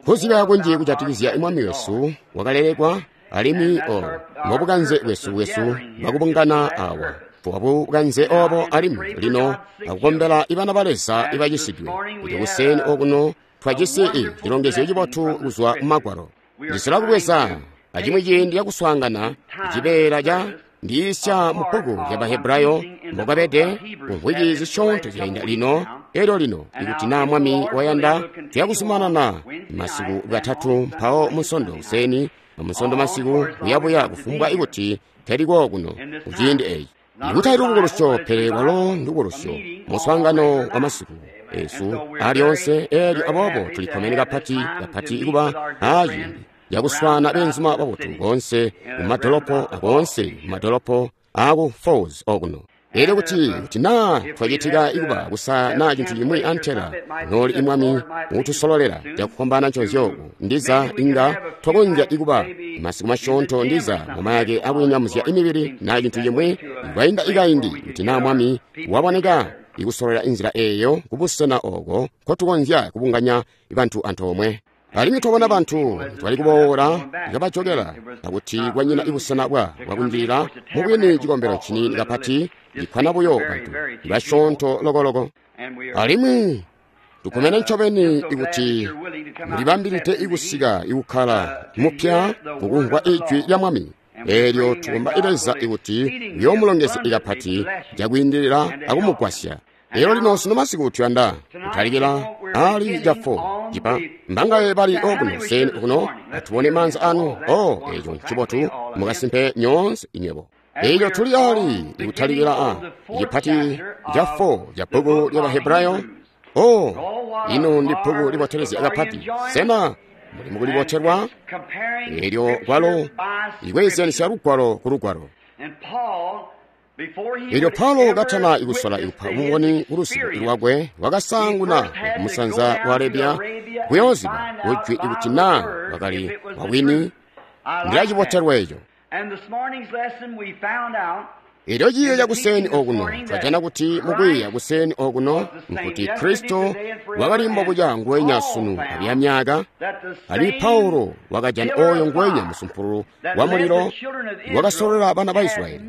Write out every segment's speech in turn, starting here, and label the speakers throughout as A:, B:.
A: Kuzyiba kunji kujatikizya Mwami wesu wakalelekwa, alimwi obo mbobukanze bwesu bwakubungana awa. Bwabukanze obo alimwi lino akukombela ibana ba Leza ibacisidwe. Kuti kuseni okuno twajisi cilongezyo cibotu kuzwa mu Magwalo. Ndisola kubweza acimwi ciindi cakuswaangana cibeela ca ndiisya mu bbuku lya Bahebrayo mbokabede kumvwiki zisyoonto zyainda lino. Elyo lino ikuti naa Mwami wayanda, tuyakuzumanana masiku katatu, mpawo Munsondo kuseni amunsondo masiku kuyabuya kufumbwa ikuti teliko kuno kuciindi eci. Ikutali lubukulusyo, pele lwalo ndubukulusyo, muswaangano wa masiku esu alyoonse. Elyo aboobo tulikkomene kapati kapati kuba aciindi cakuswaana beenzuma babotu boonse mumadolopo akoonse mumadolopo aku Falls okuno. Elyo kuti naa twacitika ikuba kusa naa cintu cimwi antela nooli imwami utusololela cakufwambaana nconzyo, ndiza inga twakonzya ikuba masiku masyoonto, ndiza mumayake akunyamuzya imibili naa cintu cimwi kwainda ikaindi, kuti naa Mwami waboneka ikusololela inzila eeyo kubusena oko nkotukonzya kubunganya bantu antoomwe. Alimwi twabona bantu twali kuboola kabajokela akuti kwanyina ibusena bwakunjilila mubwini cikombelo nciniini kapati cikkwana buyo bantu basyoonto lokoloko. Alimwi tukomene ncobeni ikuti mulibambilide ikusika ikukkala mupya mukumvwa ijwi lya Mwami. Eelyo tukomba Leza ikuti uyoomulongezya ikapati cakwiindilila akumugwasya. Elyo lino sino masiku tuyanda kutalikila ali ca 4 cipa mbangaye bali okuno seni okuno atubone maanza anu. O eco ncibotu mukasimpe nyoonse inywebo. Elyo tuli ali ikutalikila a cipati ca 4 ca bbuku lya Bahebrayo. O ino ndi bbuku libotelezya kapati. Sena muli mukulibotelwa? Elyo kwalo ikweezyanisya lugwalo ku lugwalo. Elyo Paulo katana ikusola ikupa buboni kulusiku lwakwe, wakasaanguna kumusanza wa Arabia kuyooziba kujwi ikuti naa wakali wabwini. Ndilacibotelwa eco. Elyo ciiyo cakuseni okuno twajana kuti mukwiiya kuseni okuno nkuti Kristo wakali mbobuca nguwenya sunu abuya myaka. Ali Paulo wakajana oyo nguwenya musumpululu wa mulilo wakasololela bana ba Israyeli,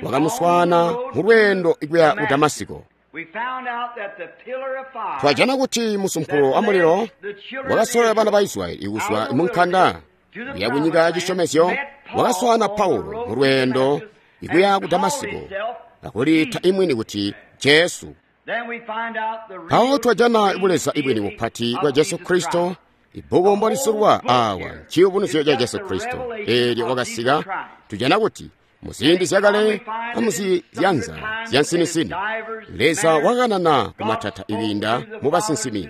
A: wakamuswaana mu lweendo ikuya ku Damasiko. Twajana kuti musumpululu wa mulilo wakasololela bana ba Israyeli ikuzwa munkanda kuya kunyika ya cisyomezyo, wakaswaana Paulo mu lweendo ikuya ku Damasiko, akuliita imwini kuti Jesu. Mpawo twajana buleza ibwini bupati bwa Jesu Kristo. Ibbuku mbolisulwa awa nciyubunuzyo ca Jesu Kristo. Eelyo wakasika, tujana kuti muziindi zyakale amuzizyanza zyansinisini Leza wakanana kumatata ikwiinda mu basinsimi,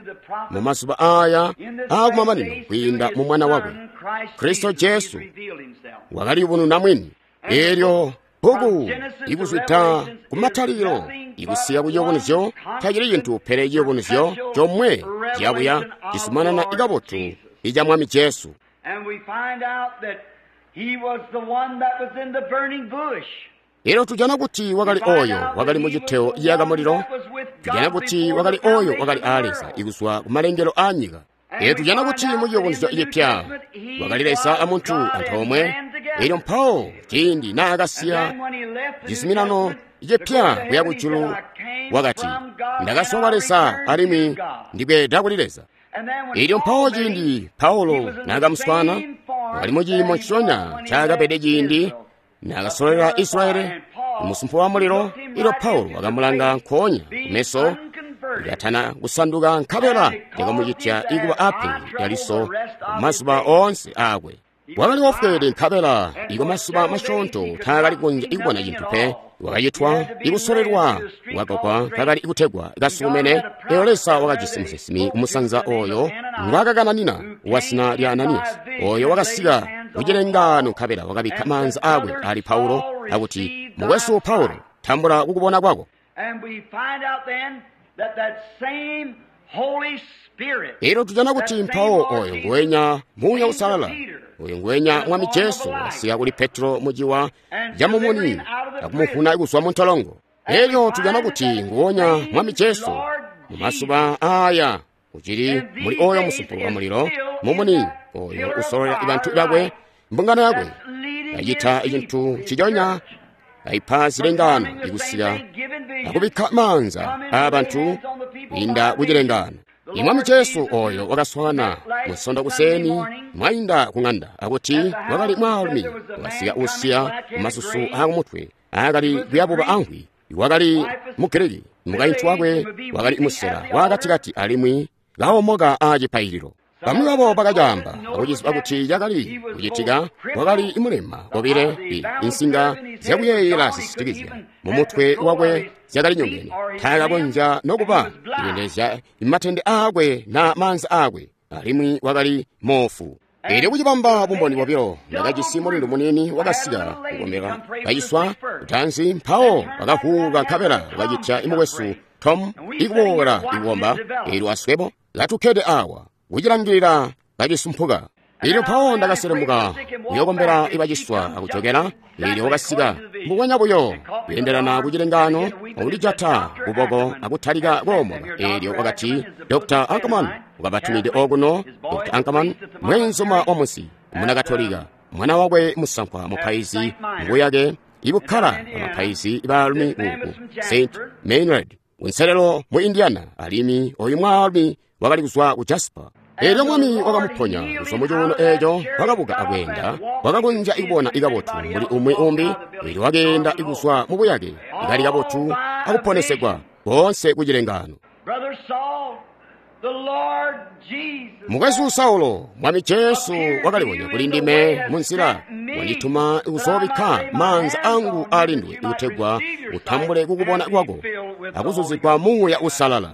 A: mu mazuba aya aakumamanino kwiinda mu Mwana wakwe Kristo Jesu wakaliyubununa mwini. Eelyo bbuku ikuzwida kumatalikilo ikusika kuciyubunuzyo tacili cintu pele ciyubunuzyo comwe ciyabuya cisumanana ikabotu ica Mwami Jesu. Elyo tujana kuti wakali oyo wakali muciteo ciyaka mulilo. Tujana kuti wakali oyo wakali aa Leza ikuzwa kumalengelo aa nyika. Elyo tujana kuti muciyubunuzyo cipya wakali Leza amuntu antoomwe. Elyo mpawo ciindi naakasiya cizuminano cipya kuya kujulu, wakati, ndakazwa kwa Leza alimwi ndibweeda kuli Leza. Elyo mpawo ciindi Paulo naakamuswaana, wakali muciimo nciconya ncaakabede ciindi naakasololela Israyeli musumpululu wa mulilo. Elyo Paulo wakamulanga nkoonya kumeso ikatana kusanduka, nkabela yakamucitya ikuba apenzi lyaliso mazuba oonse aakwe. Wakali wofweede nkabela iko masuba masyoonto taakali kukonzya ikubona cintu pe. Wakacitwa ikusolelwa wakakwa kakali ikutegwa kasukumene. Elyo Leza wakajisi musinsimi kumusanza oyo ngwaakakananina wazina lya Ananiyasi, oyo wakasika kucilengaano nkabela wakabikka maanza aakwe ali Paulo akuti, mukwesu Paulo, tambula kukubona kwako. Elyo tujana kuti mpawo oyo nguwenya Muuya Usalala, oyo nguwenya Mwami Jesu wasika kuli Petro muciwa ca mumuni akumuvuna kuzwa mu ntolongo. Elyo tujana kuti nguwonya Mwami Jesu mu mazuba aya Ucili muli oyo musumpulu wa mulilo, mumuni oyo usololela bantu bakwe, mbungano yakwe. Kacita cintu nciconya, kaipa zilengano ikusika akubikka maanza aabantu kwiinda kucilengano. Imwami Jesu oyo wakaswana musondo kuseni mwainda kung'anda akuti wakali mwaalumi wakasika usiya masusu aakumutwe aakali kuyabuba amvwi, wakali Mugiriki, mukaintu wakwe wakali musela waakatikati alimwi kaomoka aacipaililo. Bamwi babo bakacaamba akuciziba kuti cakali kucitika, wakali mulema kobile insinga zyakuyeeyela zisitikizya mumutwe wakwe zyakali nyongene, taakakonzya nokuba kuyendelezya matende aakwe na maanza aakwe, alimwi wakali moofu. Eelyo kucibamba bumboni bobilo, ndakajisi mulindu muniini wakasika kukombela kaciswa kutanzi, mpawo wakavuuka nkabela wakacitya imukwesu Tom ikuboola ikukomba. Eelyo aswebo katukkede awa kucilangilila kacisumpuka. Eelyo mpawo ndakaselemuka kuyokombela ibaciswa akujokela. Eelyo wakasika mbubonya buyo kuyendelana kucilengano akulijata kuboko akutalika koomoka. Eelyo wakati, Dr. Ankerman wakabatumide okuno. Dr. Ankerman mweenzuma wa munsi Munakatolika, mwana wakwe musankwa mupaizi mbuyake ibukkala bamapaizi baalumi ku St. Maynard kunselelo mu Indiana, alimwi oyu mwaalumi wakali kuzwa ku Jasper. Eelyo Mwami wakamuponya kuzwa mu cuuno eeco, wakabuka akweenda, wakakonzya ikubona ikabotu mbuli umwi umbi. Eelyo wakeenda ikuzwa mu buyake ikali kabotu akuponesegwa boonse kucilengano. Mukwesu Saulo, Mwami Jesu wakalibonya kuli ndime munzila, wandituma kuzoobikka maanza angu aalinduwe kutegwa utambule kukubona kwako akuzuzigwa Muuya Uusalala.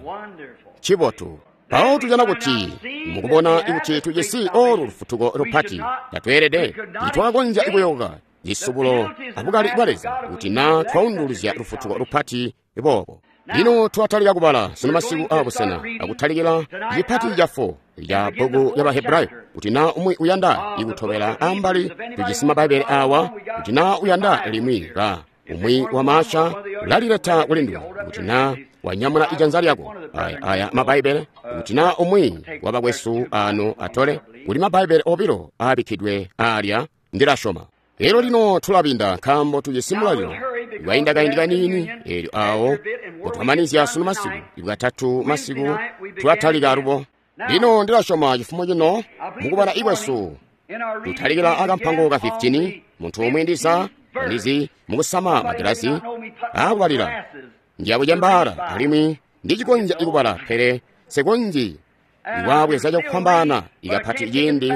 A: Cibotu. Mpawo tujana kuti mukubona kuti tujisi olu lufutuko lupati, tatweelede titwakakonzya kuyoka cisubulo abukali bwa Leza kuti na twaunduluzya lufutuko lupati boobo. Lino twatalika kubala sunu masiku aabusena akutalikila cipati ca 4 ca bbuku lya Bahebrayo. Kuti na umwi uyanda ikutobela ambali, tujisi mabbaibele awa. Kuti na uyanda limwi ka umwi wa maasha ulalileta kulinduwe. Kuti na wanyamula ijanza lyako aya mabbaibele. Kuti na umwi wa bakwesu ano atole, kuli mabbaibele obilo aabikkidwe alya, ndilasyoma. Eelyo lino tulabinda nkaambo tujisi mulalilo iwainda kaindi kaniini. Eelyo awo potwamanizya sunu masiku ibwatatu masiku tulatalika alubo. Lino ndilasyoma cifumo cino mukubala ikwesu tutalikila akampango ka 15. Munthu umwe ndiza ndizi mukusama magilasi akubalira ndiyakuchembala alimwi ndichikonzya ikubala, pele sekonzi iwabweza chakuphambana ikapati ciindi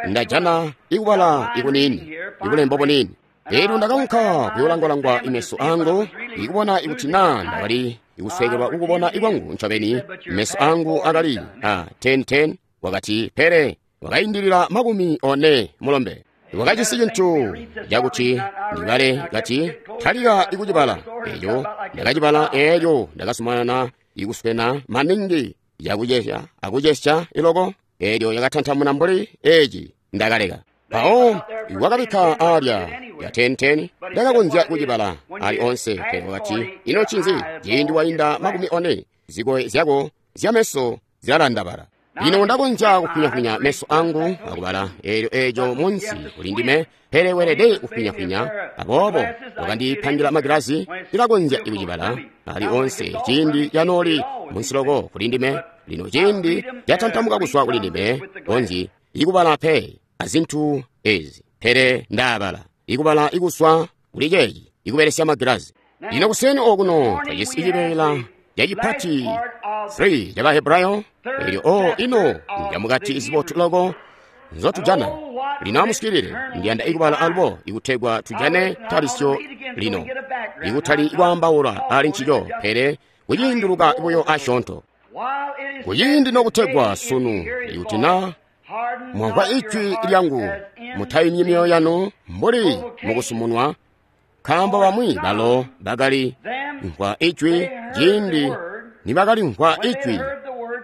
A: ndajana ikubala ikunini ikulembo bunini. Eelyo ndakaunka kuyolangwalangwa imeso angu ikubona ikuti na ndakali ikuswekelwa kukubona ikwangu ncobeni. Meso angu akali a 10-10. Wakati pele wakaindilila 40 mulombe. Wakajisi cintu cakuti ndibale, kati talika ikucibala. Eelyo ndakacibala, eelyo ndakasumanana ikuswena maningi yakucesya akucesya iloko. Eelyo yakatantamuna mbuli eci, ndakaleka. Mpawo wakabikka alya ya 10-10, ndakakonzya kucibala ali onse. Pele wakati, ino ncinzi? Ciindi wainda 40, zikoye zyako zyameso zilalandabala. Lino ndakonzya kufinyafinya meso angu akubala eelyo eeco munsi kuli ndime, pele weelede kufinyafinya. Aboobo wakandipangira magilasi, ndilakonzya kucibala ali onse ciindi canooli munsi loko kuli ndime. Lino ciindi catantamuka kuzwa kuli ndime, konzyi ikubala pe azintu ezi, pele ndaabala ikubala ikuswa kuli ceeci ikubelesya magilasi. Lino kuseni okuno twajisi cibeela cacipati 3 ca Bahebrayo. Eelyo o ino njamukati zibotu loko nzotujana. Lino amusikilile, ndiyanda ikubala alubo ikutegwa tujane talisyo lino, ikutali kwaambaula ali ncico, pele kuciinduluka buyo asyoonto. Kuciindi nokutegwa sunu, ikuti na mwamvwa ijwi lyangu, mutayimyi myoyo yanu mbuli mukusumunwa, nkaambo bamwi balo bakali mvwa ijwi ciindi nibakalimvwa ijwi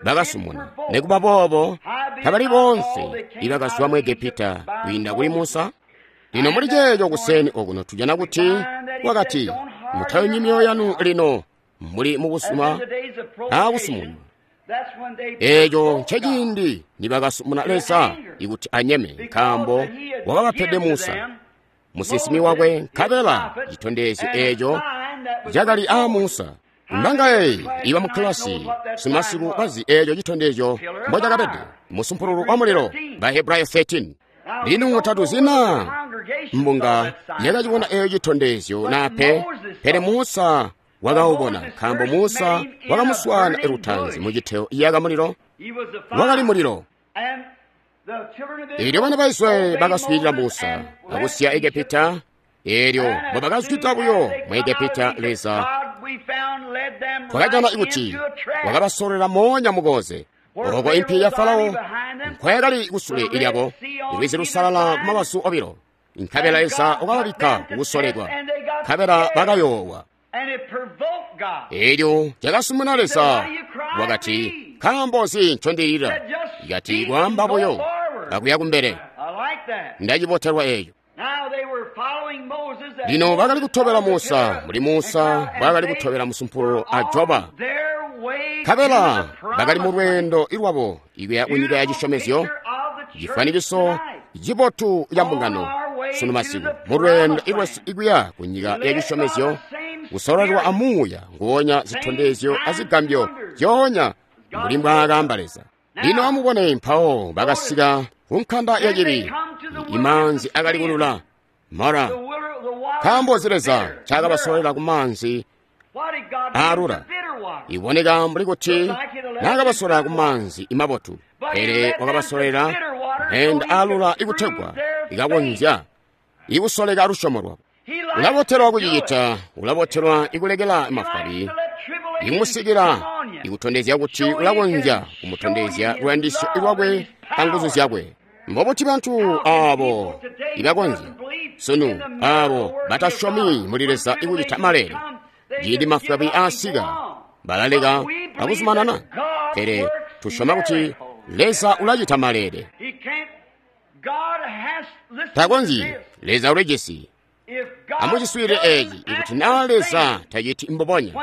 A: bakasumuna. Nikuba boobo tabali bonse ibakazwa mu Egepita kwiinda kuli Musa. Lino muli ceeco kuseni okuno tujana kuti wakati, mutayumyi myoyo yanu lino mbuli mukusuma akusumunwa. Eeco nceciindi nibakasumuna Leza ikuti anyeme, nkaambo wakabapede Musa musinsimi wakwe, nkabela citondezyo eeco cakali aa Musa. Mbangaye iba mu kilasi sumasiku bazi eeco citondezyo mbocakabede, musumpululu wa mulilo, Bahebrayo 13. Lino tatuzina mbunga yakacibona eeco citondezyo nape, pele Musa wakaubona, nkaambo Musa wakamuswaana lutanzi mu citeo yaka mulilo, wakali mulilo. Eelyo bana ba Israyeli bakaswiilila Musa akusiya Egepita. Eelyo mbobakazwida buyo mu Egepita, Leza twakajana kuti wakabasolwela moonya mukoze, oko impi ya Farao nkoyakali kusule lyabo, lwizi lusalala kumabazu obilo. Nkabela Leza wakababikka kukusolekwa, nkabela bakayoowa. Eelyo cakasumuna Leza, wakati, nkaambo nzi ncondilila? Ikati kwaamba buyo akuya kumbele. Ndacibotelwa eeco. Lino bakali kutobela Musa, mbuli Musa mbwaakali kutobela musumpululu a Joba. Nkabela bakali mu lweendo lwabo ikuya kunyika ya cisyomezyo, cifwanikiso cibotu ca mbungano sunu masiku, mu lweendo lwesu ikuya kunyika ya cisyomezyo, kusololelwa amuuya nguwonya zitondezyo azigambyo zyoonya mbuli mbwaakaamba Leza. Lino amubone, mpawo bakasika ku nkanda ya cibi, imaanzi akali kulula Mara. Nkaambo nzi Leza ncaakabasolwela ku maanzi aalula? Iboneka mbuli kuti naakabasolwela ku maanzi mabotu, pele wakabasolwela meenda aalula ikutegwa ikakonzya ikusoleka lusyomo lwabo. Ulabotelwa kucicita, ulabotelwa ikulekela mafwabi ikumusikila, ikutondezya kuti ulakonzya kumutondezya luyandisyo lwakwe anguzu zyakwe. Mbobuti bantu aabo ibakonzya sunu, aabo batasyomi muli Leza ikucita maleele, ciindi mafwabi aasika balaleka akuzumanana? Pele tusyoma kuti Leza ulacita maleele. Takonzyi, Leza ulijisi. Amuciswiilile eeci, ikuti naa Leza taciti mbubonya,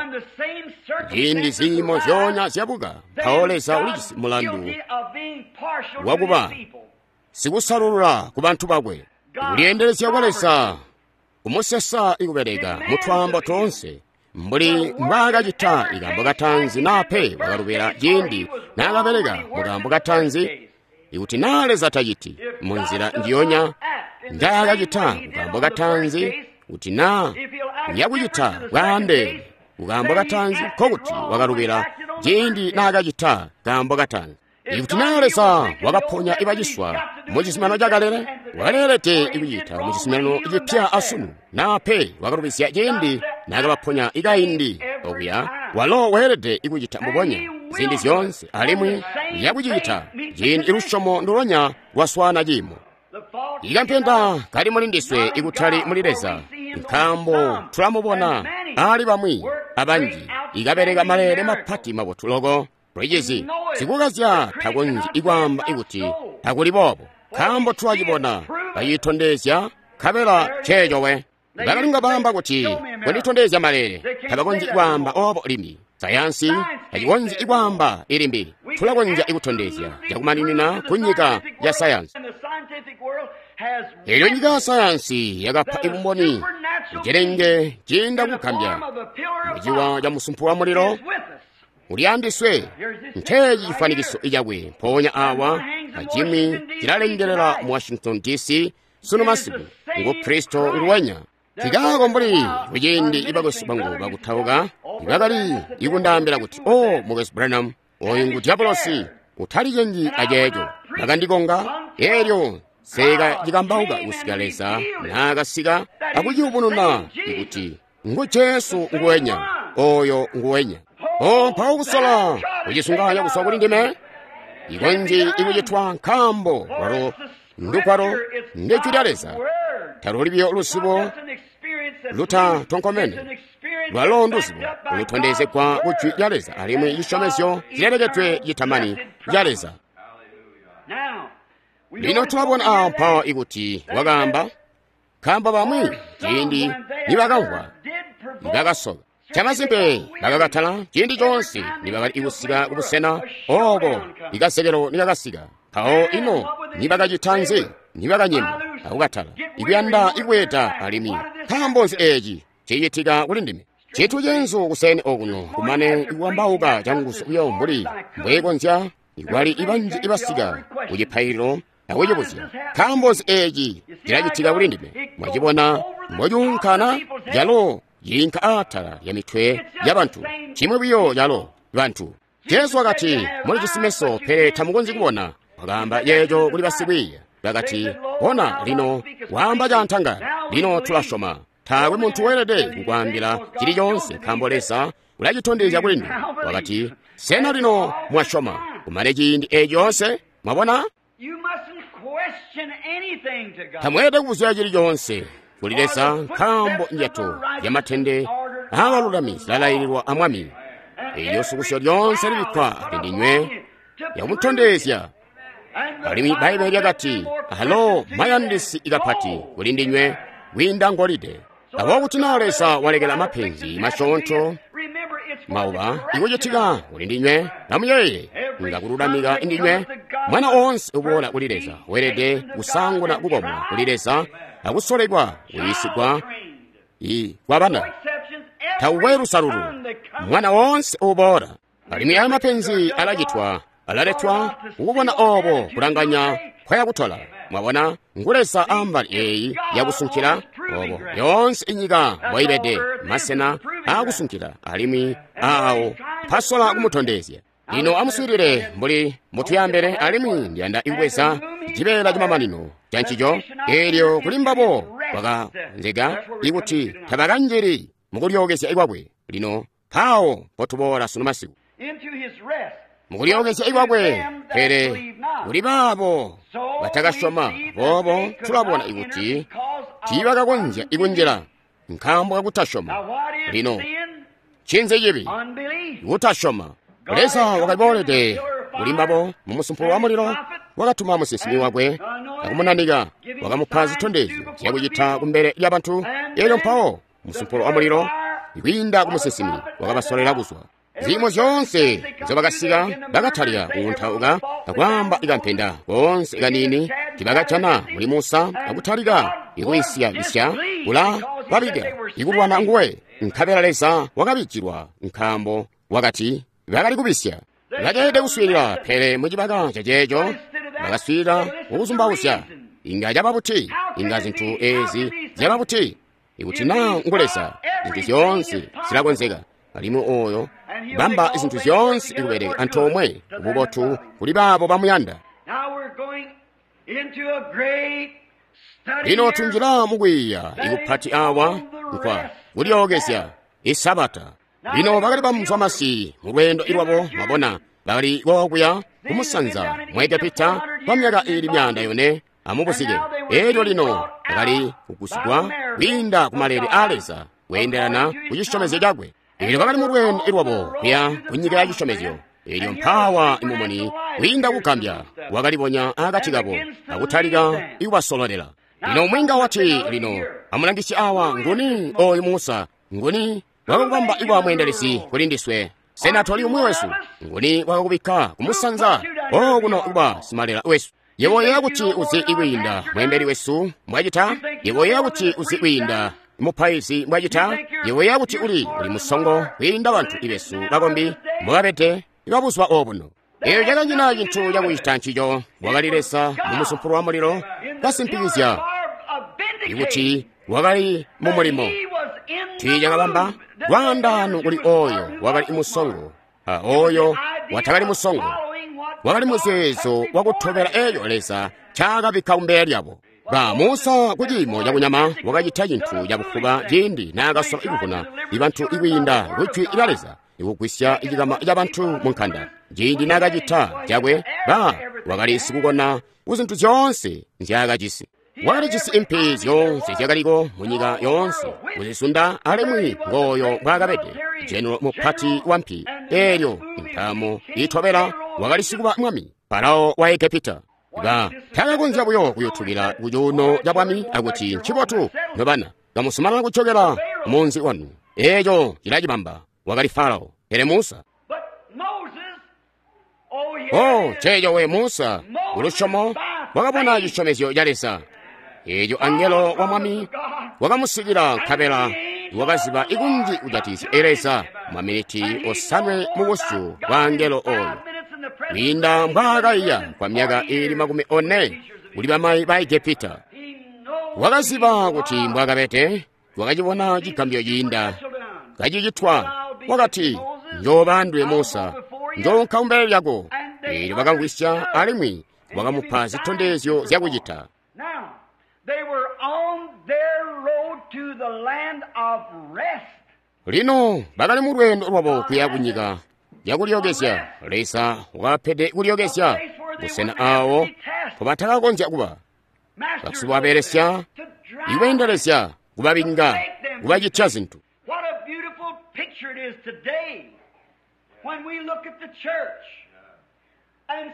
A: ciindi ziimo zyoonya zyabuka, mpawo Leza ulijisi mulandu wakuba sikusalulula ku bantu bakwe. Kulyeendelezya kwa Leza kumusesa ikubeleka mutwaambo toonse, mbuli mbwaakacita ikaambo katanzi naa pe wakalubela ciindi naakabeleka mukaambo katanzi. Ikuti naa Leza taciti munzila njiyonya njaakacita kukaambo katanzi, kuti naa uyakucita bwaandeene kukaambo katanzi, nkokuti wakalubila ciindi naakacita kaambo katanzi. Ikuti naa Leza wakaponya ibaciswa mu cizuminano cakalele, wakaleelede ikucita mu cizuminano cipya asunu, naa pe wakalubizya ciindi naakabaponya ikaindi okuya, walo weelede ikucita mbubonya ziindi zyoonse, alimwi uyakucita ciindi lusyomo ndulonya lwaswaana ciimo. Ikampenda kali muli ndiswe ikutali muli Leza, nkaambo tulamubona ali bamwi abanji ikabeleka maleele mapati mabotu loko. Lwicizi sikukazya takonzyi ikwaamba ikuti takuli boobo, nkaambo tulacibona kacitondezya, nkabela ceeco we. Bakalinga baamba kuti kunditondezya maleele, tabakonzyi kwaamba oobo limbi. Sayansi tacikonzyi ikwaamba ilimbi. Tulakonzya ikutondezya cakumaninina ku nyika ya sayansi. Eelyo nyika ya sayansi yakapa ibumboni kucilenge ciinda kugambya muciwa ca musumpu wa mulilo uli andiswe. Nceeci cifwanikiso cakwe mpoonya awa, acimwi cilalengelela mu Washington DC sunu masiku, ngu Kristo nguwenya. Tikaako mbuli kuciindi ibakwesu bangu bakutauka ibakali ikundaambila kuti, o mukwesu Branham, oyu ngu diabolosi, utalicengi aceeco. Bakandikonga, eelyo seeka cikambauka kusika Leza naakasika akuciyubununa ikuti ngu Jesu nguwenya, oyo nguwenya. O mpawo kusola kucisunganya kuswa kuli ndime, ikonzyi ikucitwa nkaambo lwalo ndugwalo ndijwi lya Leza. Taluli biyo luzibo lutatonkomene, lwalo nduzibo lutondezegwa ku jwi lya Leza, alimwi cisyomezyo cilelekedwe citamani ca Leza. Lino tulabona awo mpawo ikuti wakaamba, nkaambo bamwi ciindi nibakamvwa nibakasoka. Chamasimpe bakakatala ciindi coonse nibakali kusika kubusena ooko ikazekelo nikakasika. Mpawo ino nibakacita nzi? Nibakanyema akukatala, ikuyanda ikweeta alimwi. Nkaambo nzi eeci cicitika kuli ndime? Cinthu ceenzu kuseni okuno kumane ikuwambauka canguzu buyo mbuli mbwekonzya ikwali ibanji ibasika kucipaililo akucibuzya. Nkaambo nzi eeci cilacitika kuli ndime? Mwacibona mbocuunkana calo ciinka aatala lya mitwe yabantu. Chimwi buyo calo bantu. Jesu wakati, mulijisi meso pele tamukonzyi kubona. Wakaamba yeeco kuli basikwiiya. Bakati, bona lino waamba cantangala. Lino tulasyoma. Taakwe muntu weelede kukwaambila cili coonse nkaambo Leza ulacitondezya kuli nduwe. Wakati, sena lino mwasyoma? Kumane ciindi eeci coonse, mwabona? Tamweelede kubuzya cili coonse kuli Leza nkaambo njato zyamatende aabalulami zilalayililwa a Mwami. Eelyo sukusyo lyoonse libikkwa lindinywe yakumutondezya. Alimwi Bbaibbele lyakati, alo mayandisi ikapati kuli ndinywe kwiinda ngolide. Aboobo kuti naa Leza walekela mapenzi masyoonto mauba ikucitika kuli ndinywe, amuyeeye nga kululamika indinywe. Mwana oonse uboola kuli Leza weelede kusanguna kukomwa kuli Leza akusolekwa kuyiisigwa kwabana. Taukwe lusalulu, mwana woonse uboola. Alimwi aya mapenzi alacitwa, alaletwa kukubona obo kulanganya kwayakutola. Mwabona, ngu Leza ambali eeyi yakusunkila obo yoonse inyika mbwaibede masena aakusunkila alimwi aawo mpasola kumutondezya. Lino amuswiilile mbuli mbutuyambele alimwi ndiyanda ikubweza cibeela camamanino cancico. Eelyo kuli mbabo kwakanzeka ikuti tabakanjili mukulyookezya kwakwe. Lino mpawo mpotuboola sunu masiku mukulyookezya kwakwe, pele kuli baabo batakasyoma. Boobo tulabona ikuti tiibakakonzya ikunjila nkaambo kakutasyoma. Lino ncinzi cibi? Kutasyoma. Leza wakaliboolede kuli mbabo mumusumpulo wa mulilo, wakatuma musinsimi wakwe akumunanika, wakamupa zitondezyo zyakucita kumbele lyabantu. Eelyo mpawo musumpulo wa mulilo kwiinda ku musinsimi wakabasolela kuzwa. Ziimo zyoonse nzyobakasika bakatalika kuuntauka akwaamba ikampenda koonse kaniini tibakajana muli Musa akutalika ikuyisya-isya kula babika ikulwana nguwe. Nkabela Leza wakabijilwa nkaambo wakati bakali kubisya. Bakeelede kuswiilila, pele mucibaka caceeco bakaswiilila kukuzumbauzya. Inga caba buti? Inga zintu eezi zyaba buti? Ikuti naa ngu Leza, zintu zyoonse zilakonzeka. Alimwi oyo bamba zintu zyoonse ikubeleka antoomwe kububotu kuli baabo bamuyanda. Lino tunjila mukwiiya ikupati awa nkwa kulyookezya isabata. Lino bakali bamuzwamasi mu lweendo lwabo, mwabona, bakali kokuya kumusanza mu Egepita kwa myaka ili 400 amubuzike. Eelyo lino bakali kugusigwa kwiinda ku malele a Leza kweendelana ku cisyomezyo cakwe. Eelyo bakali mu lweendo lwabo kuya ku nyika ya cisyomezyo. Eelyo mpaawa imumuni kwiinda kugambya wakalibonya akati kabo akutalika ikubasololela. Lino mwinga wati, lino amulangisye awa, nguni oyu Musa? Nguni wakakubamba ikuba mweendelezi kuli ndiswe? Sena toli umwi wesu? Nguni wakakubikka kumusanza okuno kuba simalela wesu? Yebo uyeeya kuti uzi ikwiinda mweembeli wesu mbwacita? Yebo uyeeya kuti uzi kwiinda mupaizi mbwacita? Yebo uyeeya kuti uli musongo kwiinda bantu ibesu bakombi mbobabede ibabuzuba obuno? Eeyo cakanyina cintu cakucita ncico. Wakali Leza mumusumpulo wa mulilo kasimpikizya ikuti wakali mu mulimo. Tiicakabamba lwaandaano kuli oyo wakali musongo a oyo watakali musongo. Wakali muzeezo wakutobela eeyo Leza ncaakabikka kumbele lyabo. Ba Musa kuciimo cakunyama wakacita cintu cabufuba ciindi naakasola ikuvuna ibantu ikwiinda kujwi lya Leza ikugwisya cikama cabantu mu nkanda. Ciindi naakacita cakwe, ba wakali sikukona kuzintu zyoonse nzyaakajisi. Wakalijisi impi zyoonse zyakaliko munyika yoonse kuzisunda, alimwi ngooyo mbwaakabede jenero mupati wa mpi. Eelyo intaamo iitobela wakali sikuba mwami Farao wa Egepita. Ba takakonzya buyo kuyutukila ku cuuno ca bwami akuti ncibotu nobana kamusumanana kucokela munzi wanu. Eeco cilacibamba. Wakali Farao. Pele Musa. Oh, ceeco we Musa, kulusyomo wakabona cisyomezyo ca Leza. Eeco angelo wa Mwami wakamusikila nkabela wakaziba ikunji kujatikizya Leza maminiti 5 mu busyu bwa angelo oyo. Kwiinda mbwaakaiya kwa myaka iili 40 kuli bamayi ba Egepita. Wakaziba kuti mbwaakabede, wakacibona cigambyo ciinda kacicitwa. Wakati, njooba nduwe Musa, njoonka kumbele lyako. Eelyo bakamvwisya alimwi wakamupa zitondezyo zyakucita. Lino bakali mu lweendo lwabo kuya kunyika yakulyookezya. Leza wakabapede kulyookezya busena aawo mpobatakakonzya kuba basikubabeelesya, ikweendelezya, kubabinga, kubacitya zintu.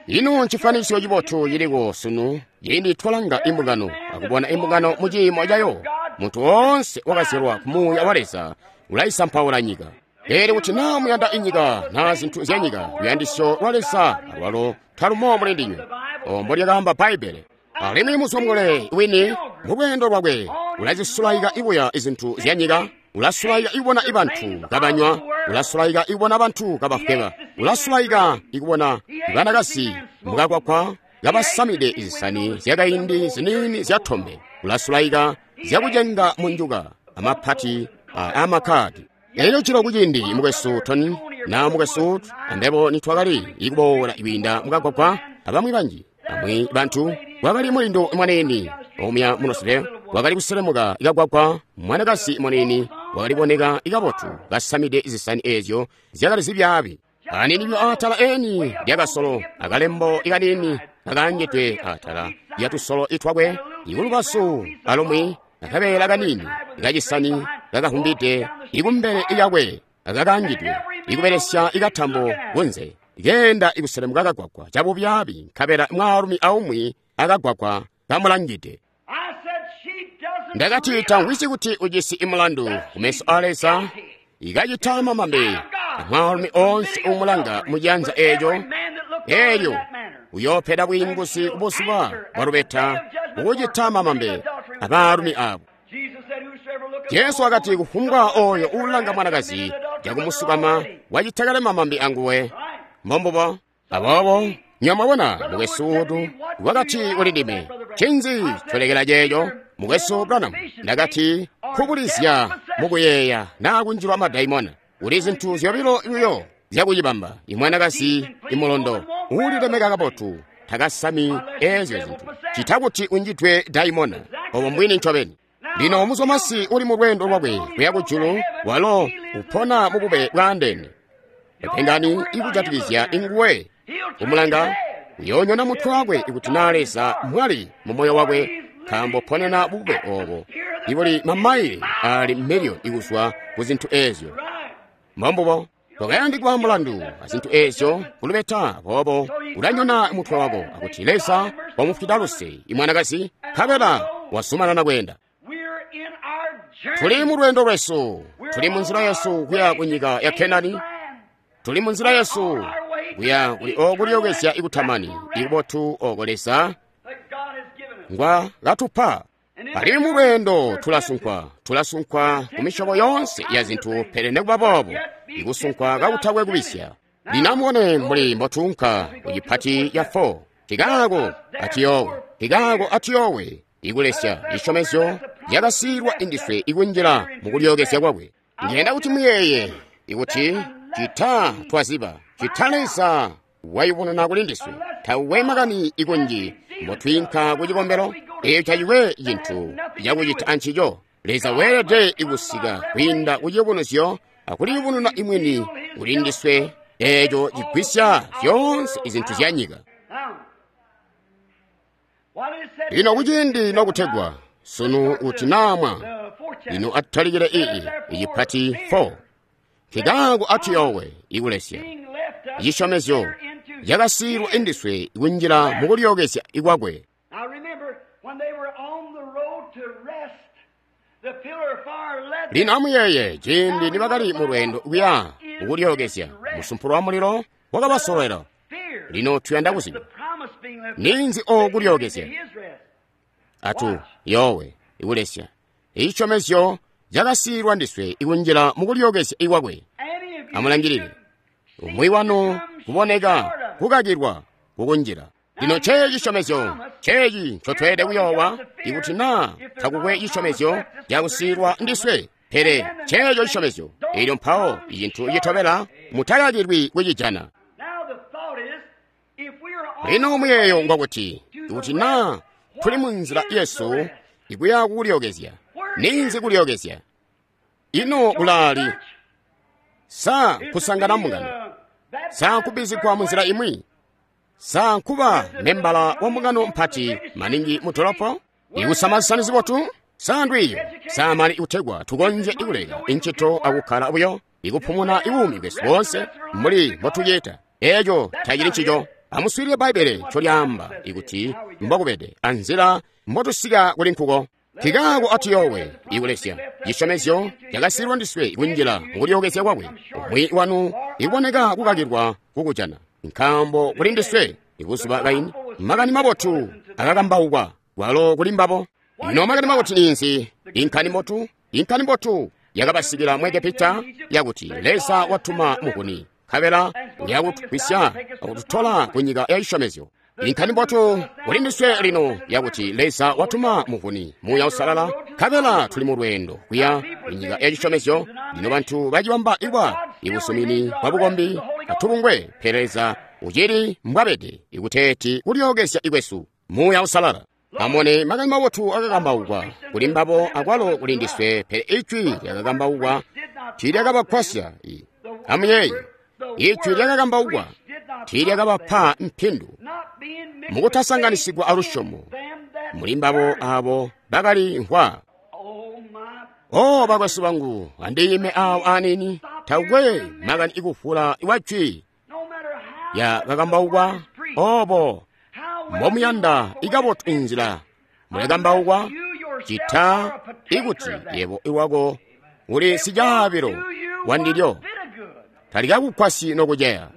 A: Ino ncifanisyo cibotu ciliko sunu ciindi twalanga imbungano akubona imbungano mu ciimo cayo. Muntu woonse wakazyalwa ku Muuya wa Leza ulaisampaula nyika. Pele kuti naa muyanda inyika naa zintu zya nyika, luyandisyo lwa Leza alwalo talumo muli ndinywe. Ombo lyakaamba Bbaibbele. Alimwi muzwamule wini mu lweendo lwakwe ulazisulaika ibuya izintu zya nyika, ulasulaika ikubona ibantu kabanywa, ulasulaika ikubona bantu kabafweba, ulasulaika ikubona banakazi mukakwakwa kabasamide izisani zyakaindi ziniini zyatombe, ulasulaika zyakucenga munjuka amapati amakadi. Elyo cilo kuciindi mukwesu Tony na mukwesu ambebo nitwakali ikuboola kwiinda mukagwagwa abamwi banji amwi bantu, wakali mulindu mwanini omuya munosile wakali kuselemuka ikagwagwa. Mwanakazi mwanini wakaliboneka ikabotu kasamide zisani eezyo zyakali zibyaabi aninidwe atala eni lyakasolo akalembo ikanini kakaangidwe atala lyatusolo itwakwe ikulubasu alumwi akabeela kanini kacisani kakahumbide ikumbele iyakwe akakaangidwe ikubelesya ikatambo kunze keenda ikuselemuka kagwagwa cabubyaabi nkabela mwaalumi aumwi akagwagwa kamulangide. Ndakati tamvwisyi kuti ujisi imulandu kumeso a Leza ikacita mamambe mwaalumi oonse uumulanga mucianza eeco, eelyo uyoopeda bwiinguzi kubuzuba bwa lubeta ukucita mamambe abaalumi abo. Jesu wakati kufumbwa oyo uulanga mwanakazi cakumusukama wacitakale mamambe anguwe. Mbombubo. Aboobo nyamwabona mukwesu utu wakati kuli ndime, ncinzi colekela ceeco mukwesu Branham? Ndakati kubulizya mukuyeeya naa kunjilwa madaimona. Kuli zintu zyobilo buyo zyakucibamba: imwanakazi imulondo uulilemeka kabotu takasami eezyo zintu, cita kuti unjidwe daimona. Obo mbwini ncobeni. Lino muzwamasi uli mu lweendo lwakwe kuya kujulu, walo upona mu bube bwaandeene. Epengani ikujatikizya inguwe kumulanga uyoonyona mutwe wakwe ikuti naa Leza mwali mu moyo wakwe, nkaambo ponena bube obo ibuli mamaile ali miliyoni ikuzwa ku zintu eezyo. Mbombubo. Tokayandikwa mulandu azintu eezyo kulubeta, boobo ulanyona mutwe wako akuti Leza wamufwida luse imwanakazi, nkabela wazumanana kweenda. Tuli mu lweendo lwesu, tuli mu nzila yesu kuya ku nyika ya Kenani, tuli mu nzila yesu kuya kuli okulyokezya ikutamani ikubotu oko Leza ngwa katupa. Alimwi mu lweendo tulasunkwa, tulasunkwa ku misyobo yoonse ya zintu, pele nekuba boobo ikusunkwa kakutakwe kubisya. Lino amubone mbuli mbotuunka ku cipati ya 4. Tikaako atiyowe, tikaako atiyowe ikulesya cisyomezyo yakasiilwa indiswe ikunjila mukulyokezya kwakwe. Ndiyenda kuti muyeeye ikuti cita twaziba cita Leza wayubununa kuli ndiswe, tauwe makani ikunji mbotwiinka ku cikombelo, eeyo taciwe cintu cakucita ancico. Leza weelede ikusika kwiinda ku ciyubunuzyo akuliyubununa imwini kuli ndiswe, eeco cigwisya zyoonse izintu zya nyika. Lino kuciindi nokutegwa sunu kuti naamwa, lino atutalike ii icipati 4. Nkikaako atiyowe ikulesya cisyomezyo yakasiilwa indiswe ikunjila mukulyokezya ikwakwe. Lino amuyeeye ciindi nibakali mu lweendo kuya kukulyookezya, musumpulo wa mulilo wakabasolwela. Lino tuyanda kuziba ninzi o kulyookezya. Atu yoowe ikulesya icisyomezyo cakasiilwa ndiswe ikunjila mukulyookezya ikwakwe. Amulangilile umwi wanu kuboneka kukakilwa kukunjila. Lino ceeci cisyomezyo, ceeci ncotweelede kuyoowa, ikuti naa takukwe cisyomezyo cakusiilwa ndiswe, pele ceeco cisyomezyo. Elyo mpawo icintu citobela, mutakakilwi kucijana. Lino muyeeyo ngwakuti, ikuti naa tuli mu nzila yesu ikuya kukulyookezya, ninzi kulyookezya? Ino kulaali? Sa kusangana mbungano? Sa kubbizigwa mu nzila imwi? Sa nkuba membala wa mbungano mpati maningi mu dolopo? Ikusama zisani zibotu? Sa ndwiiyo? Sa mali ikutegwa tukonzye ikuleka incito akukkala buyo ikupumuna ibuumi bwesu boonse mbuli mbotucita? Eeco tacili ncico. Amuswiilile Bbaibbele ncolyaamba ikuti mbokubede anzila mbotusika kuli nkuko. Nkikaako atuyoowe ikulesya cisyomezyo cakasiilwa ndiswe kunjila mukulyookezya kwakwe. Umwi wanu ikuboneka kukakilwa kukujana, nkaambo kuli ndiswe ibuzuba kaini makani mabotu akakambaukwa kwalo kuli mbabo. Ino makani mabotu ninzi? Inkani mbotu, inkani mbotu yakabasikila mu Egepita yakuti Leza watuma muvuni, nkabela uyakutugwisya akututola ku nyika ya cisyomezyo. Inkani mbotu kuli ndiswe lino yakuti Leza watuma muvuni, Muuya Uusalala, nkabela tuli mu lweendo kuya ku nyika ya cisyomezyo. Lino bantu bacibamba ikwa ibusumini bwa bukombi atubungwe, pele Leza ucili mbwabede ikuteeti kulyookezya ikwesu Muuya Uusalala. Amone makani mabotu akakambaukwa kuli mbabo akwalo kuli ndiswe, pele ijwi lyakakambaukwa tiilyakabagwasya. Amuyeeye, ijwi lyakakambaukwa tiilyakabapa mpindu mukutasanganisigwa alusyomo muli mbabo abo bakali mvwa. O bakwesu bangu, andiime awo aniini, takukwe makani ikufula iwa jwi yakakambaukwa obo mbomuyanda ikabotu inzila mulekambaukwa, cita ikuti yebo iwako uli sicaabilo wandilyo, talikakugwasyi nokuceya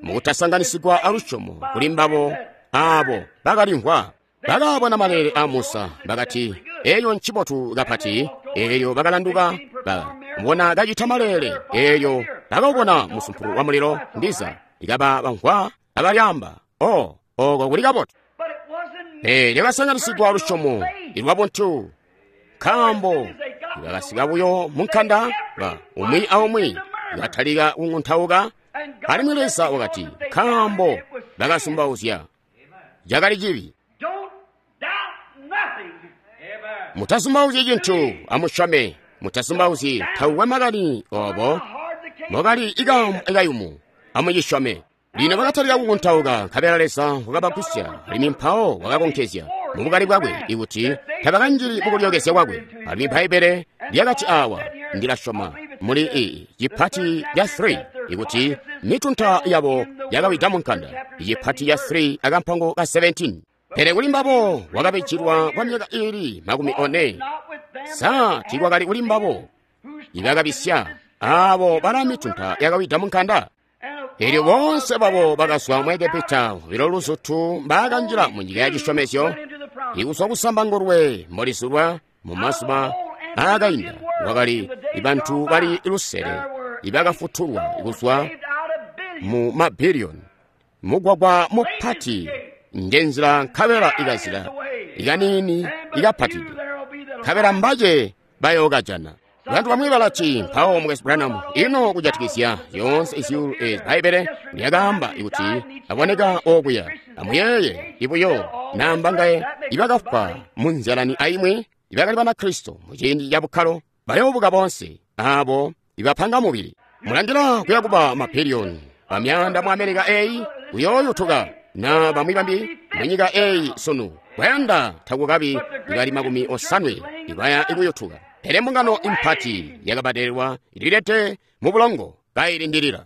A: mukutasanganisigwa alusyomo kuli mbabo abo bakalimvwa. Bakabona maleele a Musa, bakati eyo ncibotu kapati. Elyo bakalanduka bamubona kacita maleele. Elyo bakabona musumpulu wa mulilo ndiza likaba bamvwa abalyamba, o oko kuli kabotu. Pele lyakasanganisigwa lusyomo ilwabuntu, nkaambo bakasika buyo munkanda ba umwi aumwi batalika kung'untauka. Alimwi Leza wakati, nkaambo bakasumbauzya, cakali cibi. Mutasumbauzyi cintu, amusyome. Mutasumbauzyi takukwe makani obo mbokali ikayumu, amucisyome. Lino bakatalika kukuntauka, nkabela Leza wakabagwisya, alimwi mpawo wakakonkezya mubukali bwakwe ikuti tabakanjili mukulyookezya kwakwe. Alimwi Bbaibbele lyakati awa, ndilasyoma muli ii cipati ca 3 ikuti mitunta yabo yakawida munkanda, icipati ca 3 akampango ka 17. Pele kuli mbabo wakabijilwa kwa myaka iili 40. Sa tiikwakali kuli mbabo ibakabisya abo bala mitunta yakawida munkanda? Elyo boonse babo bakazwa mu Egepita bilo luzutu mbakanjila mu nyika ya cisyomezyo, ikuzwa kusambangulwe mbolizulwa mu mazuba aakainda kwakali bantu bali 500 ibakafutulwa kuzwa mu mabiliyoni. Mugwagwa mupati njenzila nkabela ikazila ikaniini ikapatide, nkabela mbace bayookajana. Bantu bamwi balati, mpawo Mukwesu Branham, ino kujatikizya zyoonse izyuulu ezi Bbaibbele lyakaamba ikuti aboneka okuya. Amuyeeye ibuyo namba ngaye ibakafwa mu nzyalani aimwi ibakali Banakristo mu ciindi ca bukkalo, bayoobuka boonse abo ibapanga mubili. Mulangila kuya kuba mabiliyoni bamyaanda mu Amerika eyi kuyooyutuka na bamwi bambi mu nyika eyi sunu. Bayanda takukabi ibali 80 ibaya ikuyutuka. Pele mbungano impati yakabadelelwa ililete mu bulongo kailindilila.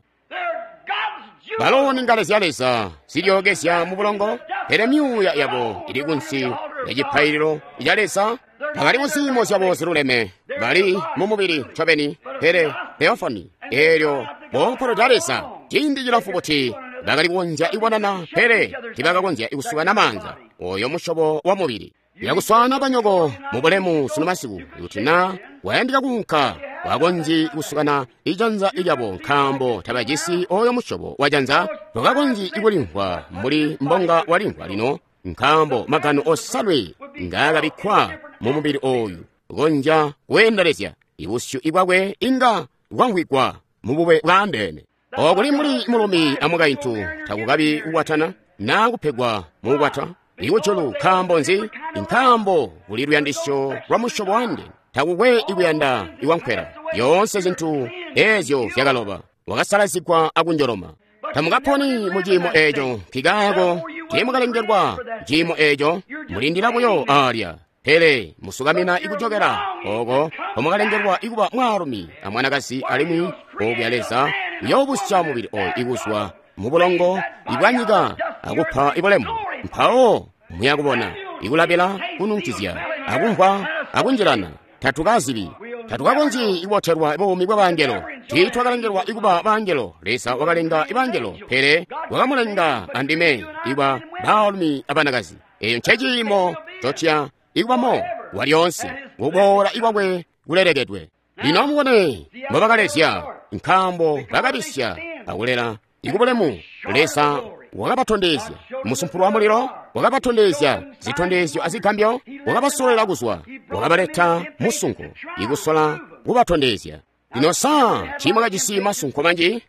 A: Balo ni ngale zya Leza zilyookezya mu bulongo, pele myuuya yabo ili kunsi ya cipaililo ca Leza. Tabali mu ziimo zyabo ziluleme, bali mu mubili ncobeni, pele theofani eelyo boompolola Leza ciindi cilamfu buti bakali kukonzya kubonana, pele tiibakakonzya kusukana maanza. Oyo musyobo wa mubili. Yakuswaana banyoko mu bulemu sunu masiku, kuti na wayandika kuunka, wakonzyi kusukana ijanza lyabo nkaambo tabajisi oyo musyobo wa janza. Tokakonzyi kulimvwa mbuli mbonga walimvwa lino, nkaambo magano osanwe ngaakabikkwa mu mubili oyu konzya kweendelezya ibusyu bwakwe inga bwamvwigwa mu bube bwaandeene. Okuli mbuli mulumi amukaintu takukabi kukwatana naa kupegwa mukukwata ikujulu. Nkaambo nzi? Nkaambo kuli luyandisyo lwa musyobo wandeene. Takukwe ikuyanda ikwankwela. Yoonse zintu eezyo zyakaloba, wakasalazigwa akunjoloma. Tamukaponi mu ciimo eeco, nkikaako tiimukalengelwa ciimo eeco, mulindila buyo aalya. Pele musukamina ikujokela oko komukalengelwa ikuba mwaalumi amwanakazi, alimwi okuya Leza uyoobusya mubili oyu ikuzwa mu bulongo ibwanyika akupa ibulemu. Mpawo muyakubona ikulabila, kununkizya, akumvwa, akunjilana. Tatukazibi, tatukakonzyi kubotelwa buumi bwa bangelo. Tiitwakalengelwa ikuba bangelo. Leza wakalenga ibangelo, pele wakamulenga andime ikuba baalumi abanakazi. Eyo nceciimo cotya ikubamo walyoonse, kuboola ikwakwe kulelekedwe. Lino amubone mbobakalezya, nkaambo bakabisya akulela ikubulemu. Leza wakabatondezya musumpulu wa mulilo, wakabatondezya zitondezyo azigambyo, wakabasololela kuzwa, wakabaleta musunko ikusola kubatondezya. Lino saa tiimwakajisi masunko manji?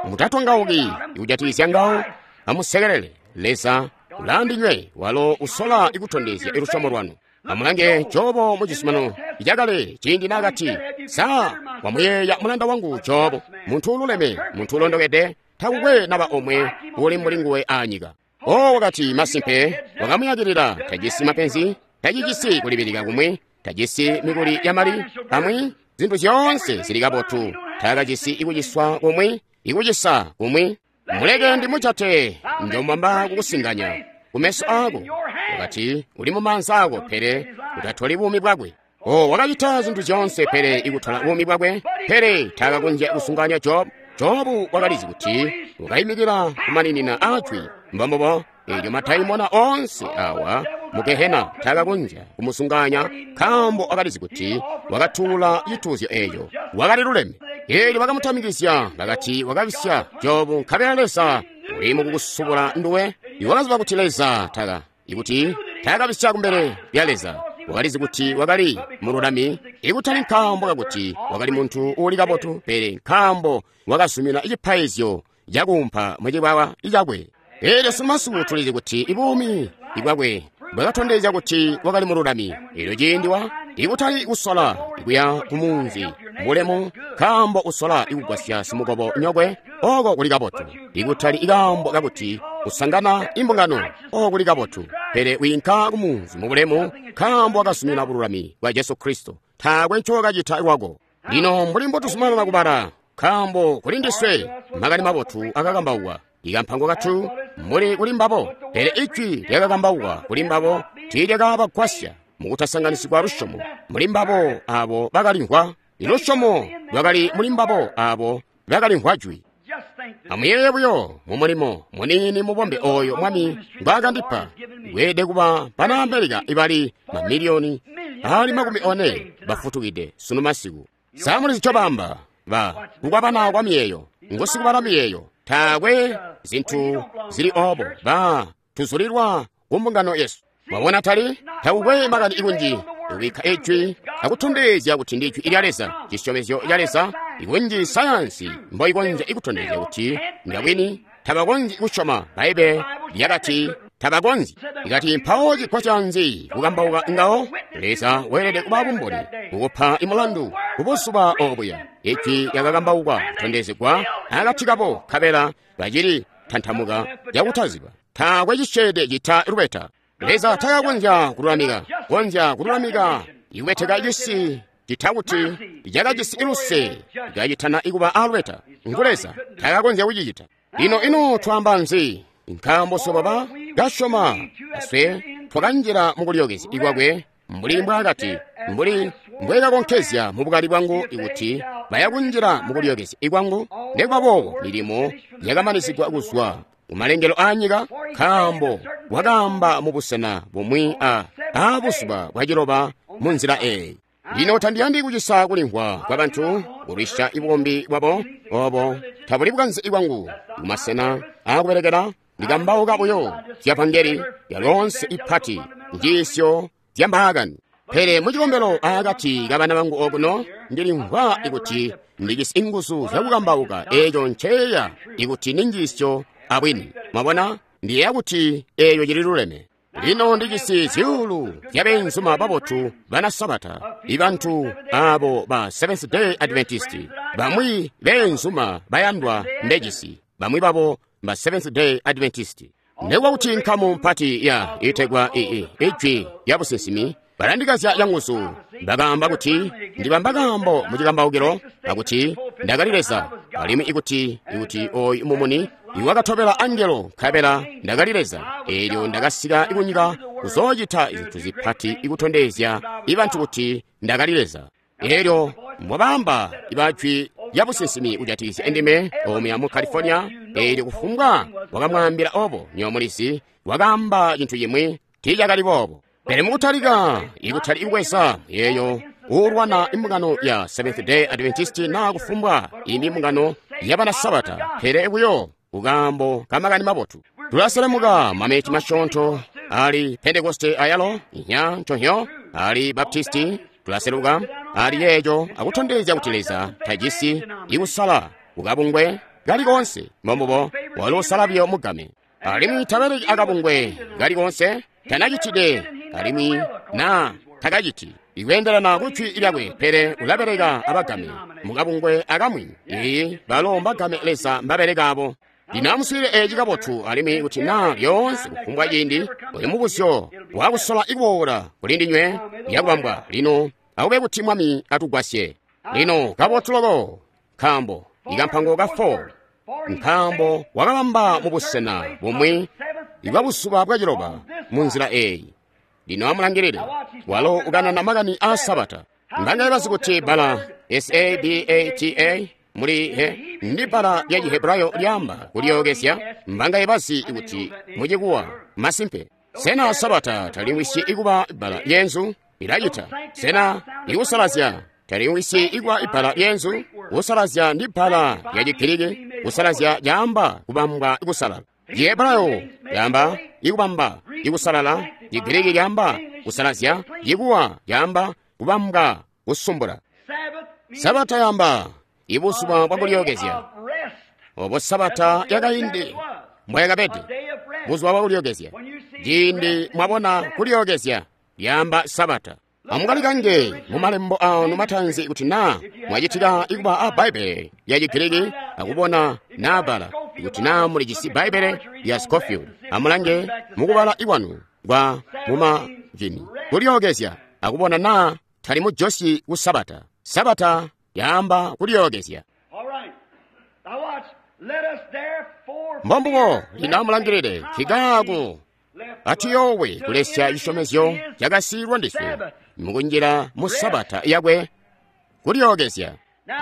A: Mutatongauki ikujatikizya ngawo, amusekelele. Leza ulaandinywe, walo usola ikutondezya ilusyomo lwanu. Amulange Jobo mu cizuminano cakale, ciindi naakati, saa wamuyeeya mulanda wangu Jobo, muntu ululeme, muntu ulondokede, takukwe naba omwe uli mbuli nguwe aanyika. O wakati, masimpe wakamuyakilila, tajisi mapenzi, tacijisi kulibilika kumwi, tajisi mikuli ya mali amwi, zintu zyoonse zili kabotu, takajisi ikuciswa kumwi, ikucisa kumwi. Muleke ndimujate, njomwamba kukusinganya kumeso ako. Wakati, uli mu maanza ako, pele utatoli buumi bwakwe. O wakacita zintu zyoonse pele ikutola buumi bwakwe, pele takakonzya kusunganya Jobu. Jobu wakalizi kuti wakayimikila kumaninina ajwi. Mbombobo eelyo madaimona onse awa mu Gehena takakonzya kumusunganya, nkaambo wakalizi kuti wakatuula cituuzyo eeco, wakali luleme. Eelyo bakamutamikizya, bakati wakabisya Jobu, nkabela Leza uli mukukusubula nduwe. Iwakaziba kuti Leza taka ikuti takabisya kumbele lya Leza. Wakalizi kuti wakali mululami, ikutali nkaambo kakuti wakali muntu uuli kabotu, pele nkaambo wakazumina cipaizyo cakuumpa mucibwawa cakwe. Eelyo sunu tulizi kuti ibuumi bwakwe bwakatondezya kuti wakali mululami. Eelyo ciindi wa ikutali kusola kuya kumunzi bulemu, nkaambo usola ikugwasya simukobo nyokwe, oko kuli kabotu. Ikutali ikaambo kakuti usangana imbungano, oko kuli kabotu, pele wiinka kumunzi mubulemu, nkaambo wakazumina bululami bwa Jesu Kristo. Taakwe ncokacita lwako. Lino mbuli mbotuzumanana kubala, nkaambo kuli ndiswe makani mabotu akakambaukwa, ikampango katu muli kuli mbabo, pele ijwi lyakakambaukwa kuli mbabo tiilyakabagwasya mukutasanganisigwa lusyomo muli mbabo abo bakalimvwa. Ilusyomo lwakali muli mbabo abo bakalimvwa jwi. Amuyeeye buyo mumulimo muniini mubombe oyo Mwami ngwaakandipa, weelede kuba bana Amerika ibali mamiliyoni ali 40 bafutukide sunu masiku. Sa mulizi ncobamba? Ba kukwabana kwa miyeeyo, ngusikubala miyeeyo. Taakwe zintu zili obo, ba tuzulilwa ku mbungano yesu. Mwabona, tali takukwe makani ikunji kubikka ijwi akutondezya kuti ndi ijwi lya Leza, cisyomezyo ca Leza. Ikunji sayansi mboikonzya ikutondezya kuti ndabwini, tabakonzyi kusyoma Baibe lyakati tabakonzyi. Ikati mpawo cigwasya nzi kukambauka ngawo? Leza weelede kuba bumboni kukupa imulandu kubuzuba obuya. Ijwi lyakakambaukwa kutondezegwa akati kabo, nkabela bacili tantamuka cakutaziba. Taakwe cisyeede cita lubeta. Leza takakonzya kululamika, konzya kululamika ikubeteka cisi cita kuti cakajisi iluse kacitana ikuba alubeta. Ngu Leza takakonzya kucicita. Lino ino twaamba nzi? Nkaambo swebo ba kasyoma aswe twakanjila mukulyookezya kwakwe, Mbuli mbwaakati, mbuli mbwekakonkezya mu bukali bwangu ikuti bayakunjila mukulyookezya kwangu, nekuba boobo milimo yakamanisigwa kuzwa kumalengelo aanyika, nkaambo wakaamba mu busena bumwi a buzuba bwaciloba mu nzila eeyi. Lino tandiyandi kucisa kulimvwa kwa bantu kulwisya bukombi bwabo obo tabuli bukanze bwangu. Kumasena aakubelekela ndikambauka buyo zya vangeli yaloonse ipati njiisyo zya mbaakani. Pele mucikombelo aakati kabana bangu okuno ndilimvwa ikuti ndijisi nguzu zyakukambauka eeco nceya ikuti ni njiisyo abwini. Mwabona, ndiyeeya kuti eeyo cililuleme. Lino ndijisi zyuulu zya beenzuma babotu bana Sabata, ibantu abo ba Seventh Day Adventist, bamwi beenzuma bayandwa mbejisi, bamwi babo ba Seventh Day Adventist. Nekuba kuti nkamu mpati ya itegwa ijwi lya businsimi balandikazya canguzu, bakaamba kuti ndibamba kaambo mucikambaukilo akuti ndakali Leza, alimwi ikuti oyu mumuni iwakatobela angelo nkabela ndakali Leza. Eelyo ndakasika kunyika kuzoocita zintu zipati ikutondezya ibantu kuti ndakali Leza. Eelyo mbwabaamba ibajwi lya businsimi kujatikizya ndime omuya mu California, eelyo kufumbwa wakamwaambila obo nyomulizi wakaamba cintu cimwi tiicakali boobo. Pele mukutalika ikutali kubweza yeeyo uulwana imbungano ya Seventh Day Adventist naa kufumbwa imbi mbungano yabana Sabata, pele buyo kukaambo kamakani mabotu. Tulaselemuka mameti masyoonto ali Pentekoste ayalo inya nconhyo ali Baptisti, tulaseluka ali yeeco akutondezya kuti Leza tajisi ikusala kukabungwe kali koonse, mbombubo walo usala buyo mugame. Alimwi tabeleki akabungwe kali koonse, tanacitide alimwi naa takaciti ikweendelana kujwi lyakwe, pele ulabeleka abagame mukabungwe akamwi. Iyi balo mbagame Leza mbabeleka abo. Lino amuswiilile eeci kabotu, alimwi kuti naa lyoonse kufumbwa ciindi oyu mubuzyo wakusola ikuboola kuli ndinywe yakubambwa. Lino akube kuti Mwami atugwasye. Lino kabotu loko, nkaambo ikampango ka 4, nkaambo wakabamba mu busena bumwi ibwa buzuba bwaciloba mu nzila eeyi. Lino amulangilile, walo ukanana makani aa Sabata. Mbangaye bazi kuti bbala S-A-B-A-T-A muli he ndi bbala lya Chihebrayo lyaamba kulyookezya? Mbangaye bazi kuti mucikuwa masimpe? Sena Sabata talimwisyi ikuba bbala lyenzu? Ilacita. Sena ikusalazya talimwisyi ikuba ibbala lyenzu? Kusalazya ndi bbala lya Chigiriki. Kusalazya caamba kubambwa kusalala. Chihebrayo lyaamba ikubamba ikusalala, Chigiriki lyaamba kusalazya, chikuwa lyaamba kubambwa kusumbula. Sabata yaamba ibuzuba bwakulyookezya. Obo Sabata yakaindi mbwayakabede, buzuba bwakulyookezya. Ciindi mwabona kulyookezya lyaamba Sabata. Amukalikange mu malembo aanu matanzi kuti naa mwacitika ikuba a Bbaibbele lya Chigiriki akubona naa bbala, kuti naa mulijisi Bbaibbele lya Scofield, amulange mukubala ikwanu kwa mumajini kulyookezya akubona naa tali mujosyi ku Sabata. Sabata yaamba kulyookezya. Mbombubo lino amulangilile nkikaako atuyoowe kulesya cisyomezyo cakasiilwa ndiswe mukunjila mu Sabata yakwe kulyookezya.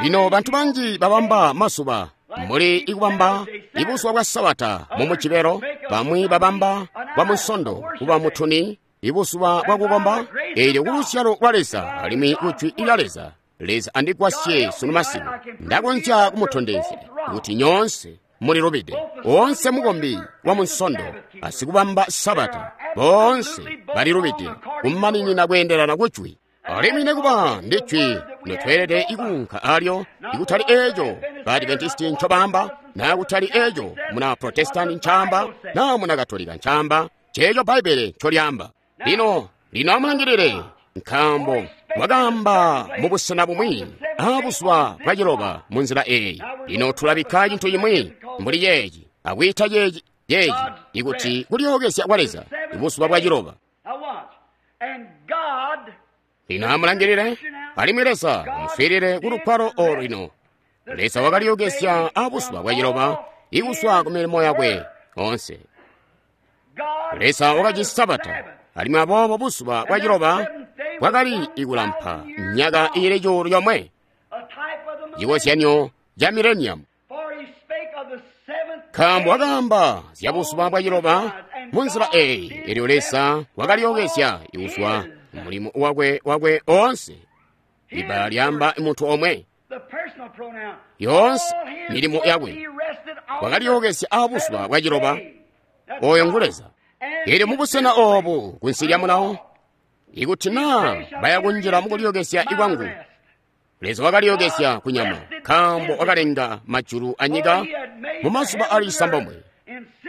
A: Lino bantu banji babamba mazuba mbuli ikubamba ibuzuba bwa Sabata mu Mujibelo, bamwi babamba bwa Munsondo kuba mutuni, ibuzuba bwakukomba, eelyo kuluzyalo lwa Leza alimwi kujwi lya Leza. Leza andigwasye sunu masiku, ndakonzya kumutondezya kuti nyoonse mulilubide. Oonse mukombi wa Munsondo asikubamba Sabata boonse balilubide kumaninina kweendelana kujwi. Alimwi nekuba ndi jwi notweelede ikuunka alyo, ikutali eeco ba Adventisti ncobaamba, naa kutali eeco muna Protestanti ncaamba, naa muna Katolika ncaamba, ceeco Bbaibbele ncolyaamba. Lino amulangilile, nkaambo wakaamba mu busena bumwi aabuzuba bwaciloba mu nzila eeyi. Lino tulabikka cintu cimwi mbuli ceeci akwiita ceeci ikuti kulyookezya kwa Leza ibuzuba bwaciloba. Lino amulangilile, alimwi Leza amuswiilile ku lugwalo olu lino. Leza wakalyookezya aabuzuba bwaciloba ikuzwa ku milimo yakwe onse. Leza wakajisi Sabata, alimwi aboobo buzuba bwaciloba bwakali ikulampa myaka iili 1,000, cikozyanyo ca mileniamu. Nkaambo wakaamba zya buzuba bwa ciloba munzila eyi, elyo Leza wakalyokezya kuzwa mulimo wakwe oonse. Ibbala lyaamba muntu omwe. Yoonse milimo yakwe wakalyokezya aabuzuba bwa ciloba. Oyo ngu Leza. Elyo mubusena oobu kunsi lya mulawo, ikuti naa baya kunjila mukulyokezya kwangu, Leza wakalyokezya kunyama, nkaambo wakalenga majulu anyika mumazuba ali 9.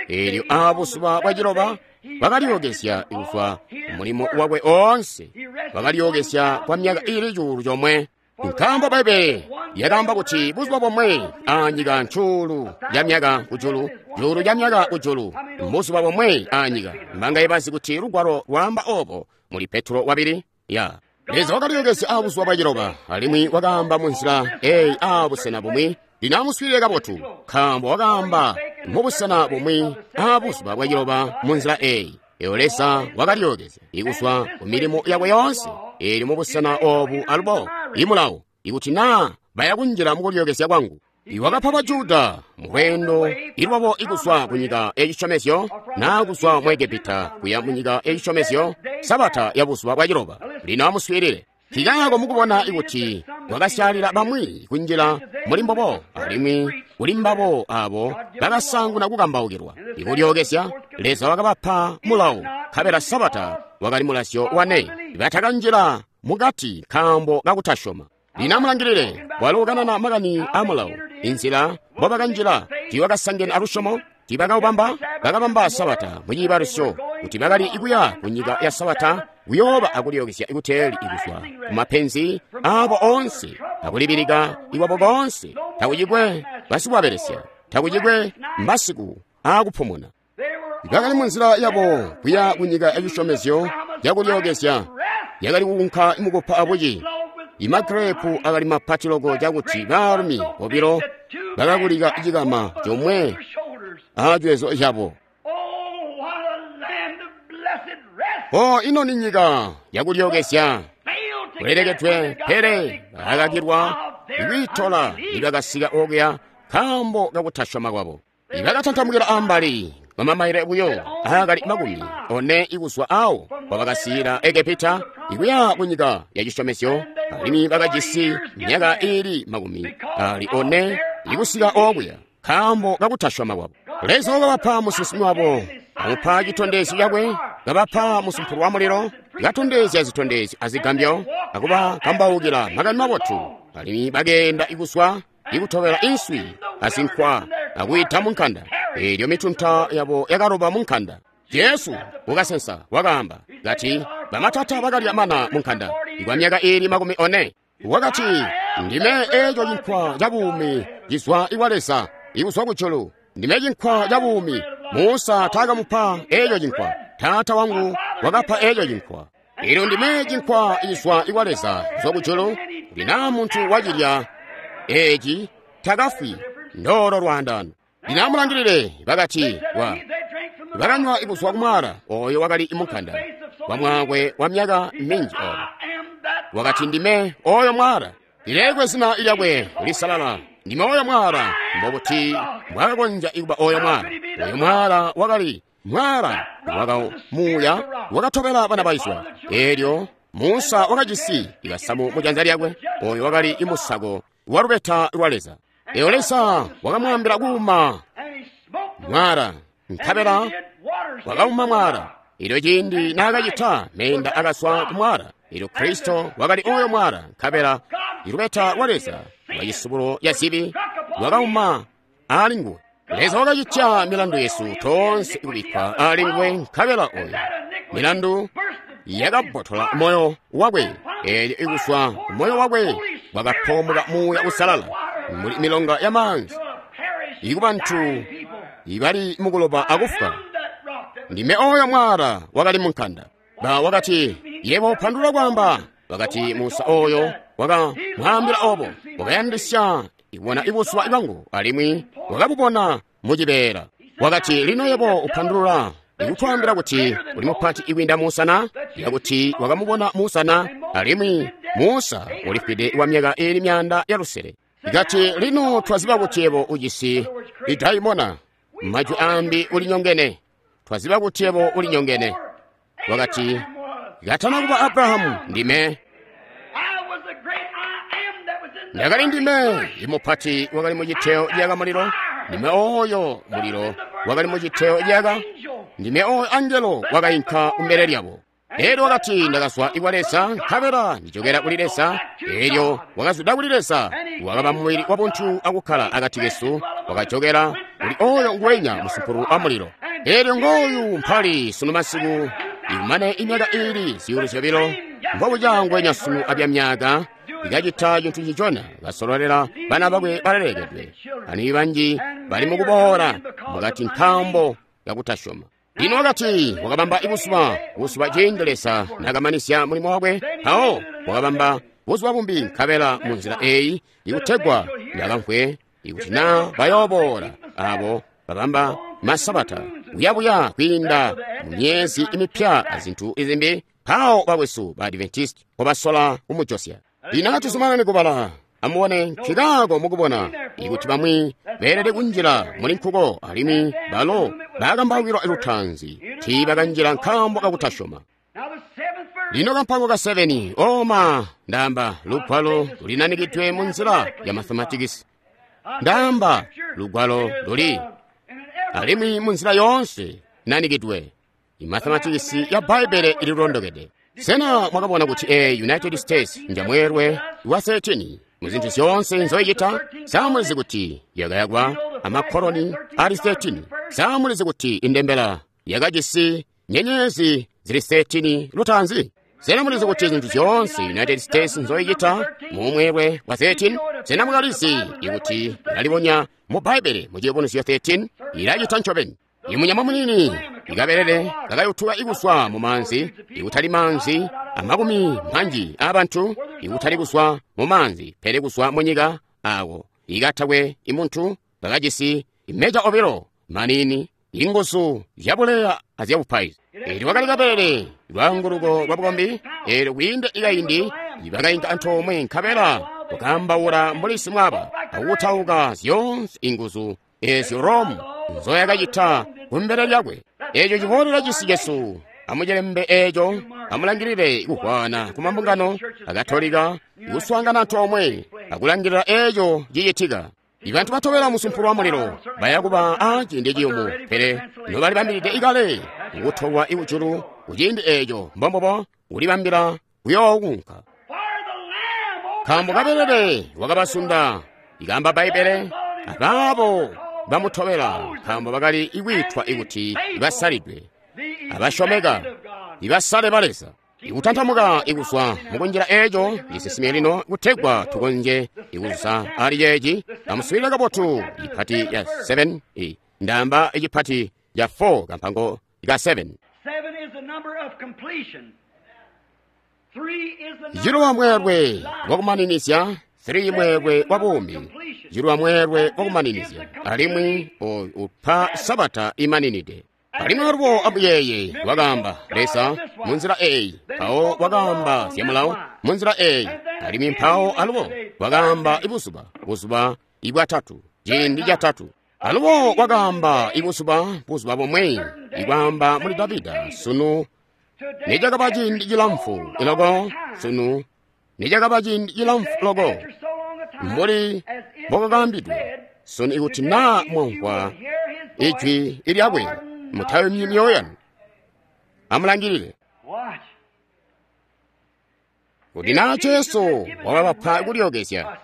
A: Elyo aabuzuba bwa ciloba wakalyokezya kuzwa mulimo wakwe oonse, wakalyokezya kwa myaka iili 1,000. Nkaambo Bbaibbele lyakaamba kuti buzuba bomwe aanyika ncuulu ca myaka kujulu, cuulu ca myaka kujulu, mbuzuba bomwe aanyika. Mbangaye bazi kuti lugwalo lwaamba obo muli Petro wabili? Ya. Leza wakalyokezya aabuzuba bwa ciloba, alimwi wakaamba munzila eyi aabusena bumwi. Lino amuswiilile kabotu, nkaambo wakaamba mubusena bumwi aabuzuba bwa ciloba munzila eyi. Eyo Leza wakalyokezya kuzwa ku milimo yakwe yoonse. Elyo mubusena oobu alubo imulawo, ikuti naa baya kunjila mukulyokezya kwangu. Iwakapa ba Juda mulweendo ilwabo ikuzwa kunyika yacisyomezyo naa kuzwa mu Egepita kuya munyika yacisyomezyo, Sabata ya buzuba bwa ciloba. Lino amuswiilile. Nkikaako mukubona ikuti kwakasyaalila bamwi kunjila muli mbobo, alimwi kuli mbabo aabo bakasaanguna kukambaukilwa ikulyokezya, Leza wakabapa mulawo, nkabela Sabata wakali mulazyo wane. Batakanjila mukati nkaambo kakutasyoma. Lino amulangilile, walo ukanana makani a mulawo, inzila mbobakanjila tiibakasangene alusyomo, tiibakaubamba, bakabamba Sabata muciibalusyo kuti bakali kuya kunyika ya Sabata kuyooba akulyokezya kuteeli kuzwa kumapenzi aabo oonse akulibilika iwabo boonse. Takucikwe basikuwabelesya, takucikwe masiku aakupumuna. Bakali munzila yabo kuya kunyika yacisyomezyo yakulyokezya, yakali kukunka mukupa abuci. Imagirepu akali mapati loko cakuti baalumi bobilo bakakulika cikama comwe aacwezo cabo. O ino ni nyika yakulyokezya kulelekedwe, pele bakakakilwa kwiitola nibakasika okuya nkaambo kakutasyoma kwabo. Ibakatantamukila ambali kwamamaile buyo aakali 40 ikuzwa awo kwabakasiila Egepita ikuya kunyika yacisyomezyo, alimwi bakajisi myaka iili 40 ikusika okuya nkaambo kakutasyoma kwabo. Leza wakabapa musinsimi wabo, amupa citondezyo cakwe, kabapa musumpulu wa mulilo, katondezya zitondezyo azigambyo, akubakambaukila makani mabotu, alimwi bakeenda ikuzwa ikutobela inswi azinkwa akuyita munkanda. Elyo mitunta yabo yakaloba munkanda. Jesu ukasensa wakaamba kati, bamatata bakalya mana munkanda kwa myaka iili 40. Wakati, ndime eco cinkwa ca buumi cizwa ikwa Leza ikuzwa kujulu. Ndime cinkwa ca buumi. Musa taakamupa eco cinkwa, Taata wangu wakapa eco cinkwa. Elyo ndime cinkwa cizwa ikwa Leza kuzwa kujulu, kuti naa muntu wacilya eci takafwi. Ndolo lwaandano. Lino amulangilile, bakati bakanywa ikuzwa kumwaala oyo wakali munkanda wa mwaakwe wa myaka minji obo. Wakati, ndime oyo mwaala, lilekwe zina lyakwe lisalala. Ndime oyo mwaala. Mbobuti mbwakakonzya kuba oyo mwaala? Oyo mwaala wakali mwaala wakamuuya wakatobela bana ba Israyeli. Elyo Musa wakajisi ikasamu mujanza lyakwe, oyo wakali imusako wa lubeta lwa Leza. Elyo Leza wakamwaambila kuuma mwaala, nkabela wakauma mwaala. Elyo ciindi naakacita, meenda akazwa ku mwaala. Elyo Kristo wakali oyo mwaala, nkabela ilubeta lwa Leza lwa cisubulo ca zibi lwakauma ali nguwe. Leza wakacitya milandu yesu toonse kubikkwa ali nguwe, nkabela oyo milandu yakabbotola moyo wakwe. Elyo ikuzwa ku moyo wakwe kwakapoomoka Muuya Uusalala mbuli milonga ya maanzi ikubantu ibali mukuloba akufwa. Ndime oyo mwaala wakali munkanda. Ba wakati, yebo pandula kwaamba. Wakati Musa oyo wakamwaambila obo, wakayandisya ibona ibuzuba bwangu, alimwi wakabubona mucibeela. Wakati, lino yebo upandulula Ikutwaambila kuti uli mupati ikwiinda Musa na? Yakuti wakamubona Musa na? Alimwi Musa ulifwide wa myaka iili 500. Ikati lino twaziba kuti yebo ujisi idaimona, majwi ambi ulinyongene. Twaziba kuti yebo ulinyongene. Wakati, katana kuba Abrahamu ndime. Ndakali ndime imupati wakali muciteo ciyaka mulilo. Ndime oyo mulilo wakali muciteo ciyaka. Ndime oyo angelo wakainka kumbele lyabo. Elyo wakati, ndakazwa ikwa Leza, nkabela ndijokera kuli Leza. Elyo wakazwida kuli Leza, wakaba mubili wabuntu akukkala akati kesu, wakajokera kuli oyo nguwenya musumpulu wa mulilo. Elyo ngooyu mpali sunu masiku, ikumane imyaka iili 2,000, mbobuca ngwenya sunu abya myaka, ikacita cintu cicona, kasololela bana bakwe balelekedwe. Ani banji bali mukuboola mukati nkaambo kakutasyoma. Lino wakati wakabamba ibuzuba, buzuba ciindi Leza nakamanisya mulimo wakwe, mpawo wakabamba buzuba bumbi nkabela mu nzila eyi ikutegwa bakamvwe ikuti na bayooboola abo babamba masabata kuyabuya kwiinda mu myezi imipya azintu izimbi, mpawo bakwesu ba Adventist mpobasola kumujosya. Lino atuzumanane kubala. Amubone nkikaako mukubona ikuti bamwi beelede kunjila muli nkuko, alimwi balo bakambaukilwa lutaanzi tiibakanjila nkaambo kakutasyoma. Lino kampango ka 7 oma ndaamba lugwalo lulinanikidwe mu nzila ya mathematikisi. Ndaamba lugwalo luli alimwi mu nzila yoonse inanikidwe. Imathematikisi ya Bbaibele ililondokede. Sena mwakabona kuti United States njamweelwe wa 13 muzintu zyoonse nzoyicita? Samulizi kuti yakayakwa amakoloni ali 13. Samulizi kuti indembela yakajisi nyenyezi zili 13 lutaanzi. Sena mulizi kuti zintu zyoonse United States nzoyicita mumweelwe wa 13? Sena mwakalizi ikuti ilalibonya mu Bbaibele mu Ciyubunuzyo 13 ilacita ncobeni? Imunyama munini ikabelele kakayutuka ikuswa mu maanzi, ikutali maanzi amakumi manji abantu, ikutali kuswa mu maanzi pele kuswa mu nyika ako ikatakwe imuntu, bakajisi imeja obilo manini, inguzu zyabuleya azyabupaizi. Eelyo wakali kabelele lwaanguluko lwa bukombi. Eelyo kwiinda ikaindi bakainka antoomwe nkabela kukambaula mbuli simwaba akutauka zyoonse inguzu ezyo Rome nzoyakacita kumbele lyakwe. Eeco ciboolela cisi cesu. Amucilembe eeco, amulangilile kuhwana ku mambungano akatolika kuswaangana antoomwe akulangilila eeco cicitika. Ibantu batobela musumpulu wa mulilo baya kuba a ciindi ciyumu, pele nobalibambilide ikale kutolwa ikujulu kuciindi eeco mbombobo kulibambila kuyookunka. Nkaambo kabelele wakabasunda, ikamba Bbaibele, abaabo bamutobela, nkaambo bakali ikwiitwa ikuti basalidwe, abasyomeka, ibasale ba Leza. Ikutantamuka ikuswa mukunjila eeco cisesime lino kutegwa tukonzye ikuzusa ali ceeci. Amuswiilile kabotu ipati ya 7, ndaamba icipati ya 4 kampango ka 7. Ciluwa mweelwe wakumaninizya, 3 mweelwe wa buumi, ciluwa mweelwe wakumaninizya, alimwi upa sabata imaninide. Alimwi alubo amuyeeye wakaamba Leza munzila eeyi, mpawo wakaamba zyamulawo munzila eeyi, alimwi mpawo alubo wakaamba ibuzuba, buzuba ibwatatu, ciindi catatu. Alubo wakaamba ibuzuba, buzuba bomwe, ikwaamba muli Davida, sunu nicakaba ciindi cilamfu loko, sunu nicakaba ciindi cilamfu loko, mbuli mbokakaambidwe, sunu ikuti naa mwamvwa ijwi lyakwe, mutayumyi myoyo yanu. Amulangilile kuti naa Jesu wakabapa kulyookezya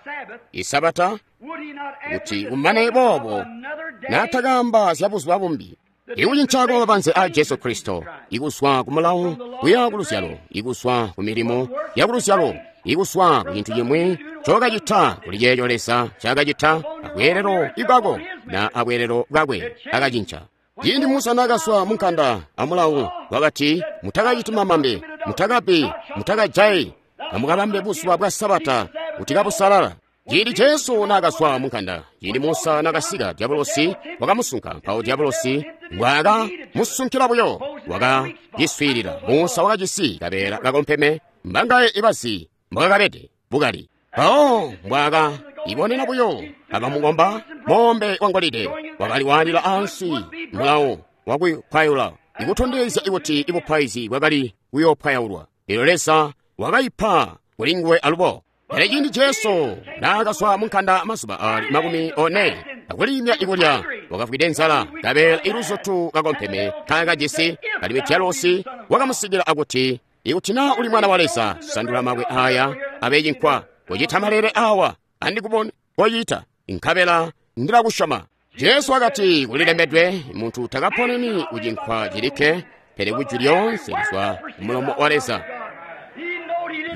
A: isabata, kuti kumane boobo naatakaamba zya buzuba bumbi. Ikucinca kwa mabanze a Jesu Kristo, ikuswa ku mulawo kuya ku luzyalo, ikuswa ku milimo ya ku luzyalo, ikuswa ku cintu cimwi ncokacita kuli ceeco Leza ncaakacita abweelelo bwako na abweelelo bwakwe akacinca. Ciindi Musa naakaswa munkanda amulawo wakati, mutakaciti mamambe, mutakabi, mutakajayi, amukabambe buzuba bwa Sabata kuti kabusalala. Ciindi Jesu naakazwa mu nkanda, ciindi Musa naakasika, Diabolosi wakamusunka. Mpawo Diabolosi mbwaaka musunkila buyo, wakaciswiilila. Musa wakajisi kabeela kakompeme, mbangaye ibazi mbwakakabede bukali. Mpawo mbwaaka ibonena buyo abamukomba moombe wa ngolide wakaliwaalila ansi mulawo wakupwayula, ikutondezya kuti ibupaizi bwakali kuyoopwayaulwa. Elyo Leza wakaipa kulinguwe alubo. Pele ciindi Jesu naakazwa mu nkanda mazuba aali 40 akuliimya ikulya, wakafwide nzala, kabeela iluzutu kakompeme kaakajisi, alimwi Diabolosi wakamusikila akuti, ikuti naa uli mwana wa Leza, sandula mabwe aaya abe cinkwa. Kucita malele awa andikubone koyita, nkabela ndilakusyoma. Jesu wakati, kulilembedwe, muntu takaponeni kucinkwa cilikke, pele kujwi lyoonse lizwa kumulomo wa Leza.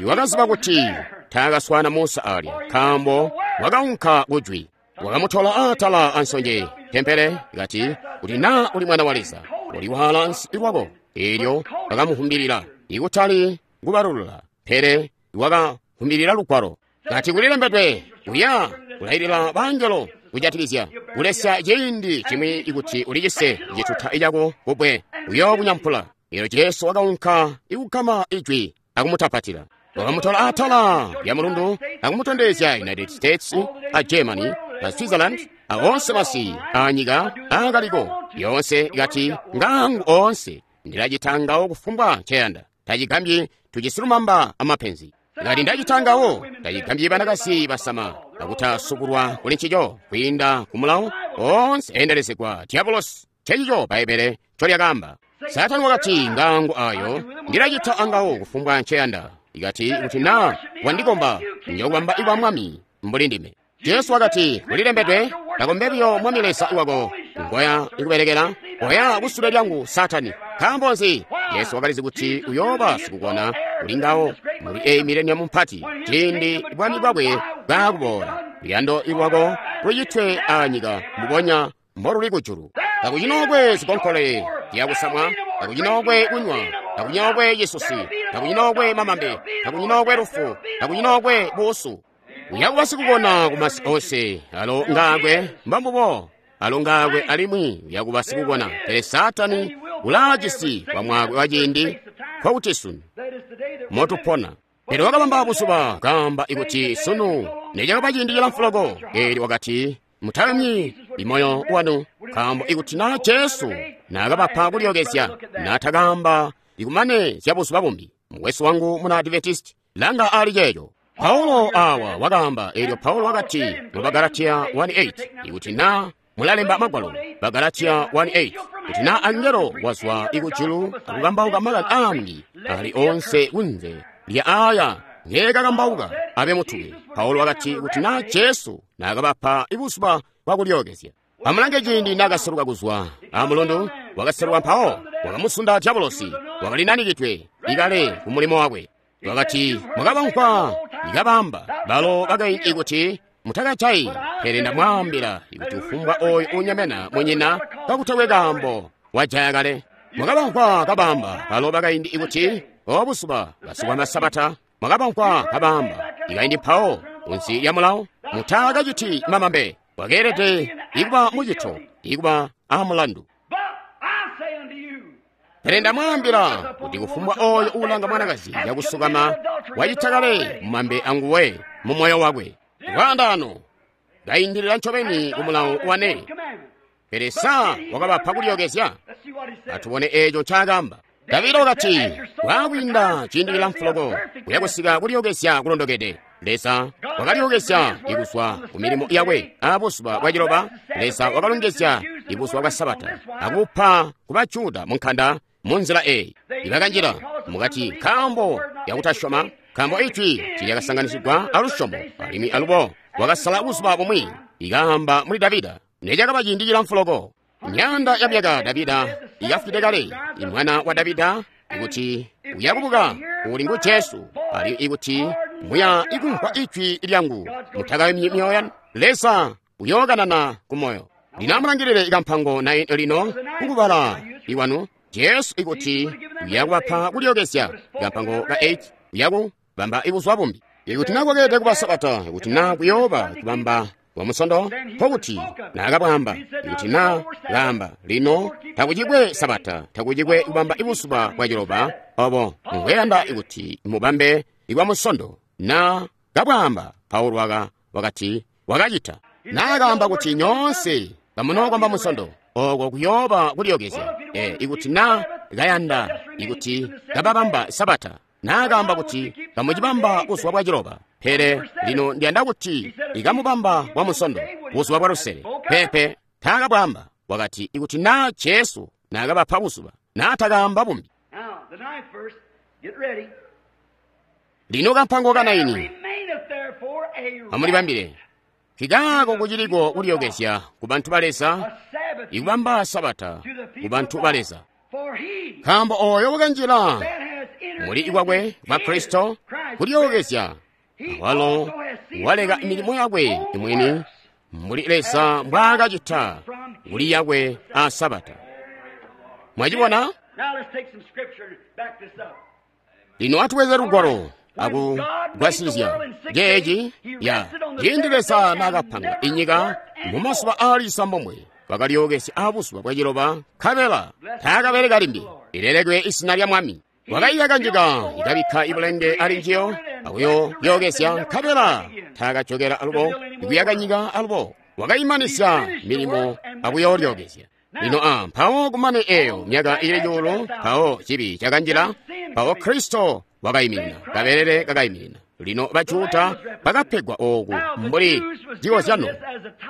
A: Wakaziba kuti taakaswana Musa alya, nkaambo wakaunka kujwi. Wakamutola atala ansonje tempele, kati, kuti naa uli mwana wa Leza, uliwaala ansi lwako. Eelyo wakamuhumbilila, ikutali kubalulula, pele wakahumbilila lugwalo. Kati kulilembedwe, uya kulailila bangelo kujatikizya kulesya ciindi cimwi ikuti ulicise cituta cako kubwe, uyookunyampula. Eelyo Jesu wakaunka ikugama ijwi akumutapatila. Wakamutola atala lya mulundu akumutondezya United States a Germany a Switzerland a onse masi anyika aakaliko yonse, kati ngangu onse ndilacitangawo kufumbwa nceyanda. Tacigambyi tucisilumamba amapenzi. Ngati ndacitangawo tacigambyi banakazi basama akutasukulwa kuli ncico kwiinda ku mulawo onse endelezegwa Diabolosi. Ncencico Bbaibele ncolyakaamba. Saatani wakati, ngangu ayo ndilacita angawo kufumbwa nceyanda. Ikati kuti naa wandikomba njokubamba iwa mwami mbuli ndime. Jesu wakati, kulilembedwe, kakombe buyo Mwami Leza wako ngoya ikubelekela, oya kusule lyangu Saatani. Nkaambo nzi? Yesu wakalizi kuti uyooba sikukona kuli ngawo muli eyi mileniamu mpati, ciindi bwami bwakwe bwaakuboola. Luyando lwako lucitwe anyika mbubonya mboluli kujulu. Takucinookwe zikonkole zyakusamwa, takucinookwe kunywa, takucinookwe cisusi, takucinookwe mamambe, takucinookwe lufu, takucinookwe buusu. Uyakuba sikukona kumasi onse, alo ngaakwe mbambubo, alo ngaakwe alimwi uyakuba sikukona. Pele Saatani ulaajisi bwamwaakwe wa ciindi nkokuti sunu motupona. Pele wakabamba buzuba kaamba ikuti sunu necakaba ciindi cilamfu loko. Eelyo wakati, mutayumyi imoyo wanu, nkaambo ikuti naa Jesu naakabapa kulyookezya, naatakaamba ikumane zya buzuba bumbi. Mukwesu wangu muna Adventist, langa ali ceeco. Paulo awa wakaamba, eelyo Paulo wakati mu Bagalatiya 1:8, ikuti naa mulalemba magwalo, Bagalatiya 1:8, kuti naa angelo wazwa ikujulu akukambauka makani aambi ali onse kunze lya aya ngeekakambauka abe mutuke. Paulo wakati kuti naa Jesu naakabapa ibuzuba bwakulyookezya. Amulange ciindi naakaseluka kuzwa amulundu, wakaseluka mpawo wakamusunda Diabolosi, wakalinanikidwe ikale ku mulimo wakwe. Wakati, mwakabamvwa ikabamba balo bakaindi kuti mutakajayi, pele ndamwaambila ikuti kufumbwa oyo unyemena munyina kakutakwe kaambo wajaya kale. Mwakabamvwa kabamba balo bakaindi ikuti obuzuba basukwa masabata. Mwakabamvwa kabamba ikaindi mpawo kunsi lya mulawo mutakaciti mamambe, wakeelede ikuba mucito ikuba amulandu. Pele ndamwaambila kuti kufumbwa oyo uulanga mwanakazi yakusukama wacita kale mumambe anguwe mu moyo wakwe. Lwaandaano kaindilila ncobeni ku mulawo wane. Pele sa wakabapa kulyookezya? Atubone eeco ncaakaamba. Davida wakati, waakwiinda ciindi cilamfu loko kuyakusika kulyookezya kulondokede. Leza wakalyookezya ikuzwa ku milimo yakwe abuzuba bwaciloba. Leza wakalongezya ibuzuba bwa Sabata akupa ku Bajuda mu nkanda munzila eyi. Ibakanjila mukati nkaambo yakutasyoma, nkaambo ijwi tilyakasanganisigwa alusyomo, alimwi alubo wakasala buzuba bumwi ikaamba muli Davida necakaba ciindi cilamfu loko. Myaanda ya myaka Davida ikafwide kale, imwana wa Davida ikuti uyakubuka uli ngu Jesu, ali ikuti muya ikumvwa ijwi lyangu mutakayumyi myoyo yanu, Leza uyookanana ku moyo. Lino amulangilile ikampango 9 lino kukubala iwanu Jesu ikuti uyakubapa kulyookezya. Ikampango ka 8 uyakubamba ibuzuba bumbi. Ikuti na kwakeelede kuba sabata, ikuti na kuyooba kubamba wa Musondo, nkokuti naakabwamba. Ikuti na kaamba, lino takucikwe sabata, takucikwe kubamba buzuba bwa ciloba, obo mbweyanda ikuti mubambe ibwa Musondo. Na kabwamba, Paulo wakati wakacita. Naakaamba kuti nyoonse kamunokomba Musondo, oko kuyooba kulyookezya. Ikuti na kayanda ikuti kababamba sabata, naakaamba kuti kamucibamba buzuba bwa ciloba, pele lino ndiyanda kuti ikamubamba bwa Musondo, buzuba bwa lusele. Pepe taakabwamba. Wakati ikuti na Jesu naakabapa buzuba, naatakaamba bumbi. Lino kampango kanaini amulibambile. Kikaako kuciliko kulyookezya ku bantu ba Leza, ikubamba sabata ku bantu ba Leza. Nkaambo oyo wakanjila muli ikwakwe kwa Kristo kulyookezya, awalo waleka milimo yakwe imwini mbuli Leza mbwaakacita kuli yakwe a sabata. Mwachibona? Lino atuweze lugwalo akugwasilizya jeeji ya ciindi Leza naakapanga inyika mu mazuba aali 9, wakalyookezya abuzuba bwa ciloba, nkabela taakabeleka limbi. Lilelekwe izina lya Mwami. Wakayiyaka nyika, ikabikka ibulenge ali njiyo, akuyolyookezya, nkabela taakajokela alubo ikuyaka nyika alubo. Wakayimanisya milimo akuyolyookezya. Lino mpawo kumane eyo myaka ili cuulu, mpawo cibi cakanjila, mpawo Kristo wakayiminina, kabelele kakayiminina. Lino Bajuda bakapegwa oku mbuli cikozyano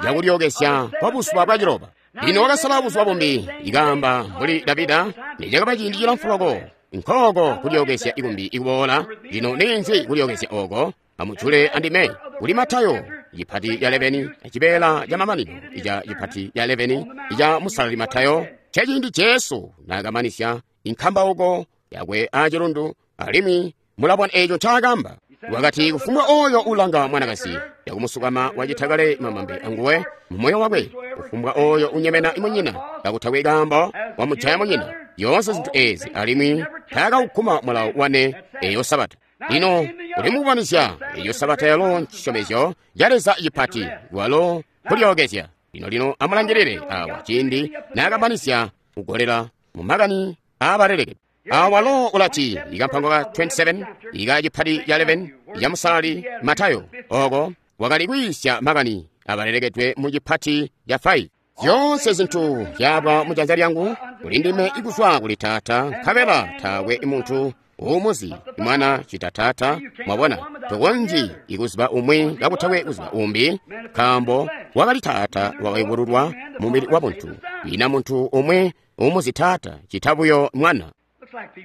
A: cakulyookezya kwa buzuba bwa ciloba. Lino wakasala buzuba bumbi, ikaamba mbuli Davida, nicakaba ciindi cilamfu loko. Nkooko kulyookezya ikumbi ikuboola. Lino ninzi kulyookezya oko? Amujule andime kuli Matayo cipati ca 11, cibeela ca mamanino ica cipati ca 11 ica musalali Matayo, ceciindi Jesu naakamanisya inkambauko yakwe acilundu, alimwi mulabona eco ncaakamba. Wakati kufumbwa oyo ulanga mwanakazi yakumusukama wacita kale mamambe anguwe mumoyo wakwe, kufumbwa oyo unyemena munyina kakutakwe kaambo wamujaya munyina. Yoonse zintu ezi, alimwi taakaukkuma mulawo wane eyo sabata. Lino uli mukubanisya eyo sabata yalo ncisyomezyo ca Leza cipati, walo kulyookezya. Lino amulangilile awa ciindi naakamanisya kugolela mu makani aabaleleke. Awalo ulati ikampango ka 27 ika cipati ca 11 ya musalali Matayo, oko wakali kwiisya makani abalelekedwe mu cipati ca 5. Zyoonse zintu zyaba mujanza lyangu kuli ndime ikuzwa kuli Taata, nkabela taakwe muntu uumuzi mwana cita Taata. Mwabona, tokonzyi ikuziba umwi kakutakwe kuziba umbi, nkaambo wakali Taata wakayubululwa mumubili wa buntu. Ina muntu umwe uumuzi Taata cita buyo mwana.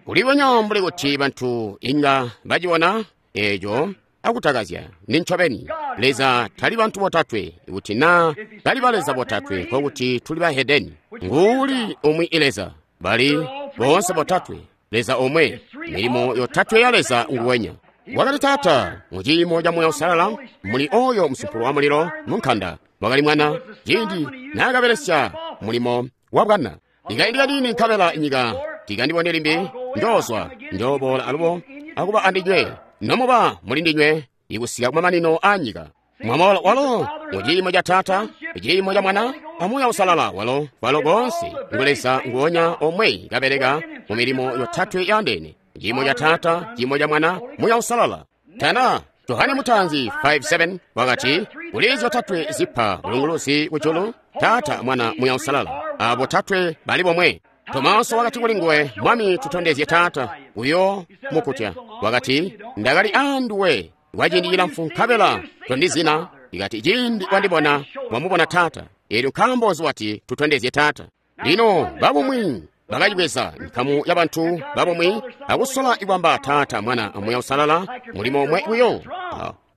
A: Kulibonya mbuli kuti bantu inga bacibona eco akutakazya. Ndi ncobeni Leza tali bantu botatwe. Kuti na tali ba Leza botatwe, nkokuti tuli bahedeni. Nguuli umwi Leza, bali boonse botatwe Leza omwe, milimo yotatwe ya Leza nguwenya. Wakali Taata muciimo ca Muuya Uusalala, muli oyo musumpulu wa mulilo munkanda. Wakali Mwana ciindi naakabelesya mulimo wa bwana. Ikaindi kanini nkabela inyika tikandibone limbi, njoozwa njooboola alubo akuba andinywe, nomuba muli ndinywe ikusika kumamanino a nyika. Mwamoola walo muciimo ca Taata, ciimo ca Mwana, a Muuya Uusalala, walo walo koonse ngu Leza nguonya omwe kabeleka mu milimo yotatwe yaandeene: ciimo ca Taata, ciimo ca Mwana, Muuya Uusalala. Tana Yohane Mutanzi 5:7 wakati kuli zyotatwe zipa bulunguluzi kujulu: Taata, Mwana, Muuya Uusalala. Abo tatwe bali bomwe. Tomaso wakati kuli nguwe, Mwami, tutondezye Taata, uyo mukutya. Wakati, ndakali anduwe kwa ciindi cilamfu nkabela tondizina. Ikati ciindi wandibona, wamubona Taata. Elyo nkaambo wati tutondezye Taata? Lino babumwi bakacibweza nkamu ya bantu babumwi akusola ikwamba Taata, Mwana, Muuya Uusalala mulimo omwe buyo,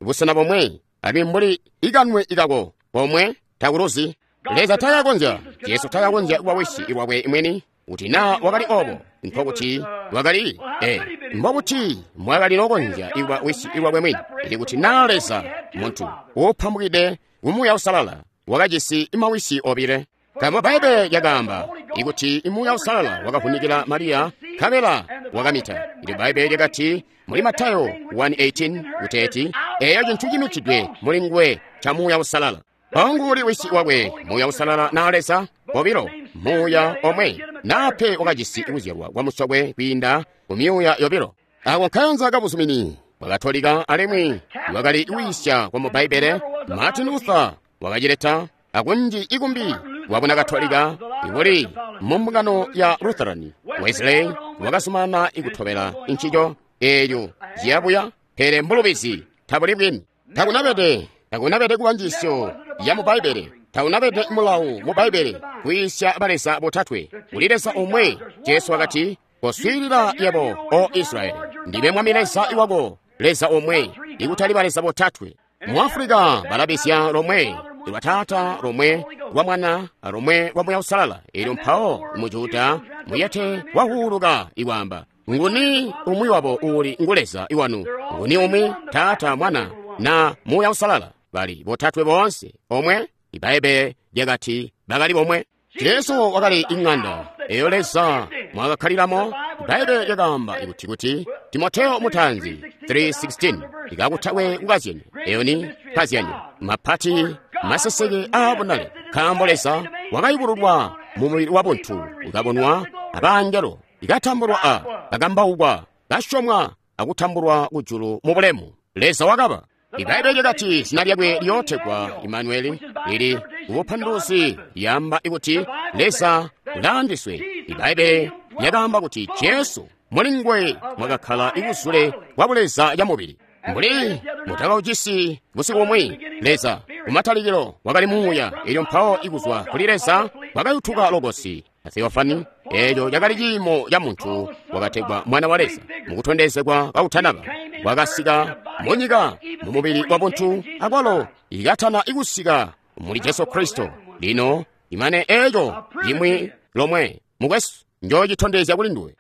A: busena bomwe, alimwi mbuli ikanwe ikako bomwe takuluzi. Leza takakonzya, Jesu takakonzya kuba wisi lwakwe mwini. Kuti na wakali obo, nkokuti wakali mbokuti mwakali nokonzya ikuba wisi lwakwe mwini. Ili kuti na Leza muntu upambukide ku Muuya Uusalala wakajisi mawisi obile. Nkaambo Bbaibbele lyakaamba ikuti Muuya Uusalala wakavunikila Mariya, nkabela wakamita. Ili Bbaibbele lyakati muli Matayo 1:18 kuteeti eyo cintu cimitidwe muli nguwe ca Muuya Uusalala. Mpawo wisi wakwe Muuya Uusalala na Leza bobilo Muuya omwe nape wakajisi kuzyalwa kwa musokwe kwiinda ku myuuya yobilo. Ako nkayanza kabuzumini bwakatolika alimwi wakali kuyiisya kwa mu Bbaibbele. Martin Luther wakacileta akunji ikumbi wabuna Katolika ikuli mu mbungano ya Lutheran. Wesley wakasumana ikutobela ncico eelyo ciyabuya, pele mbulubizi tabuli bwini. Takunabede kuba njiisyo ya mu Bbaibbele, takunabede mulawu mu Bbaibbele kwiisya baleza botatwe. Kuli Leza omwe. Jesu wakati, koswiilila yebo o Israyeli, ndime Mwami Leza wako, Leza omwe, ikutali baleza botatwe. Mu Afrika balabisya lomwe lwa Taata, lomwe lwa Mwana, lomwe lwa Muuya Uusalala. Elyo mpawo mu Juda muyete wahuuluka ikwaamba, nguni umwi wabo uuli ngu Leza iwanu? Nguni umwi? Taata, Mwana na Muuya Uusalala. Bali botatwe boonse omwe. Ibaibbele lyakati bakali bomwe. Jesu wakali ing'anda eyo Leza mwakakhalilamo. Ibaibbele lyakaamba kuti Timoteo mutanzi 3:16 ikakutakwe kukazyanya eyo ni kazyanya mapati maseseke aabonale, nkaambo Leza wakayubululwa mu mubili wa buntu, ukabonwa abangelo, ikatambulwa a kakambaukwa, kasyomwa akutambulwa kujulu mu bulemu. Leza wakaba. Ibaibbele lyakati zina lyakwe liyootegwa Imanueli, lili kubupanduluzi lyamba kuti Leza ulaandiswe. Ibaibbele lyakaamba kuti Jesu muli nguwe mwakakhala ibuzule bwa buleza ya mubili. Mbuli mutakaucisi busiku bumwi, Leza kumatalikilo wakali muuya, elyo mpawo ikuzwa kuli Leza wakayutuka Logosi Theofani, eeco cakali ciimo ca muntu wakategwa Mwana wa Leza. Mukutondezegwa kakutanaba wakasika munyika mu mubili wa buntu, akwalo ikatana ikusika muli Jesu Kristo. Lino imane eeco limwi lomwe mukwesu njoocitondezya kuli nduwe.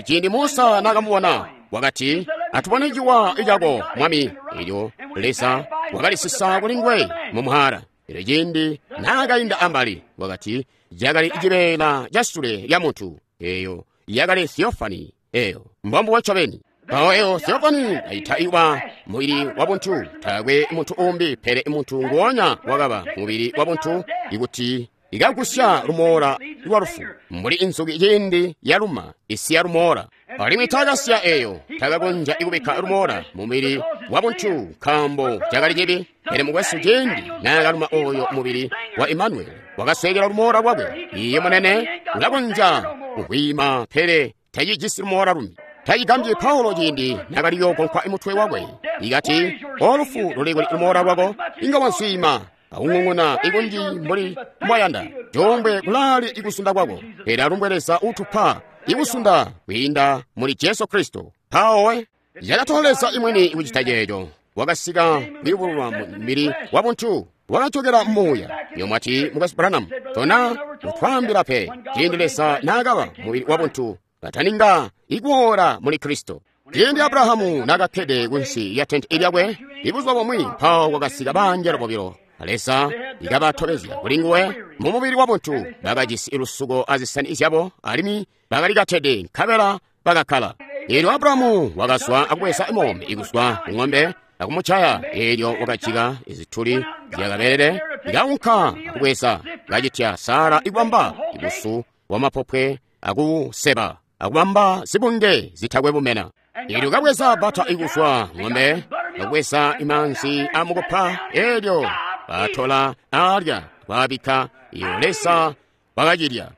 A: Ciindi Musa naakamubona wakati, atubone ciwa cako Mwami. Elyo Leza wakalisisa kuli nguwe mu muhara. Elyo ciindi naakainda ambali wakati cakali cibeela ca sule lya muntu. Eyo yakali Theofani. Eyo mbombubo ncobeni. Mpawo eyo Theofani aita iwa mubili wa buntu. Taakwe muntu umbi pele muntu nguonya wakaba mubili wa buntu, ikuti ikagusya lumoola lwa lufu mbuli inzuki ciindi yaluma isiya lumoola. Alimwi takasya eyo takakonzya ikubikka lumoola mubili wa buntu nkaambo cakali cibi. Pele mukwesu ciindi naakaluma oyo mubili wa Imanueli wakaswekela lumoola lwakwe. Iye munene ulakonzya kuhwima pele tacijisi lumoola lumbi. Tacigambyi Paulo ciindi naakaliyogonkwa mutwe wakwe ikati, olufu luli kuli lumoola lwako, inga wanswiima akung'ung'una ikunji mbuli mbwayanda. Jombwe kulaali ikusunda kwako, pele alumbwe Leza utupa ikusunda kwiinda muli Jesu Kristo. Mpawo yakatola Leza imwini kucita ceeco. Wakasika kuyubululwa mu mubili wa buntu, wakajokera muuya. Iyo mwati mukwesu Branham, tona kutwaambila pe ciindi Leza naakaba mubili wa buntu kataninga ikuwola muli Kristo. Ciindi Abrahamu naakakkede kunsi ya tenti lyakwe ibuzuba bumwi, mpawo kwakasika bangelo bobilo. Leza ikabatobezya kuli nguwe mu mubili wa buntu. Bakajisi lusuko azisani zyabo alimwi bakalikatede, nkabela bakakkala. Eelyo Abrahamu wakazwa akubweza moombe ikuzwa ku ng'ombe akumucaya. Eelyo wakajika izituli zyakabelele, ikaunka akubweza kacitya Sara ikubamba ibusu bwamapopwe akuseba akubamba zibunge zitakwe bumena. Eelyo kabweza bata ikuzwa ng'ombe akubweza imanzi amukupa, eelyo batola alya kwabikka. Iyo Leza wakacilya.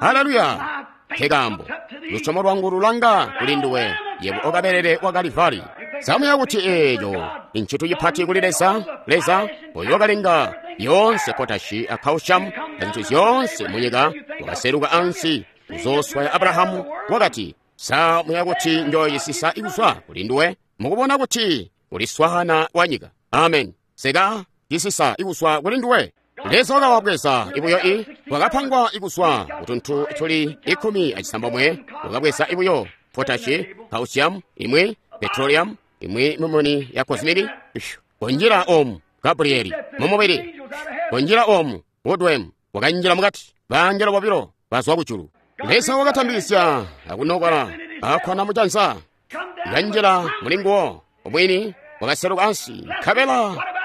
A: Haleluya! Nkaambo lusyomo lwangu lulanga kuli nduwe, yebo okabelele wa Kalivari. Samuya kuti eeco ncintu cipati kuli Leza. Leza oyo wakalenga yoonse potashi a calcium na zintu zyoonse munyika, wakaseluka ansi kuzooswaya Abrahamu, wakati, samuya kuti njoyisisa ikuzwa kuli nduwe, mukubona kuti uli swaana wa nyika. Amen. Seka cisisa ikuzwa kuli nduwe. Leza wakawabweza ibuyo i wakapangwa ikuzwa kutuntu tuli 16, wakabweza ibuyo potashi, calcium imwi, petroleum imwi, mumuni ya cosmini konjila omu Gabrieli mumubili konjila omu Woodwem wakanjila mukati. Bangelo bobilo bazwa kujulu. Leza wakatambisya akunokola Akkwana mujanza, kanjila mulinguwo omwini, wakaseluka ansi, nkabela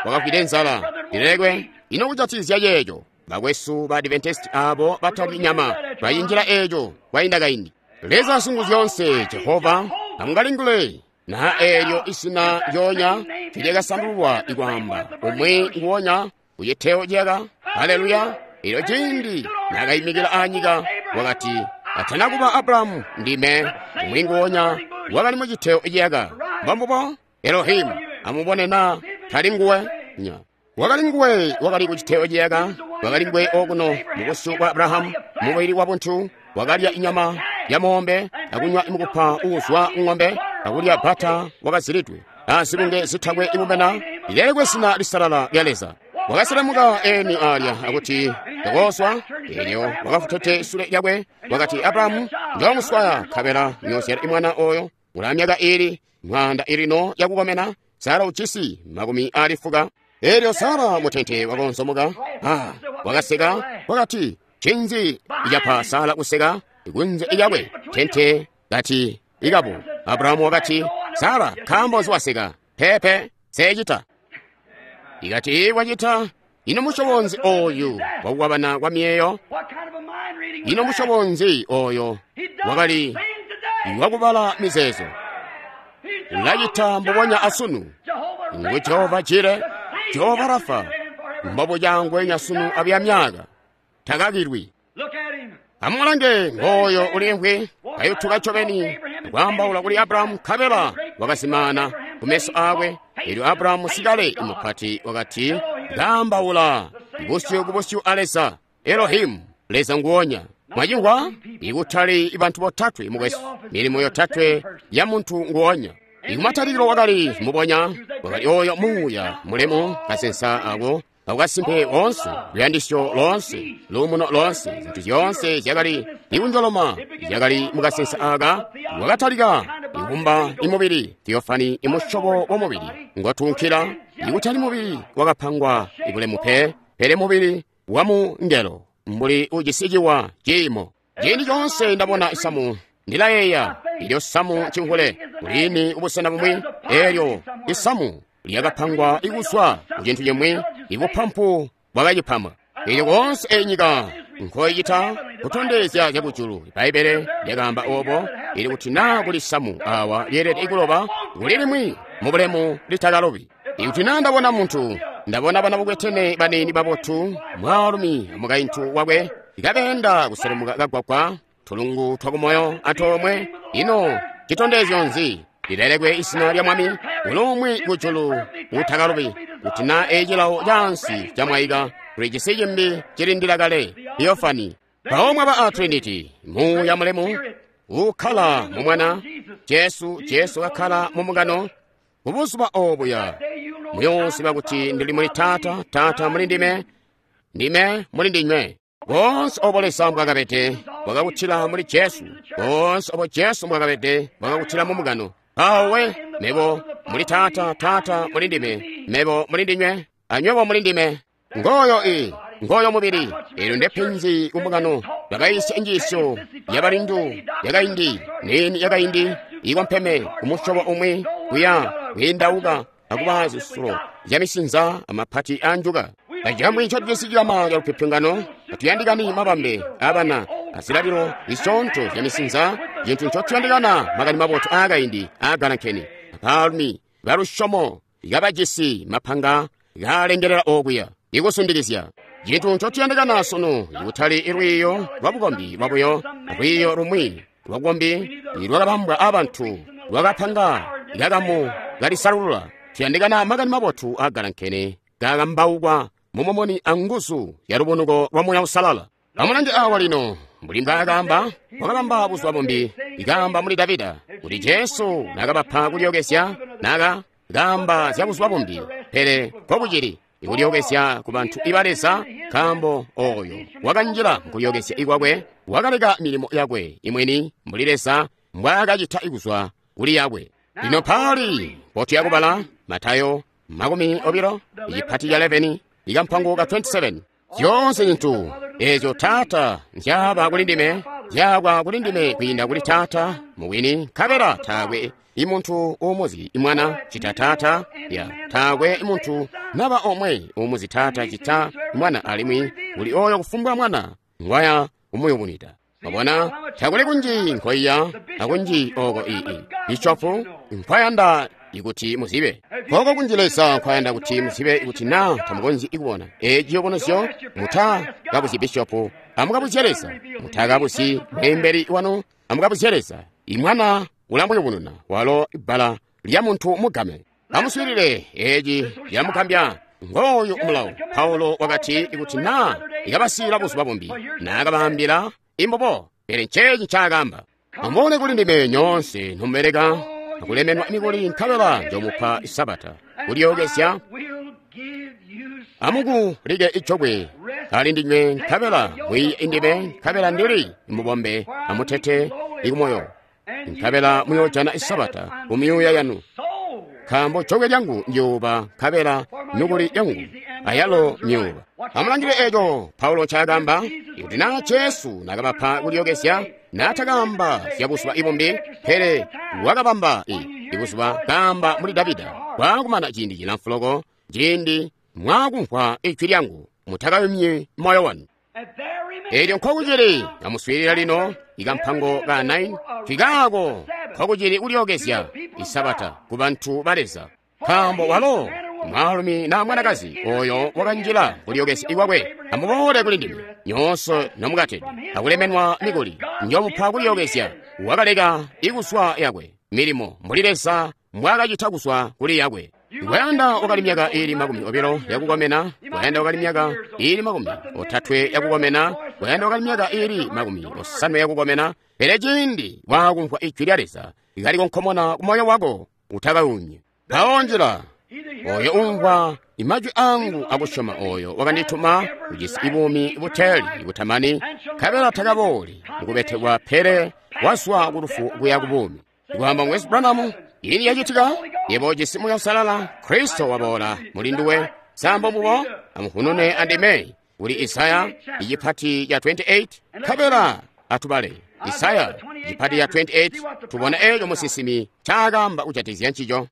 A: wakafwide nzala. Lilekwe ino kujatikizya ceeco, bakwesu ba Adventist abo batalyi nyama bayinjila eeco kwainda kaindi. Leza Singuzyoonse Jehova amungalingule na eelyo isina lyoonya tilyakasandulwa ikwaamba umwi nguwonya kuciteo ciyaka. Haleluya! Elyo ciindi nakayimikila anyika wakati, atana kuba Abrahamu ndime umwi nguwonya wakali muciteo ciyaka. Mbombubo Elohimu, amubone na tali nguwe nya. Wakali nguwe wakali kuciteo ciyaka, wakali nguwe okuno mubusyu bwa Abrahamu mubili wa buntu, wakalya inyama ya moombe akunywa imukupa uuzwa ng'ombe akulya bata wakazilidwe azibunge zitakwe imumena. Lilelekwe zina lisalala lya Leza. Wakaselemuka eni alya akuti ndakoswa, elyo wakafutete sule lyakwe wakati, Abrahamu njoomuswaya nkabela nyozyala imwana oyo ula myaka ili 100 ilino yakukomena, Sara ujisi 80. Elyo Sara mutente wakonzomoka, wakaseka wakati, cinzi icapa Sara kuseka kunze iyakwe tente kati ikabu. Abrahamu wakati, Sara nkaambo nzi waseka? Pepe seecita. Ikati wacita. Ino musyobo nzi oyu wakukwabana kwa myeyo? Ino musyobo nzi oyo wakali wakubala mizeezo? Ulacita mbubonya asunu. Ngu Jehova Jire, Jehova Rafa, mbobuca ngwenya sunu abya myaka takakilwi. Amulange ngooyo ulimvwi kayutuka ncobeni kwaambaula kuli Abrahamu, nkabela wakazimaana kumeso aakwe. Elyo Abrahamu sikale mupati wakati, kaambaula busyu ku busyu a Leza, Elohimu, Leza nguwonya. Mwacimvwa? Ikutali bantu botatwe mukwesu, milimo yotatwe ya muntu nguwonya. Ikumatalikilo wakali mubonya, wakali oyo muuya mulemu kasensa ako akukasimpe koonse, luyandisyo loonse, luumuno loonse, zintu zyoonse zyakali ikunjoloma zyakali mukasensa aka. Wakatalika ikumba imubili, theofani, imusyobo wa mubili ngotuunkila, ikutali mubili wakapangwa ibulemu pe, pele mubili wa mungelo mbuli ujisi ciwa ciimo. Ciindi coonse ndabona isamu ndilayeeya ilyo samu cimvule kulini ubusena bumwi, elyo isamu lyakapangwa ikuzwa ku cintu cimwi, ibupampu bwakacipama. Elyo koonse enyika nkoicita kutondezya zyakujulu. Bbaibbele lyakaamba obo, ili kuti naa kuli samu awa lyeelede ikuloba, kuli limwi mubulemu litakalobi. Ikuti naa ndabona muntu, ndabona bana bukwetene baniini babotu, mwaalumi amukaintu wakwe, kabeenda kuselemuka kagwagwa, tulungu twakumoyo antoomwe, ino citondezyo nzi? Lilelekwe isina lya Mwami, ulumwi kujulu utakalobi. Kuti naa ecilawo caansi camwaika, kuli cisi cimbi cilindila kale, Theophany. Mpawo mwaba a Trinity, muuya mulemu ukkala mu Mwana Jesu, Jesu kakkala mu mungano. Kubuzuba obuya muyoosiba kuti ndili muli Taata, Taata muli ndime, ndime muli ndinywe. Boonse obo Leza mbwakabede bwakakutila muli Jesu, boonse obo Jesu mbwakabede bwakakutila mu mungano. Awe mebo muli Taata, Taata muli ndime, mebo muli ndinywe, anywebo muli ndime. Ngoyo ngoyo mubili. Elyo ndepenzi kumungano bakayisya injiisyo yabalindu yakaindi, nini yakaindi ikompeme kumusyobo umwi kuya kwiindauka akuba zisulo zyamisinza amapati anjuka. Acamwi ncotujisi cikama calupyopyongano, atuyandikani mabambe abana azilalilo zisyoonto zyamisinza, cintu ncotuyandikana makani mabotu aakaindi aagalankene. Abaalumi balusyomo kabajisi mapanga kaalengelela okuya ikusundikizya. Cintu ncotuyandikana sunu ikutali lwiiyo lwabukombi lwabuyo, lwiiyo lumwi lwabukombi lwakabambwa abantu lwakapanga kakamu kalisalulula. Tuyandikana makani mabotu aagalankene kakambaukwa mumumuni anguzu ya lubunuko lwa Muuya Uusalala. Amulange awa lino, mbuli mbwaakaamba, wakabamba buzuba bumbi, ikaamba muli Davida, kuti Jesu nakabapa kulyokezya, naka kaamba zya buzuba bumbi, pele nkokucili ikulyokezya ku bantu iba Leza, nkaambo oyo wakanjila mukulyokezya ikwakwe, wakaleka milimo yakwe imweni mbuli Leza mbwaakacita ikuzwa kuli yakwe. Lino paali potuya kubala Matayo 20, icipati ca 11, ikampango ka 27. Zyoonse zintu ezyo Taata nzyaaba kuli ndime Zyaabwa kuli ndime kwiinda kuli Taata mubwini, nkabela taakwe imuntu uumuzi Mwana cita Taata, ya taakwe muntu naba omwe uumuzi Taata cita Mwana, alimwi kuli oyo kufumbwa Mwana ngwaya kumuyubunwida. Mwabona, takuli kunji nkoiya akunji oko ii bishopu nkwayanda ikuti muzibe, koko kunji Leza nkwayanda kuti muzibe. Ikuti na tamukonzyi kubona eci ciyubunuzyo, mutakabuzyi bishopu, amukabuzye Leza. Mutakabuzyi mweembeli wanu, amukabuzye Leza. Imwana ulamuyubununa, walo ibbala lya muntu mugame. Amuswiilile, eci lyamugambya. Ngooyu mulawo. Paulo wakati ikuti na ikabasiila buzuba bumbi, naakabaambila imbobo, pele nceeci ncaakaamba: Amuboole kuli ndime nyoonse nomubeleka akulemenwa mikuli, nkabela njomupa isabata kulyookezya. Amukulike ijokwe ali ndinywe, nkabela mwiiye indime, nkabela ndili mubombe amutete ikumoyo, nkabela muyoojana isabata kumyuuya yanu. Nkaambo jokwe lyangu ndyuuba, nkabela mikuli yangu ayalo myuuba. Amulangile eco Paulo ncaakaamba. Ikuti naa Jesu nakabapa kulyookezya, naatakaamba zya buzuba ibumbi, pele wakabamba ibuzuba kaamba muli Davida. Kwaakumana ciindi cilamfu loko, ciindi mwaakumvwa ijwi lyangu, mutakayumyi moyo wanu. Elyo nkokucili, amuswiilila lino, ikampango ka 9, twikaako nkokucili kulyookezya isabata ku bantu ba Leza. Nkaambo walo mwaalumi na mwanakazi oyo wakanjila kulyookezya kwakwe. Amuboole kuli ndime nyoonse nomukatede akulemenwa mikuli, njomupa kulyookezya. Wakaleka ikuswa yakwe milimo mbuli Leza mbwaakacita kuswa kuli yakwe. Kwayanda wakali myaka iili 20 yakukomena, kwayanda wakali myaka iili 30 yakukomena, kwayanda wakali myaka iili 50 yakukomena, pele ciindi waakumvwa ijwi lya Leza likalikonkomona kumoyo wako, utakayumyi. Mpawo njila oyo umvwa imajwi angu akusyoma oyo wakandituma ujisi ibuumi buteeli butamani, nkabela takabooli mukubetekwa, pele wazwa ku lufu kuya ku buumi. Kwaamba Mukwesu Branham, ini yacitika, yebo ujisi Muuya Uusalala, Kristo waboola muli nduwe. Sambo mbubo, amuhunune andime kuli Isaya icipati ca 28, nkabela atubale Isaya icipati ca 28, tubona eco musinsimi ncaakaamba kujatikizya ncico.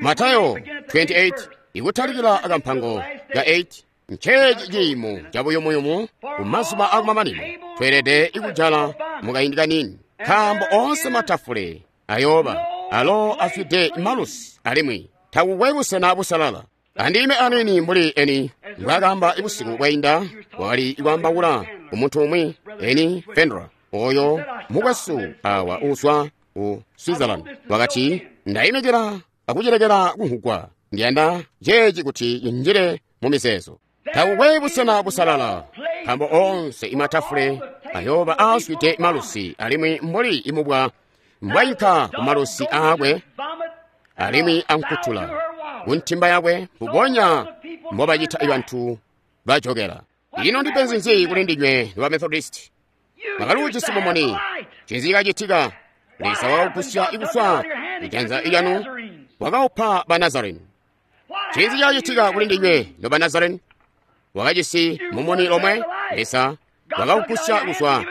A: Matayo 28 ikutalikila akampango ka 8. Nceeci ciimo cabuyumuyumu kumazuba akumamanino. Tweelede ikujala mukaindi kaniini, nkaambo oonse matafule ayooba alo afwide malusi, alimwi takukwe busena busalala. Andime aniini mbuli eni mbwaakaamba ibusiku bwainda, wakali ikwaambaula kumuntu umwi, eni Fendra, oyo mukwesu awa uuzwa ku Switzerland, wakati ndayimikila akucilekela kunhugwa, ndiyanda ceeci kuti injile mu mizeezo. Takukwe busena busalala, nkaambo oonse imatafule ayooba aazwide malusi, alimwi mbuli imubwa mbwainka ku malusi aakwe alimwi ankutula kuntimba yakwe, mbubonya mbobacita ibantu bajokela. Ino ndipenzi nzi kuli ndinywe ba Methodist? Mwakaluujisi mumuni. Ncinzi cakacitika? Leza wakagusya ikuswa ijanza lyanu, wakaupa ba Nazareni. Ncinzi cakacitika kuli ndinywe noba Nazareni? Wakajisi mumuni lomwe, Leza wakaugusya kuzwa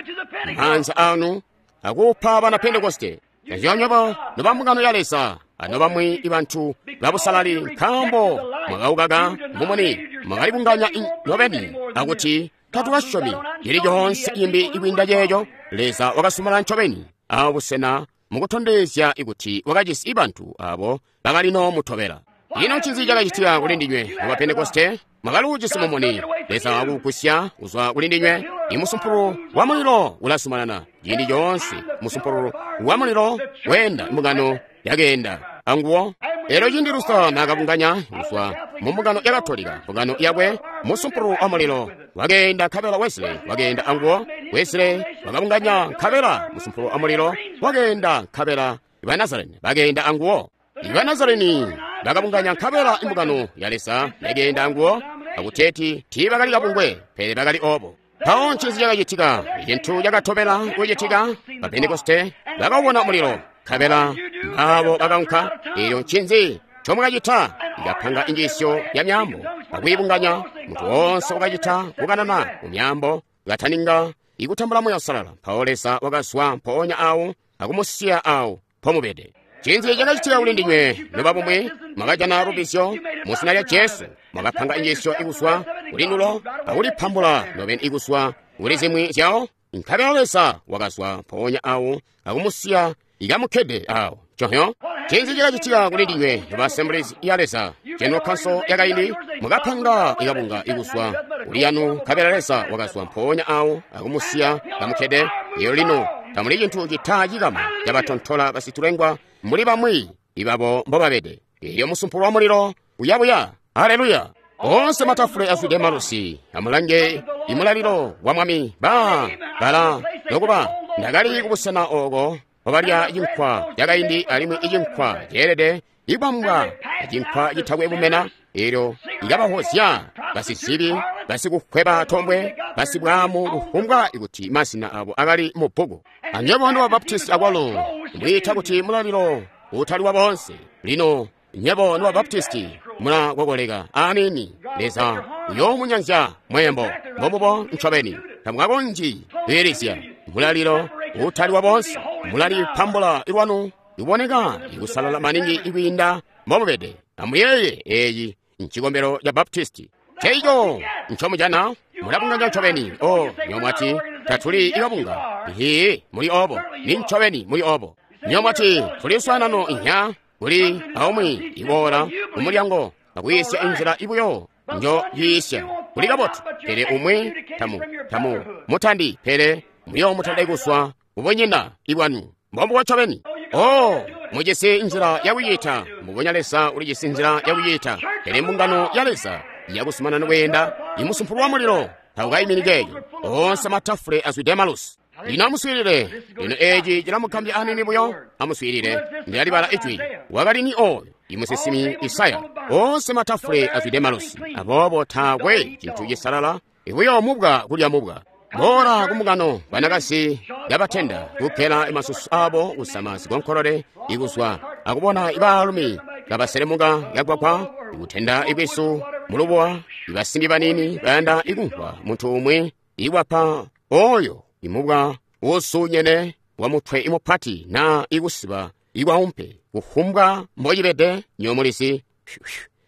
A: maanza anu akuupa bana Pentekoste. Nzyonyobo noba mbungano ya Leza anobamwi ibantu babusalali, nkaambo mwakaukaka mumuni, mwakalibunganya nobeni akuti tatukasyomi cili coonse imbi ikwiinda ceeco. Leza wakasumala ncobeni abusena mukutondezya ikuti wakajisi ibantu abo bakali nomutobela. Ino ncinzi cakacitika kuli ndinywe noba Pentekoste? Mwakaluujisi mumuni, Leza wakugusya kuzwa kuli ndinywe. Imusumpulu wa mulilo ulasumanana ciindi coonse. Musumpulu wa mulilo weenda, mbungano yakeenda anguwo. Elyo ciindi Luther naakabunganya kuzwa mu mbungano ya Katolika mbungano yakwe, musumpulu wa mulilo wakeenda, nkabela Wesley wakeenda anguwo. Wesley wakabunganya, nkabela musumpulu wa mulilo wakeenda, nkabela ba Nazareni bakeenda anguwo. Iba Nazareni bakabunganya, nkabela imbungano ya Leza yakeenda anguwo, akuteeti tiibakali kabungwe, pele bakali obo. Mpawo ncinzi cakacitika? Icintu cakatobela kucitika, ba Pentekoste bakawubona mulilo, nkabela abo bakaunka. Elyo ncinzi ncomwakacita? Ikapanga injiisyo ya myaambo akwiibunganya. Muntu woonse wakacita kukanana mu myaambo kataninga ikutambula Muuya Uusalala. Mpawo Leza wakazwa mpoonya awo akumusiya awo mpomubede. Ncinzi cakacitika kuli ndinywe nobabumwi? Mwakajana lubbizyo mu zina lya Jesu, mwakapanga injiisyo ikuzwa kuli ndulo akulipambula nobeni ikuzwa kuli zimwi zyawo, nkabela Leza wakazwa mpoonya awo akumusiya ikamukkede awo. Nconzyo. Ncinzi cakacitika kuli ndinywe noba Assemblies ya Leza, General Council yakaindi? Mwakapanga ikabunga ikuzwa kuli yanu, nkabela Leza wakazwa mpoonya awo akumusiya kamukkede. Elyo lino tamuli cintu cita cikama cabatontola basitulengwa mbuli bamwi ibabo mbobabede. Elyo musumpulu wa mulilo uyabuya. Haleluya! Oonse matafule azwide malusi. Amulange imulalilo wa Mwami. Ba bala nokuba ndakali kubusena oko mpobalya cinkwa cakaindi alimwi icinkwa ceelede ikubambwa acinkwa citakwe bumena. Elyo ikabahozya basizibi, basikukweba tombwe, basibwaamu, kufumbwa ikuti mazina abo akali mu bbuku. Anywebo noba Baptisti akwalo mwiita kuti mulalilo utali wa boonse. Lino nywebo noba Baptisti mulakokoleka aniini. Leza uyoomunyanzya mweembo. Mbobubo ncobeni. Tamukakonzyi kwiilizya mulalilo utali wa boonse. Mulalipambula lwanu iboneka ikusalala maningi ikwiinda mbomubede. Amuyeeye, eeci ncikombelo ca Baptisti. Ceico ncomujana mulabunganya ncobeni. O, nywebo mwati, tatuli ikabunga. Iiyi, muli obo. Ni ncobeni muli obo. Nywebo mwati, tuli luswaanano inya kuli aumwi iboola kumulyango akwiisya inzila ibuyo njo yiisya. Kuli kabotu, pele umwi tamu, tamu mutandi, pele muyoomutanda kuzwa kubunyina ibwanu. Mbombubo ncobeni. Oh, mujisi nzila yakuyiita. Mbubonya Leza ulijisi nzila yakuyiita. Pele mbungano ya Leza yakuzumanana kweenda, imusumpulu wa mulilo taukayimini ceeco. Oonse matafule azwide malusi. Lino amuswiilile. Lino eeci cilamugambya aniini buyo. Amuswiilile. Ndilalibala ijwi. Wakali ni oyo? Imusinsimi Isaya. Oonse matafule azwide malusi. Aboobo taakwe cintu cisalala. Ibuyo mubwa kulya mubwa. Boola kumbungano, banakazi yabatenda kukkela masusu abo kusama zikonkolole ikuzwa akubona ibaalumi kabaselemuka yagwagwa ikutenda ikwisu mulubuwa ibasimbi banini bayanda ikumvwa muntu umwi iwapa oyo imubwa usunyene wa mutwe imupati na ikusiba ikwaumpe kufumbwa mbocibede nyomulizi.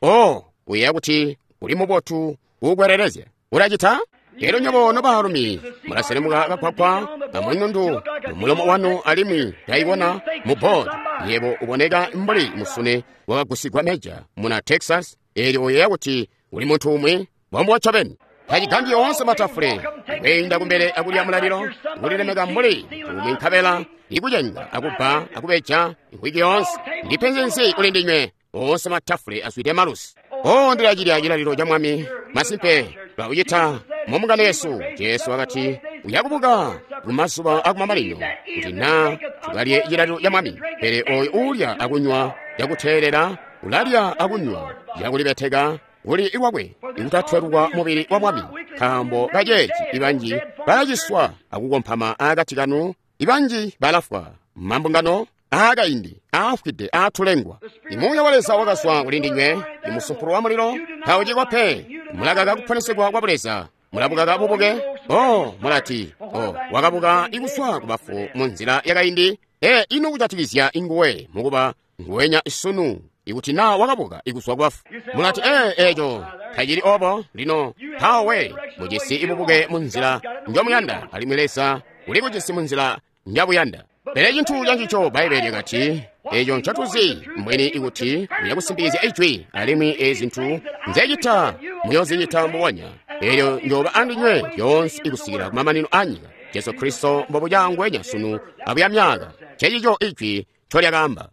A: Oh, uyeeya kuti uli mubotu ukwelelezya ulacita. Elyo nywebo nobaalumi mulaselemuka kagwagwa kamwinundu mumulomo wanu alimwi taibona mu board. Yebo uboneka mbuli musune wakagusigwa meja muna Texas. Elyo uyeeya kuti uli muntu umwi mbombubo ncobeni. Tacigambyi oonse matafule kweenda kumbele akulya mulalilo kulilemeka mbuli umwi nkabela ikucenga akubba akubeja imvwiki yoonse. Ndipenzi nzi kuli ndinywe? Oonse matafule azwide malusi. Oh, ndilacilya cilalilo ca Mwami. Masimpe baucita mumbungano yesu. Jesu wakati uyakubuka kumazuba akumamanino kuti na tukalye cilalilo ca Mwami. Pele oyo uulya akunywa cakuteelela ulalya akunywa cakulibeteka kuli iwakwe ikutatwelwa mubili wa Mwami. Nkaambo kaceeci ibanji balaciswa akukompama akati kanu, ibanji balafwa. Mambungano aakaindi aafwide aatulengwa. Imuuya wa Leza wakazwa kuli ndinywe, imusumpulu wa mulilo taucikwa pe. Mulakaka kuponesegwa kwa Buleza, mulabukaka bubuke. Oh, mulati, oh, wakabuka ikuswa kubafu mu nzila yakaindi. E, ino kujatikizya inguwe mukuba nguwenya sunu ikuti na wakabuka ikuswa kubafu. Mulati, e, eco tacili obo. Lino mpawe mujisi ibubuke mu nzila njomuyanda, alimwi Leza uli kujisi mu nzila njabuyanda. Pele cintu cancico Bbaibbele lyakati, eco ncotuzi mbweni ikuti uyakusimpikizya ijwi, alimwi ezi zintu nzecita muyozicita mbubonya. Elyo njoba andinywe lyoonse ikusikila kumamanino a nyika. Jesu Kristo mbobuca ngwenya sunu abuya myaka. Cecico ijwi ncolyakaamba.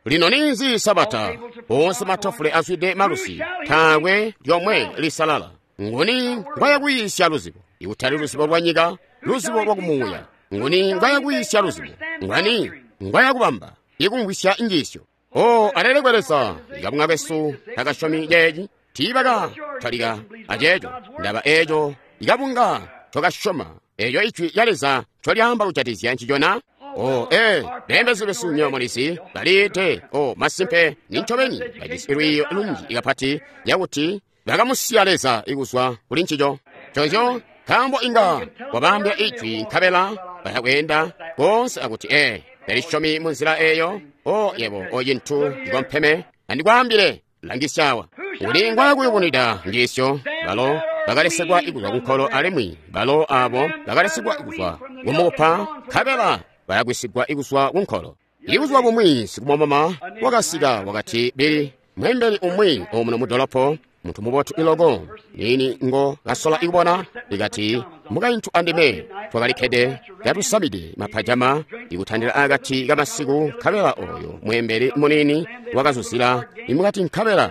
A: Lino ninzi Sabata? Oonse matafule azwide malusi, taakwe lyomwe lisalala. Nguni ngwayakuyiisya luzibo? Ikutali luzibo lwa nyika, luzibo lwa kumuuya. Nguni ngwayakwiisya luzibo? Ngwani ngwayakubamba ikumvwisya injiisyo? Oh, alelekwe Leza, ikabunga kesu takasyomi ceeci. Tiibaka talika aceeco. Ndaba eeco ikabunga tokasyoma eeco ijwi lya Leza ncolyaamba kujatikizya ncicona. Oh, beembezi besu nywebo mulizi baliite. Oh, masimpe ni ncobeni bajisi lwiiyo lunji kapati lyakuti bakamusiya Leza ikuzwa kuli ncico. Nconzyo Nkaambo inga wabaambila ijwi nkabela baya kweenda koonse akuti ee talisyomi mu nzila eyo. O yebo, o cintu cikompeme, andikwaambile, langisyawa. Uli ngwakuyubunwida njiisyo, balo bakalesekwa kuzwa kunkolo alimwi balo abo bakalesekwa kuzwa kumukupa nkabela bayagwisigwa kuzwa kunkolo. Ibuzuba bumwi sikumwamama wakasika wakati, Bili, mwembeli umwi omuno mudolopo, muntu mubotu iloko, nini ngo kasola ikubona, ikati mukaintu andime twakalikkede katusamide mapajama ikutandila akati kamasiku, nkabela oyo mwembeli munini wakazuzila imukati, nkabela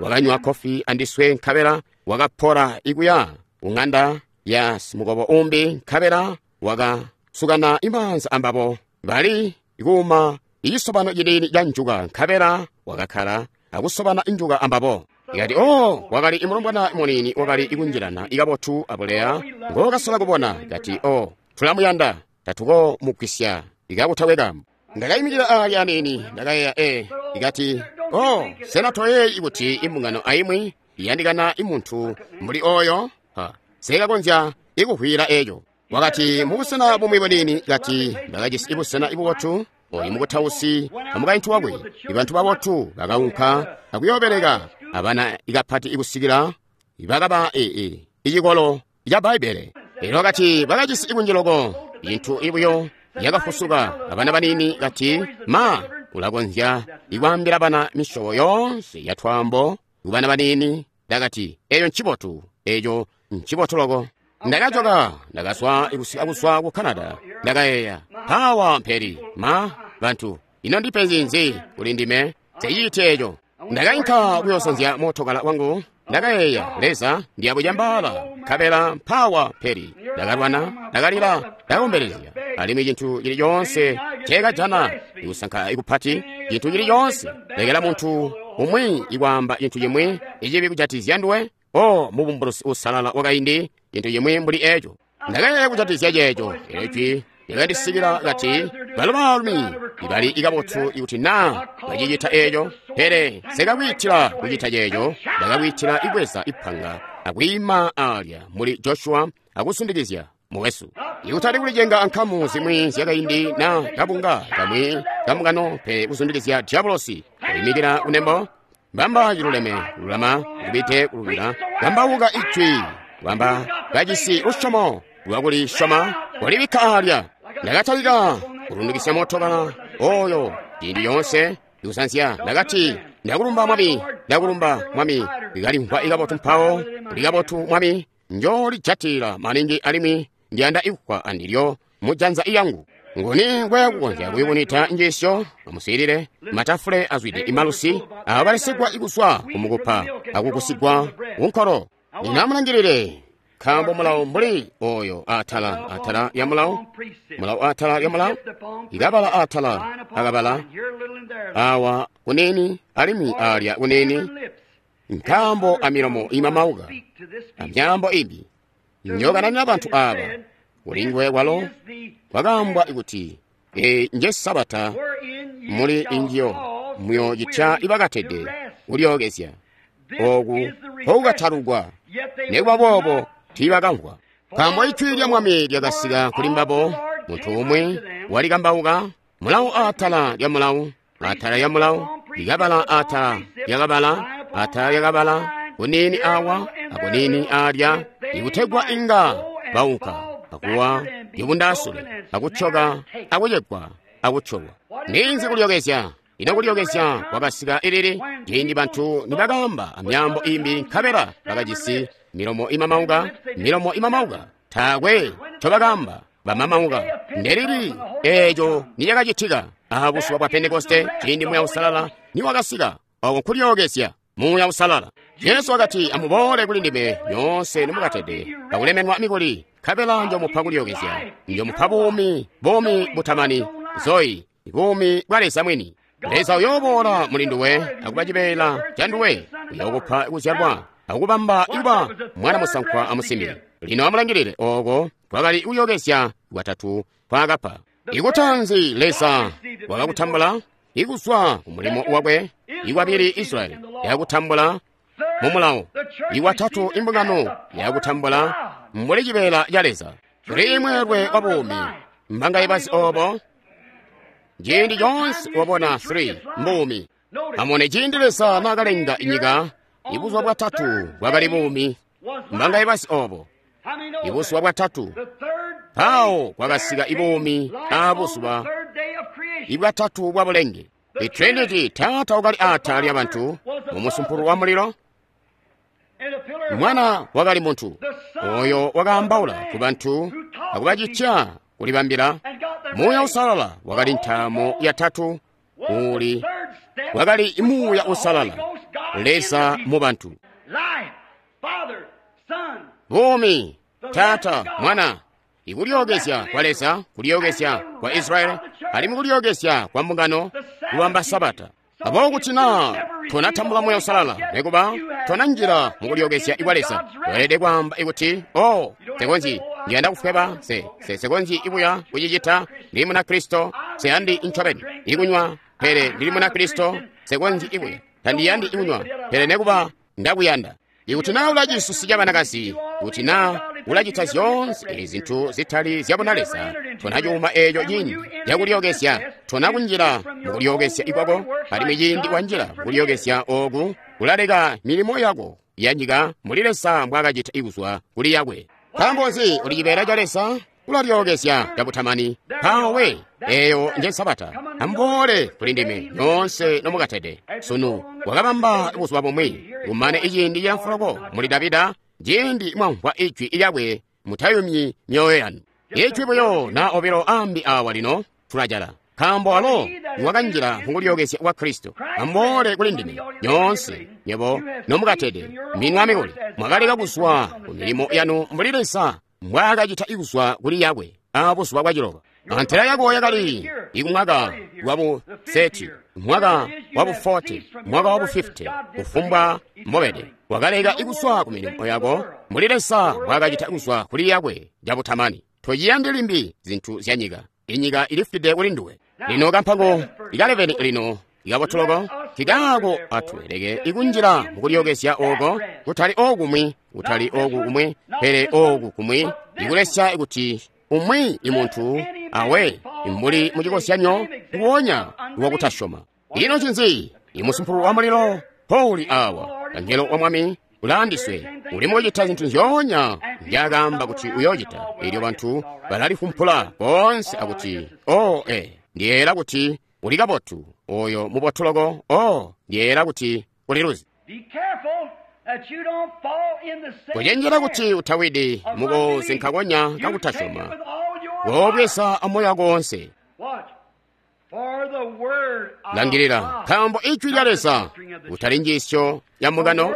A: wakanywa kofi andiswe, nkabela wakapora ikuya kung'anda ya simukobo umbi, nkabela wakasukana imaanza ambabo bali kuuma ichisobano chinini cha njuka, nkabela wakakkala akusobana njuka ambabo. Ikati o wakali imulombwana munini wakali ikunjilana ikabotu abuleya ngokasola kubona. Ikati o tulamuyanda tatukomugwisya ikakutakwe kambo. Ndakayimikira ali anini ndakayeya e ikati o sena toyeyi kuti imbungano aimwi iyandikana imuntu mbuli oyo? Ha, sekakonzya ikuhwira eyo. Wakati mubusena bumwi bunini, kati bakajisi ibusena ibubotu oyu mukutausi amukaintu wakwe, ibantu babotu bakaunka akuyobeleka abana ikapati ikusikila bakaba icikolo ca Bbaibbele. Elyo wakati bakajisi ikunjiloko intu ibuyo yakafusuka abana banini, kati ma ulakonzya ikwaambila bana misyobo yoonse ya twaambo kubana banini. Ndakati eyo ncibotu, eyo ncibotu loko. Ndakajoka ndakazwa ikusika kuzwa ku Canada. Ndakayeeya pawa mperi ma bantu ino ndipenzi nzi kuli ndime seyite eyo. Ndakainka kuyosanzya mootokala wangu. Ndakayeeya Leza ndiyabujambala nkabela mpawa mperi. Ndakalwana, ndakalila, ndakombelezya, alimwi cintu cili coonse ceekajana ikusanka ikupati, cintu cili coonse lekela muntu umwi ikwaamba cintu cimwi icibi kujatizya nduwe. O mubumbulusi usalala wakaindi, cintu cimwi mbuli eco. Ndakayeeya kujatizya ceeco. Elyo jwi lyakandisikila kati balo baalumi ibali ikabotu ikuti naa bacicita eco, pele sekakwiitila kucita ceeco. Ndakakwiitila ibweza ipanga akwiima alya muli Joshua akusundikizya mukwesu, ikutali kulicenga ankamu zimwi zyakaindi na kabunga kamwi kamukano, pele kusundikizya diabolosi kuyimikila kunembo. Bamba ciluleme lulama kubite kulubila, kambauka ijwi, bamba kajisi lusyomo lwakulisyoma walibikka alya. Ndakatalika kulundikisya mootokala oyo ciindi yoonse ikusanzya. Ndakati ndakulumba Mwami, ndakulumba Mwami, likalimvwa ikabotu mpawo likabotu Mwami, njolijatila maningi alimwi ndiyanda ikufwa andilyo mujanza iyangu. Nguni ngweyakukonzya kuyubunita njiisyo? Amuswiilile, matafule azwide imalusi abalesigwa ikuzwa kumukupa akukusigwa kunkolo. Ninamulangilile, nkaambo mulawo mbuli oyo atala atala ya mulawo, mulawo atala ya mulawo, ikabala atala akabala awa kunini alimwi alya kunini, nkaambo amilomo imamauka amyaambo ibi njokananina bantu aba. Kulingwe kwalo kwakaambwa kuti e nje Sabata muli injiyo muyocitya ibakatede kulyookezya oku kokukatalukwa. Nekuba boobo tiibakamvwa, nkaambo ijwi lya Mwami lyakasika kuli mbabo. Muntu umwi walikambauka mulawo atala lya mulawo, atala lya mulawo, likabala atala lyakabala, atala lyakabala, kunini awa akunini alya, ikutegwa inga baunka akuwa ibundasule akucoka akucegwa akucolwa. Ninzi kulyokezya? Ino kulyokezya kwakasika ilili? Ciindi bantu nibakaamba amyaambo imbi nkabela bakajisi milomo imamauka, milomo imamauka, taakwe ncobakaamba bamamauka. Ndelili eeco nicakacitika? Aha buzuba bwa Pentekoste, ciindi Muuya Uusalala niwakasika. Oko nkulyokezya Muuya Uusalala. Jesu wakati, amuboole kuli ndime nyoonse nimukatede akulemenwa mikuli, nkabela njomupa kulyokezya, njomupa buumi, buumi butamani, zoyi, buumi bwa Leza mwini. Leza uyooboola muli nduwe akuba cibeela ca nduwe, uyookupa kuzyalwa akubamba ikuba mwana musankwa amusimbi. Lino amulangilile, oko kwakali kulyokezya kwatatu kwaakapa. Ikutanzi Leza wakakutambula ikuzwa kumulimo wakwe, ikwabili Israyeli yakutambula mu mulawo, ikwatatu imbungano yakutambula Mbuli cibeela ca Leza. 3 mweelwe wa buumi. Mbangaye bazi obo? Ciindi coonse wabona 3 mbuumi. Amone ciindi Leza naakalenga inyika, ibuzuba bwatatu bwakali buumi. Mbangaye bazi obo? Ibuzuba bwatatu mpawo kwakasika ibuumi aabuzuba ibwatatu bwa bulenge. The Trinity, Taata wakali aatala lya bantu mu musumpulu wa mulilo. Mwana wakali muntu oyo wakaambaula ku bantu akubacitya kulibambila. Muuya Uusalala wakali ntaamo yatatu, uli wakali Muuya Uusalala, Leza mu bantu. Buumi, Taata, Mwana, ikulyookezya kwa Leza, kulyookezya kwa Israeli, alimwi kulyookezya kwa mbungano, kubamba Sabata. Aboobo kuti naa tonatambula Muuya Uusalala, nekuba tonanjila mukulyookezya kwa Leza, weelede kwaamba ikuti, oh, sekonzyi ndiyanda kufweba, sekonzyi ibuya kucicita, ndili Munakristo, seyandi ncobeni ikunywa, pele ndili Munakristo, sekonzyi ibuya, tandiyandi ikunywa, pele nekuba ndakuyanda. Ikuti naa ulacisusi ca banakazi, kuti naa ulacita zyoonse ezi zintu zitali zyabuna Leza, tona cuuma eeco ciindi cakulyookezya, tona kunjila mukulyookezya ikwako, alimwi ciindi wanjila mukulyookezya ooku, ulaleka milimo yako ya nyika mbuli Leza mbwaakacita ikuzwa kuli yakwe. Nkaambo nzi uli cibeela ca Leza? Ulalyookezya cabutamani. Mpawo we, eeyo nje Sabata. Amuboole kuli ndime nyoonse nomukatede. Sunu wakabamba buzuba bumwi, kumane iciindi ca mfuloko muli Davida, ciindi mwamvwa ijwi lyakwe, mutayumyi myoyo yanu. Ijwi buyo na obilo ambi awa lino tulajala, nkaambo alo wakanjila mukulyookezya kwa Kristo. Amuboole kuli ndime nyoonse nywebo nomukatede, minwa mikuli, mwakaleka kuzwa ku milimo yanu mbuli Leza mbwaakacita ikuzwa kuli yakwe aabuzuba bwaciloba. Antela yako yakali ikumwaka wabu 30, mwaka wabu 40, mwaka wabu 50, kufumbwa mbobede. Wakaleka ikuzwa ku milimo yako mbuli Leza mbwaakacita kuzwa kuli yakwe cabutamani. Tochiyandi limbi zintu zya nyika. Inyika ilifwide kuli nduwe. Lino kampango ikaleveni lino ikabotoloko kikaako atweleke ikunjila mukulyookezya oko, kutali okumwi, kutali oku kumwi, pele oku kumwi, ikulesya kuti umwi imuntu awe mbuli mucikozyanyo nguwonya wakutasyoma. Ino ncinzi? Imusumpulu wa mulilo Pauli awa, angelo wa Mwami ulaandiswe, uli mukucita zintu nzyoonya nzyaakaamba kuti uyoocita. Elyo bantu balalifumpula boonse akuti, oh, ndiyeeyela kuti uli kabotu, oyo mubotuloko, oh, ndiyeeyela kuti uli luzi. Kucenjela kuti utawidi mukozi nkakonya kakutasyoma, woobweza amoyo wako wonse. Langilila, nkaambo ijwi lya Leza kutali njiisyo ya mbungano.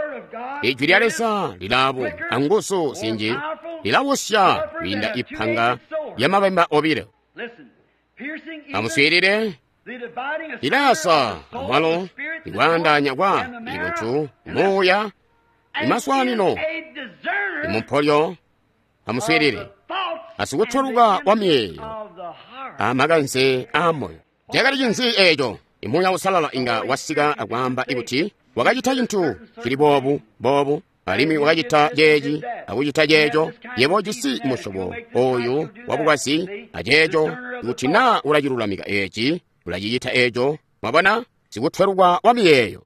A: Ijwi lya Leza lilaabu anguzu zinji, lilawusya kwiinda ipanga lya mabemba obilo. Amuswiilile, lilayasa amwalo ikwaandaanya kwa ibuntu, muuya, imaswaanino, imumpolyo. Amuswiilile, asikutweluka wa miyeeyo amakanze aamoyo. Cakali cinzi eeco? Imuuya Uusalala inga wasika akwaamba ikuti wakacita cintu cili boobu boobu, alimwi wakacita ceeci akucita ceeco. Yebo ujisi musyobo oyu wabukwazi aceeco, kuti naa ulacilulamika eeci, ulacicita eeco. Mwabona, sikutweluka wa miyeeyo.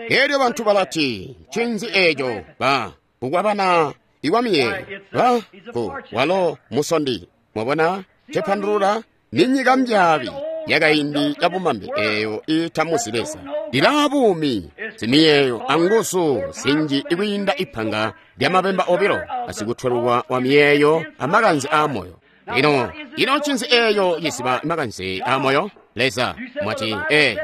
A: Elyo bantu balati, ncinzi eeco? Ba kukwabana iwa miyeeyo. Ba ku walo musondi. Mwabona, cepandulula ni nyika mbyaabi yakaindi yabumambe eeyo iitamuzi Leza. Lilaa buumi, zimiyeeyo anguzu zinji ikwiinda ipanga lya mabemba obilo, asikutweluka wa miyeeyo amakanze aamoyo. Lino, ino ncinzi eeyo ciziba makanze aamoyo? Leza mwati,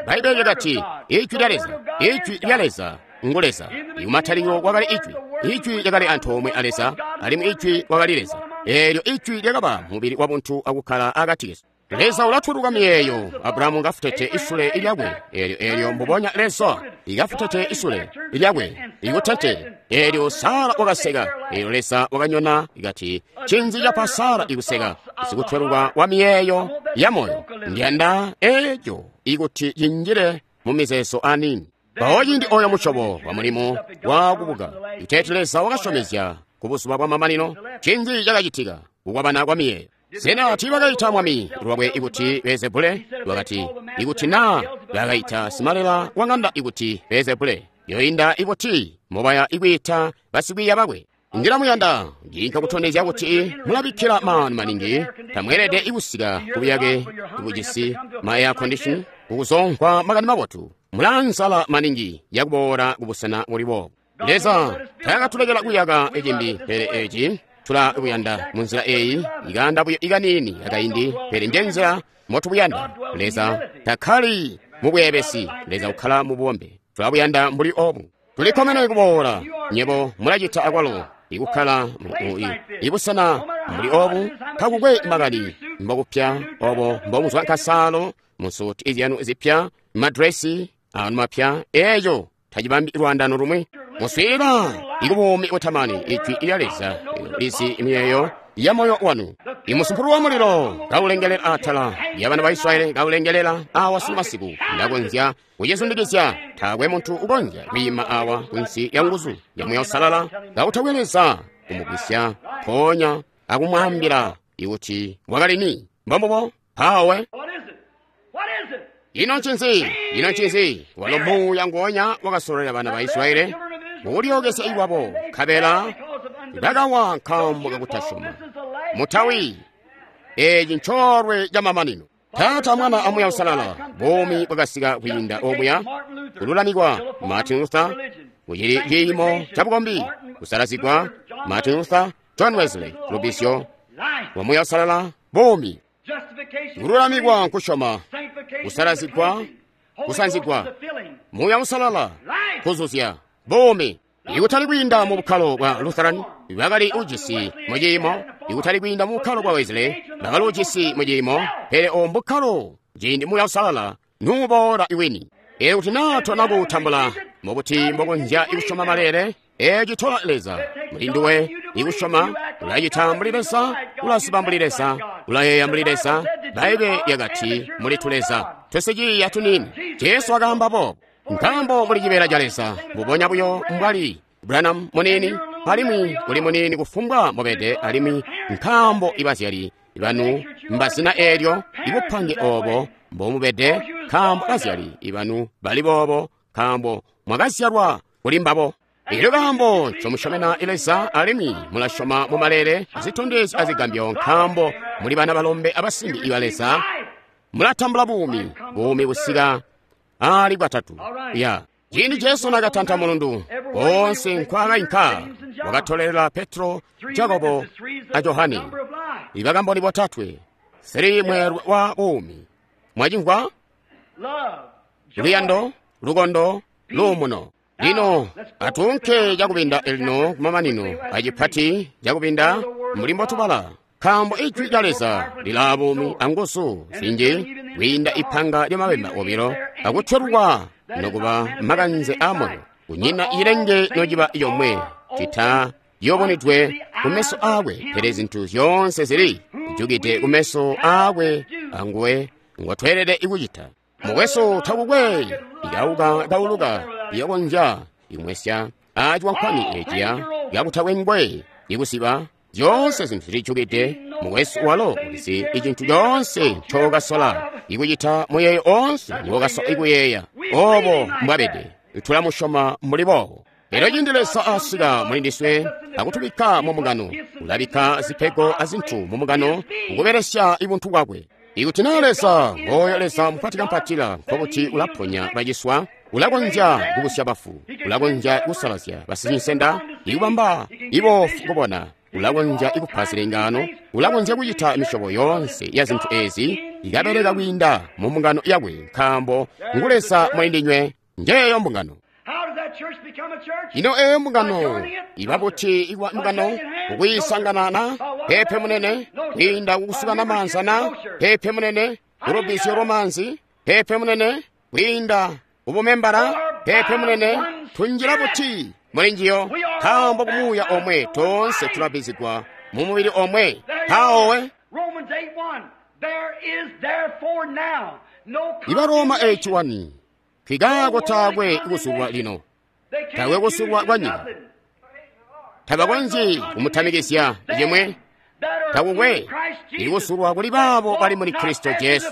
A: Bbaibele lyakati, ijwi lya Leza, ijwi lya Leza ngu Leza. Ikumatalikilo kwakali ijwi, ijwi lyakali antoomwe a Leza, alimwi ijwi wakali Leza. Eelyo ijwi lyakaba mubili wabuntu akukkala akati kesu. Leza ulatweluka miyeeyo. Abrahamu ngafutete isule lyakwe. Eelyo mbubonya Leza ikafutete isule lyakwe ikutete. Eelyo Sara wakaseka. Eelyo Leza wakanyona ikati, ncinzi capa Sara ikuseka? Sikutweluka wa miyeeyo ya moyo. Ndiyanda eeco ikuti cinjile mu mizeezo aniini. Mpawo ciindi oyo musyobo wa mulimo wakubuka, iteeti Leza wakasyomezya kubuzuba bwamamanino, ncinzi cakacitika? Kukwabana kwa miyeeyo. Sena tiibakaita mwami lwakwe ikuti Beelzebule? Wakati, ikuti naa bakaita simalela wa ŋanda ikuti Beelzebule, yoinda ikuti mubaya ikwiita basikwiiya bakwe. Ndilamuyanda nginka kutondezya kuti mulabikkila maanu maningi. Tamweelede ikusika kubuyake bujisi ma air condition kukuzomvwa makani mabotu. Mulansala maningi yakuboola kubusena buli boobu. Leza taakatulekela kuyaka icimbi, pele eci tulabuyanda munzila eyi ikanda buyo ikanini akaindi, pele njenzila motubuyanda. Leza takkali mubweebesi, Leza ukkala mububombe. Tulabuyanda mbuli obu. Tulikkomene kuboola nyebo mulacita akwalo ikukkala ibusena mbuli obu. Takukwe makani mbokupya obo mbomuzwa nkasaalo musuti izyanu zipya, madresi anu mapya, eeco tacibambi lwaandano lumwi. Muswiilila ikubuumi butamani, ijwi lya Leza lizi miyeeyo ya moyo wanu. Imusumpulu wa mulilo kaulengelela atala lya bana ba Israeli, kaulengelela awa sunu masiku. Ndakonzya kucizundikizya, taakwe muntu ukonzya kwiima awa kunsi ya nguzu ya Muuya Uusalala kautakwe Leza kumugwisya mpoonya akumwaambila ikuti wakali ni. Mbombubo mpawe. Ino ncinzi? Ino ncinzi? Walo Muuya nguonya wakasololela bana ba Israeli mukulyokezya iwabo, nkabela bakawa nkaambo kakutasyoma. Mutawi, eci ncoolwe camamanino. Taata, Mwana a Muuya Uusalala, buumi bwakasika kwiinda omuya, kululamikwa Martin Luther, kucili ciimo cabukombi, kusalazigwa Martin Luther, John Wesley, lubisyo lwa Muuya Uusalala, buumi. Kululamikwa nkusyoma, kusalazigwa, kusanzigwa, Muuya Uusalala, kuzuzya, buumi. Ikutali kwiinda mu bukkalo bwa Lutheran, bakali ujisi mu ciimo. Ikutali kwiinda mu bukkalo bwa Wesley, bakali ujisi mu ciimo. Pele obo mbukkalo ciindi Muuya Uusalala nuuboola iwini. Ee, kuti naa tona kuutambula, mubuti mbokonzya ikusyoma maleele? Ee, citola Leza muli nduwe ikusyoma. Ulacita mbuli Leza, ulaziba mbuli Leza, ulayeeya mbuli Leza. Bbaibbele lyakati muli tuleza twesiciiya tuniini. Jesu wakaamba boobo. Nkaambo muli cibeela ca Leza, mbubonya buyo mbwali Branham muniini, alimwi uli muniini kufumbwa mubede, alimwi nkaambo ibazyali banu mbazina eelyo, ibupange oobo mbomubede, nkaambo bazyali banu bali boobo, nkaambo mwakazyalwa kuli mbabo. Elyo kaambo ncomusyomena Leza, alimwi mulasyoma mu maleele, azitondezyo azigambyo, nkaambo muli bana balombe abasimbi iba Leza, mulatambula buumi, buumi busika ali bwatatu. Ya ciindi Jesu nakatanta mulundu koonse nkwaakainka, wakatolelela Petro, Jakobo a Johane, ibakamboni botatwe, sili mweelwe wa buumi. Mwacimvwa? Luyando, lukondo, luumuno. Lino atuunke cakubinda elino kumamanino acipati cakubinda mbuli mbotubala, nkaambo ijwi lya Leza lilaa buumi anguzu zinji kwiinda ipanga lya mabemba obilo, akutwelwa nokuba makanze a moyo. Kunyina ilenge nociba yomwe cita yobonedwe kumeso aakwe, pele zintu zyoonse zili jukide kumeso aakwe anguwe ngotweelede ikucita. Mukwesu, takukwe ikauka kauluka iyokonzya ikumwesya aciwankwani eciya kakutakwe ngwe ikusiba. Zyoonse zintu zilijukide mukwesu, walo ulizi icintu coonse ncokasola ikucita, muyeeyo oonse ngokasola ikuyeeya. Obo mbwabede, tulamusyoma mbuli boobo. Elyo ciindi Leza asika muli ndiswe akutubikka mu mbungano, ulabikka zipego azintu mu mbungano kukubelesya ibuntu bwakwe. Ikuti naa Leza ngooyo Leza mupatikampatila, nkokuti ulaponya baciswa, ulakonzya kubusya bafu, ulakonzya kusalazya basicinsenda, ikubamba iboofu kubona, ulakonzya ikupa zilengaano, ulakonzya kucita misyobo yoonse ya zintu ezi, ikabeleka kwiinda mu mbungano yakwe, nkaambo ngu Leza muli ndinywe. Njeeyo mbungano. Ino eeyo mbungano iba buti ikuba mbungano? Kukwiisangana na pepe munene, kwiinda kukusukana maanza na pepe munene, kulubisyo lwamanzi pepe munene, kwiinda kubumembala pepe munene. Tunjila buti muli njiyo? Nkaambo kumuuya omwe toonse tulabizigwa mu mubili omwe. Mpawowe iba Roma 8:1 nkikaako taakwe kusulwa lino, taakwe kusulwa kwa nyika. Tabakonzyi kumutamikizya cimwe. Takukwe ikusulwa kuli baabo bali muli Kristo Jesu,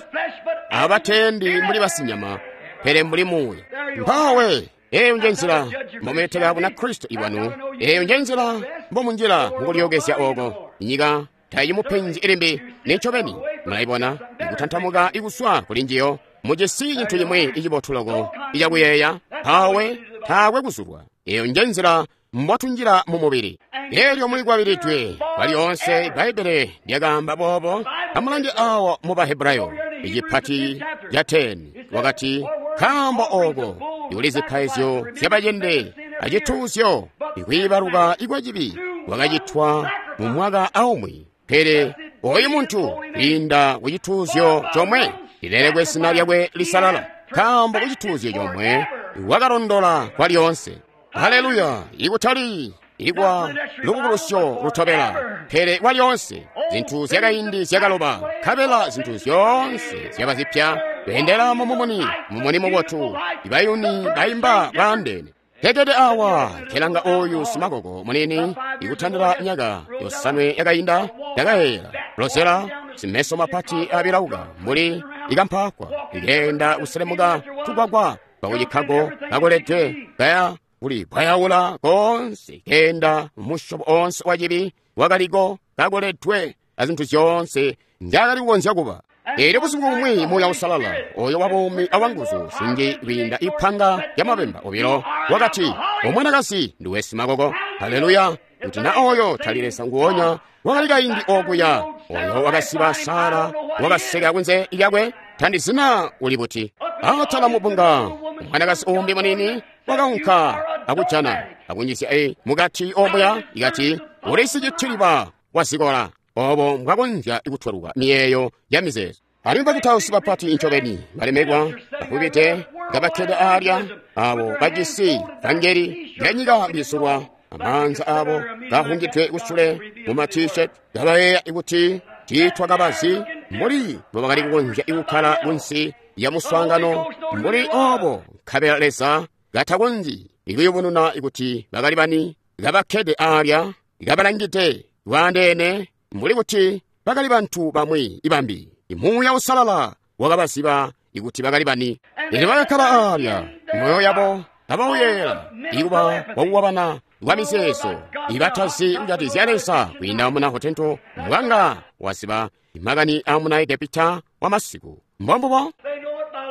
A: abatendi mbuli basinyama, pele mbuli muuya. Mpawe eyo nje nzila mbomuleteka buna Kristo ibwanu. Eyo nje nzila mbomunjila mukulyookezya oko. Inyika tayimupenzi ilimbi nincobeni. Mulayibona ikutantamuka ikuswa kuli njiyo. Mujisi cintu cimwi icibotu loko icakuyeeya. Mpawe taakwe kuzulwa. Eyo nje nzila mbotunjila mu mubili. Elyo mulikwabilidwe kwalyoonse. Bbaibbele lyakaamba boobo. Amulange awa mu Bahebrayo icipati ca 10, wakati, nkaambo oko ikuli zipaizyo zyabacende acituuzyo ikwiibaluka ikwacibi kwakacitwa mu mwaka aumwi, pele oyu muntu kwiinda ku cituuzyo comwe lilelekwe zina lyakwe lisalala, nkaambo ku cituuzyo comwe wakalondola kwalyoonse. Haleluya! Ikutali ikwa lubukulusyo lutobela, pele kwalyoonse. Zintu zyakaindi zyakaloba, nkabela zintu zyoonse zyaba zipya. Beendela mu mumuni, mumuni mubotu. Ibayuni baimba bwaandeene. Tekete awa kelanga oyu simakoko munini ikutandila myaka 5 yakainda ndakayeeyela lozela simeso mapati abilauka mbuli ikampakwa ikeenda kuselemuka tugwagwa twakucikkago kakoledwe kaya kuli bwayaula konse keenda musyobo onse wa cibi wakaliko kakoledwe azintu zyoonse nzyakali kukonzya kuba. Elyo busiku bumwi Muuya Uusalala oyo wabuumi awanguzu zinji kwiinda ipanga lya mabemba obilo wakati, omwanakazi nduwe simakoko. Haleluya! Kuti na oyo tali Leza nguonya wakali kaindi okuya oyo wakasiba Sara wakaseka kunze lyakwe, tandizina uli buti. Atala mubunga mwanakazi umbi munini wakaunka akujana akunjizya mukati omuya ikati uli sicitiliba wazikola. Obo mbwakonzya kutweluka miyeeyo ya mizeezo. Alimwi bakutausi bapati incobeni balemekwa bafubide ngabakkede aalya abo bajisi vangeli lyanyika lisulwa amaanza abo kahungidwe kusule mu ma t-shirt kabayeeya kuti tiitwakabazi mbuli mbobakali kukonzya kukkala kunsi ya muswaangano mbuli obo, nkabela Leza katakonzyi ikuyubununa kuti bakali bani, kabakkede aalya kabalangide bwaandeene mbuli kuti bakali bantu bamwi ibambi. Muuya Uusalala wakabaziba ikuti bakali bani. Elyo bakakkala aalya moyo yabo abauyeela ikuba wakuwabana kwa mizeezo ibatazi kujatikizya Leza kwiinda muna Hotento mbwanga waziba makani a muna Egepita wa masiku. Mbombubo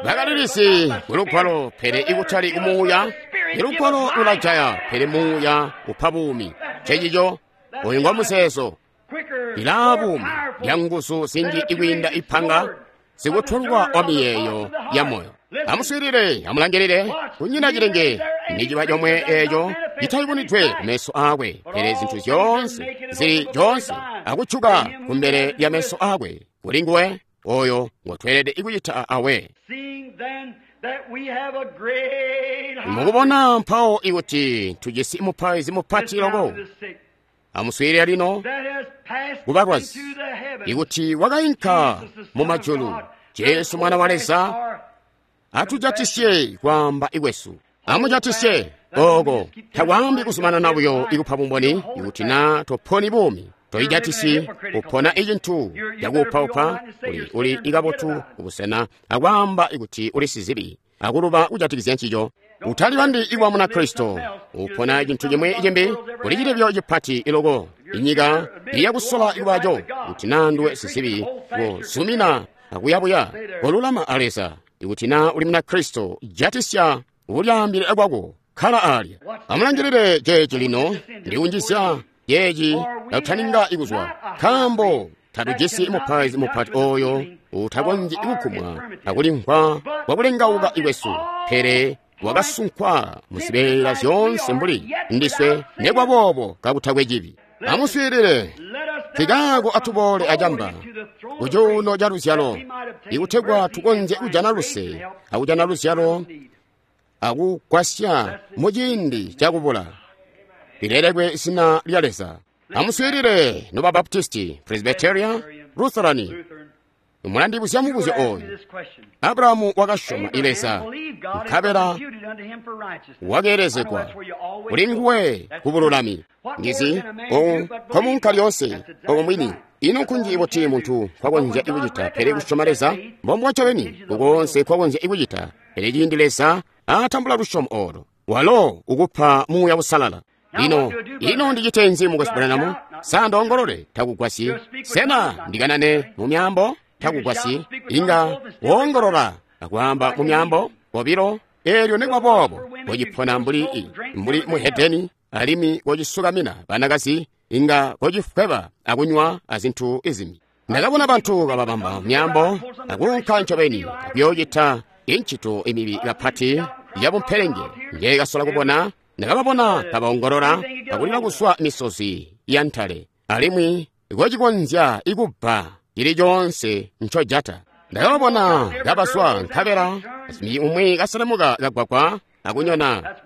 A: bakalilizi kulugwalo, pele ikutali kumuuya. Ilugwalo lulajaya, pele muuya upa buumi. Cecico oyu ngwa muzeezo ilaa buumi lya nguzu zinji ikwiinda ipanga sikutolwa wa miyeeyo ya moyo. Amuswiilile, amulangilile, kunyina cilenge niciba comwe eeco citayubunidwe kumeso aakwe, pele zintu zyoonse zili zyoonse akuccuka kumbele lya meso aakwe. Kuli nguwe oyo ngotweelede kucita awe. Mukubona mpawo ikuti tujisi mupaizi mupati loko. Amuswiilile lino kubalwazi ikuti wakainka mu majulu, Jesu mwana wa Leza atujatisye kwaamba ikwesu. Amujatisye oko takwaambi kuzumanana buyo ikupa bumboni ikuti na toponi buumi toijatisi upona icintu cakuupaupa uli ikabotu kubusena akwaamba ikuti uli sizibi akuluba kujatikizya ncico. Utalibambi ikwa muna Kristo upona cintu cimwi cimbi kuli cilebyo cipati iloko inyika iyakusola ikubaco kuti na nduwe sizibi kuzumina akuyabuya kolulama a Leza. Ikuti na uli muna Kristo jatisya ulyaambile kwako khala alya. Amulangilile ceeci lino ndikunjizya ceeci kakutaninga ikuzwa, nkaambo tatujisi mupaizi mupati oyo utakonzyi kukumwa akulimvwa kwakulengauka ikwesu, pele wakasunkwa muzibeela zyoonse mbuli ndiswe nekwaboobo kakutakwe cibi. Amuswiilile, tikaako atuboole acamba kucuuno ca luzyalo ikutegwa tukonzye kujana luse akujana luzyalo akugwasya muciindi cakubula. Lilelekwe zina lya Leza. Amuswiilile noba Baptisti, Presbyteria, Lutherani. Mulandibuzya mubuzyo oyu. Abrahamu wakasyoma Leza, nkabela Wakeelezegwa kuli nguwe ku bululami. Ndizi nkomunka lyoonse obo mwini. Ino nkunji buti muntu nkwakonzya kucita pele kusyoma Leza? Mbombubo ncobeni kukoonse nkwakonzya kucita. Pele ciindi Leza atambula lusyomo olo, walo ukupa Muuya Uusalala. Lino, ino ndicite nzi Mukwesu Branham? Sa ndoongolole? Takugwasyi. Sena ndikanane mu myaambo? Takugwasyi. Inga woongolola akwaamba mu myaambo kobilo, eelyo nikuba boobo kocipona mbuli muhedeni, alimwi kocisukamina banakazi, inga kocifweba akunywa azintu izimbi. Ndakabona bantu kababamba myaambo akuunka ncobeni akuyoocita incito imibi kapati yabumpelenge njekasola kubona. Ndakababona kabaongolola akulila kuswa misozi ya ntale, alimwi kocikonzya ikubba cili coonse ncojata. Ndakababona kabaswa nkabela azimbi umwi kaselemuka kagwagwa akunyona.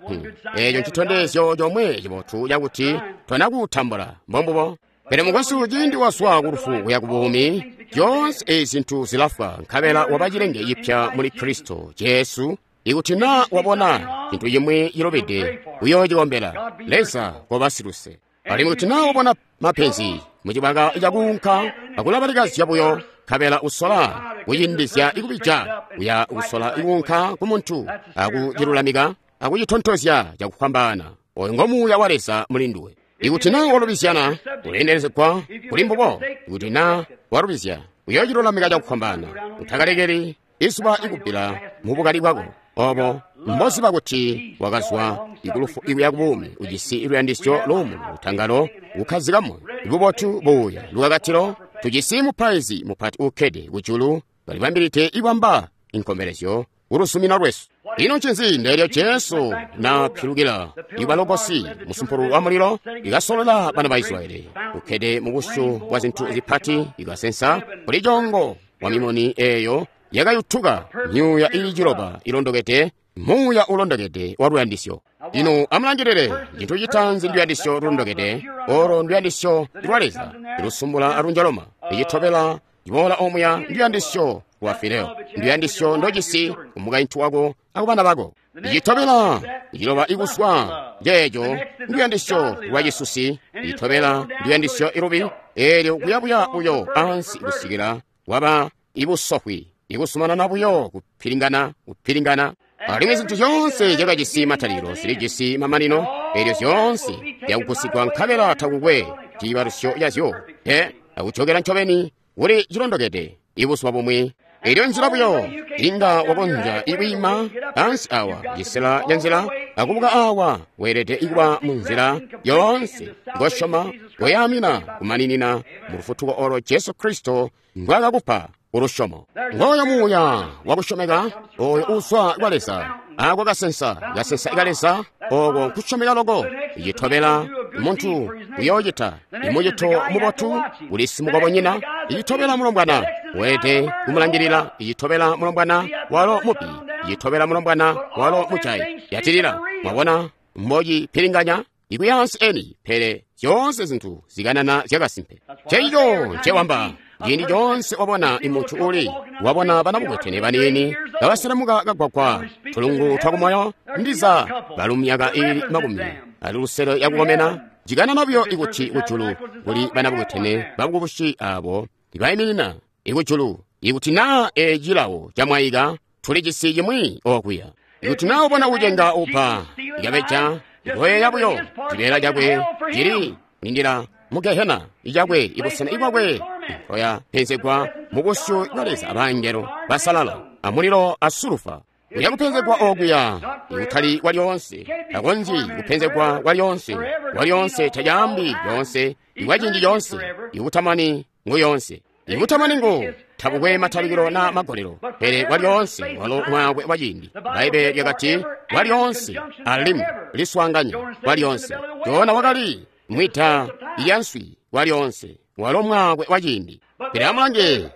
A: Eeco ncitondezyo comwe cibotu cakuti tonakutambula. Mbombubo. Pele mukwesu, ciindi waswa kulufu kuya ku buumi, zyoonse ezi zintu zilafwa, nkabela waba cilenge cipya muli Kristo Jesu. Ikuti na wabona cintu cimwi cilubide, uyoocikombela. Leza koba siluse. Alimwi kuti na wabona mapenzi mucibaka cakuunka akulabalikazya buyo, nkabela usola kucindizya ikubija, uya kusola kuunka ku muntu akucilulamika akucitontozya cakufwambaana. Oyo ngo Muuya wa Leza muli nduwe. Ikuti na walubizyana, uleendelezegwa kuli mbubo. Ikuti na walubizya, uyoocilulamika cakufwambaana. Utakalekeli izuba ikubbila mu bukali bwako. Obo mboziba kuti wakazwa ikulufu ikuya ku buumi, ujisi luyandisyo luumuno, lutangalo, kukkazika moyo, bubotu, buuya, lukakatilo. Tujisi mupaizi mupati uukkede kujulu, kalibambilide ibamba inkombelezyo kuluzumino lwesu. Ino ncinzi ndeelyo Jesu napilukila ibalogosi musumpulu wa mulilo ikasolola bana ba Israyeli, ukkede mu busyu bwa zintu zipati, ikasensa kuli congo wa mimuni eeyo yakayutuka myuuya ili ciloba ilondokede, muuya ulondokede wa luyandisyo. Lino amulangilile, cintu citaanzi nduyandisyo lulondokede, olo nduyandisyo lwa Leza ilusumbula alunjaloma. Icitobela ciboola omuya nduyandisyo lwa fileo, nduyandisyo ndojisi kumukaintu wako akubana bako. Icitobela iciloba ikuswa njeeco nduyandisyo lwa cisusi. Icitobela nduyandisyo ilubi, eelyo kuyabuya buyo ansi kusikila waba ibusofwi, ikusumanana buyo kupilingana kupilingana. Alimwi zintu zyoonse zyakajisi matalikilo zilijisi mamanino, eelyo zyoonse zyakugusigwa nkabela takukwe ciibalusyo cazyo. Pe akujokela ncobeni kuli cilondokede ibuzuba bumwi. Eelyo nzila buyo inga wakonzya ikwiima ansi awa cisela ca nzila akubuka awa, weelede ikuba mu nzila yoonse ngosyoma koyaamina kumaninina mu lufutuko olo Jesu Kristo ndwakakupa ulusyomo. Ngooyo muuya wakusyomeka oyo uuzwa kwa Leza, ako kasensa kasensa ka Leza, oko nkusyomeka loko. Icitobela muntu uyoocita imucito mubotu kuli simukobonyina. Icitobela mulombwana weelede kumulangilila. Icitobela mulombwana walo mubi. Icitobela mulombwana walo mujayi. Yatilila, mwabona mbocipilinganya ikuyaansi eni, pele zyoonse zintu zikanana zyakasimpe. Ceico ncewamba. Ciindi coonse wabona imuntu uli wabona banabukwetene baniini kabaselemuka kagwagwa tulungu twakumoyo, ndiza balu myaka ili 60 yakukomena, cikanana buyo ikuti kujulu kuli banabukwetene babukubusi abo ibaiminina ikujulu. Ikuti naa ecilawo camwaika, tulijisi cimwi okuya. Ikuti naa ubona kucenga upa ikabeja ikoyeeya buyo cibeela cakwe cili kulindila mu Gehena icakwe ibusena ibwakwe nkoya penzegwa mu busyu bwa Leza abangelo basalala amulilo a sulufa. Uya kupenzegwa okuya ikutali kwalyoonse, takonzyi kupenzegwa kwalyoonse, kwalyoonse tacaambi lyoonse, ikwaciindi coonse, ikutamani ngu yoonse. Ikutamani ngu tabukwe matalikilo na magolelo, pele kwalyoonse walo mwaakwe wa ciindi. Bbaibbele lyakati kwalyoonse alimwi liswaanganya kwalyoonse. Jona wakali mwita yanswi kwalyoonse, walo mwaakwe wa ciindi. Pele amulange,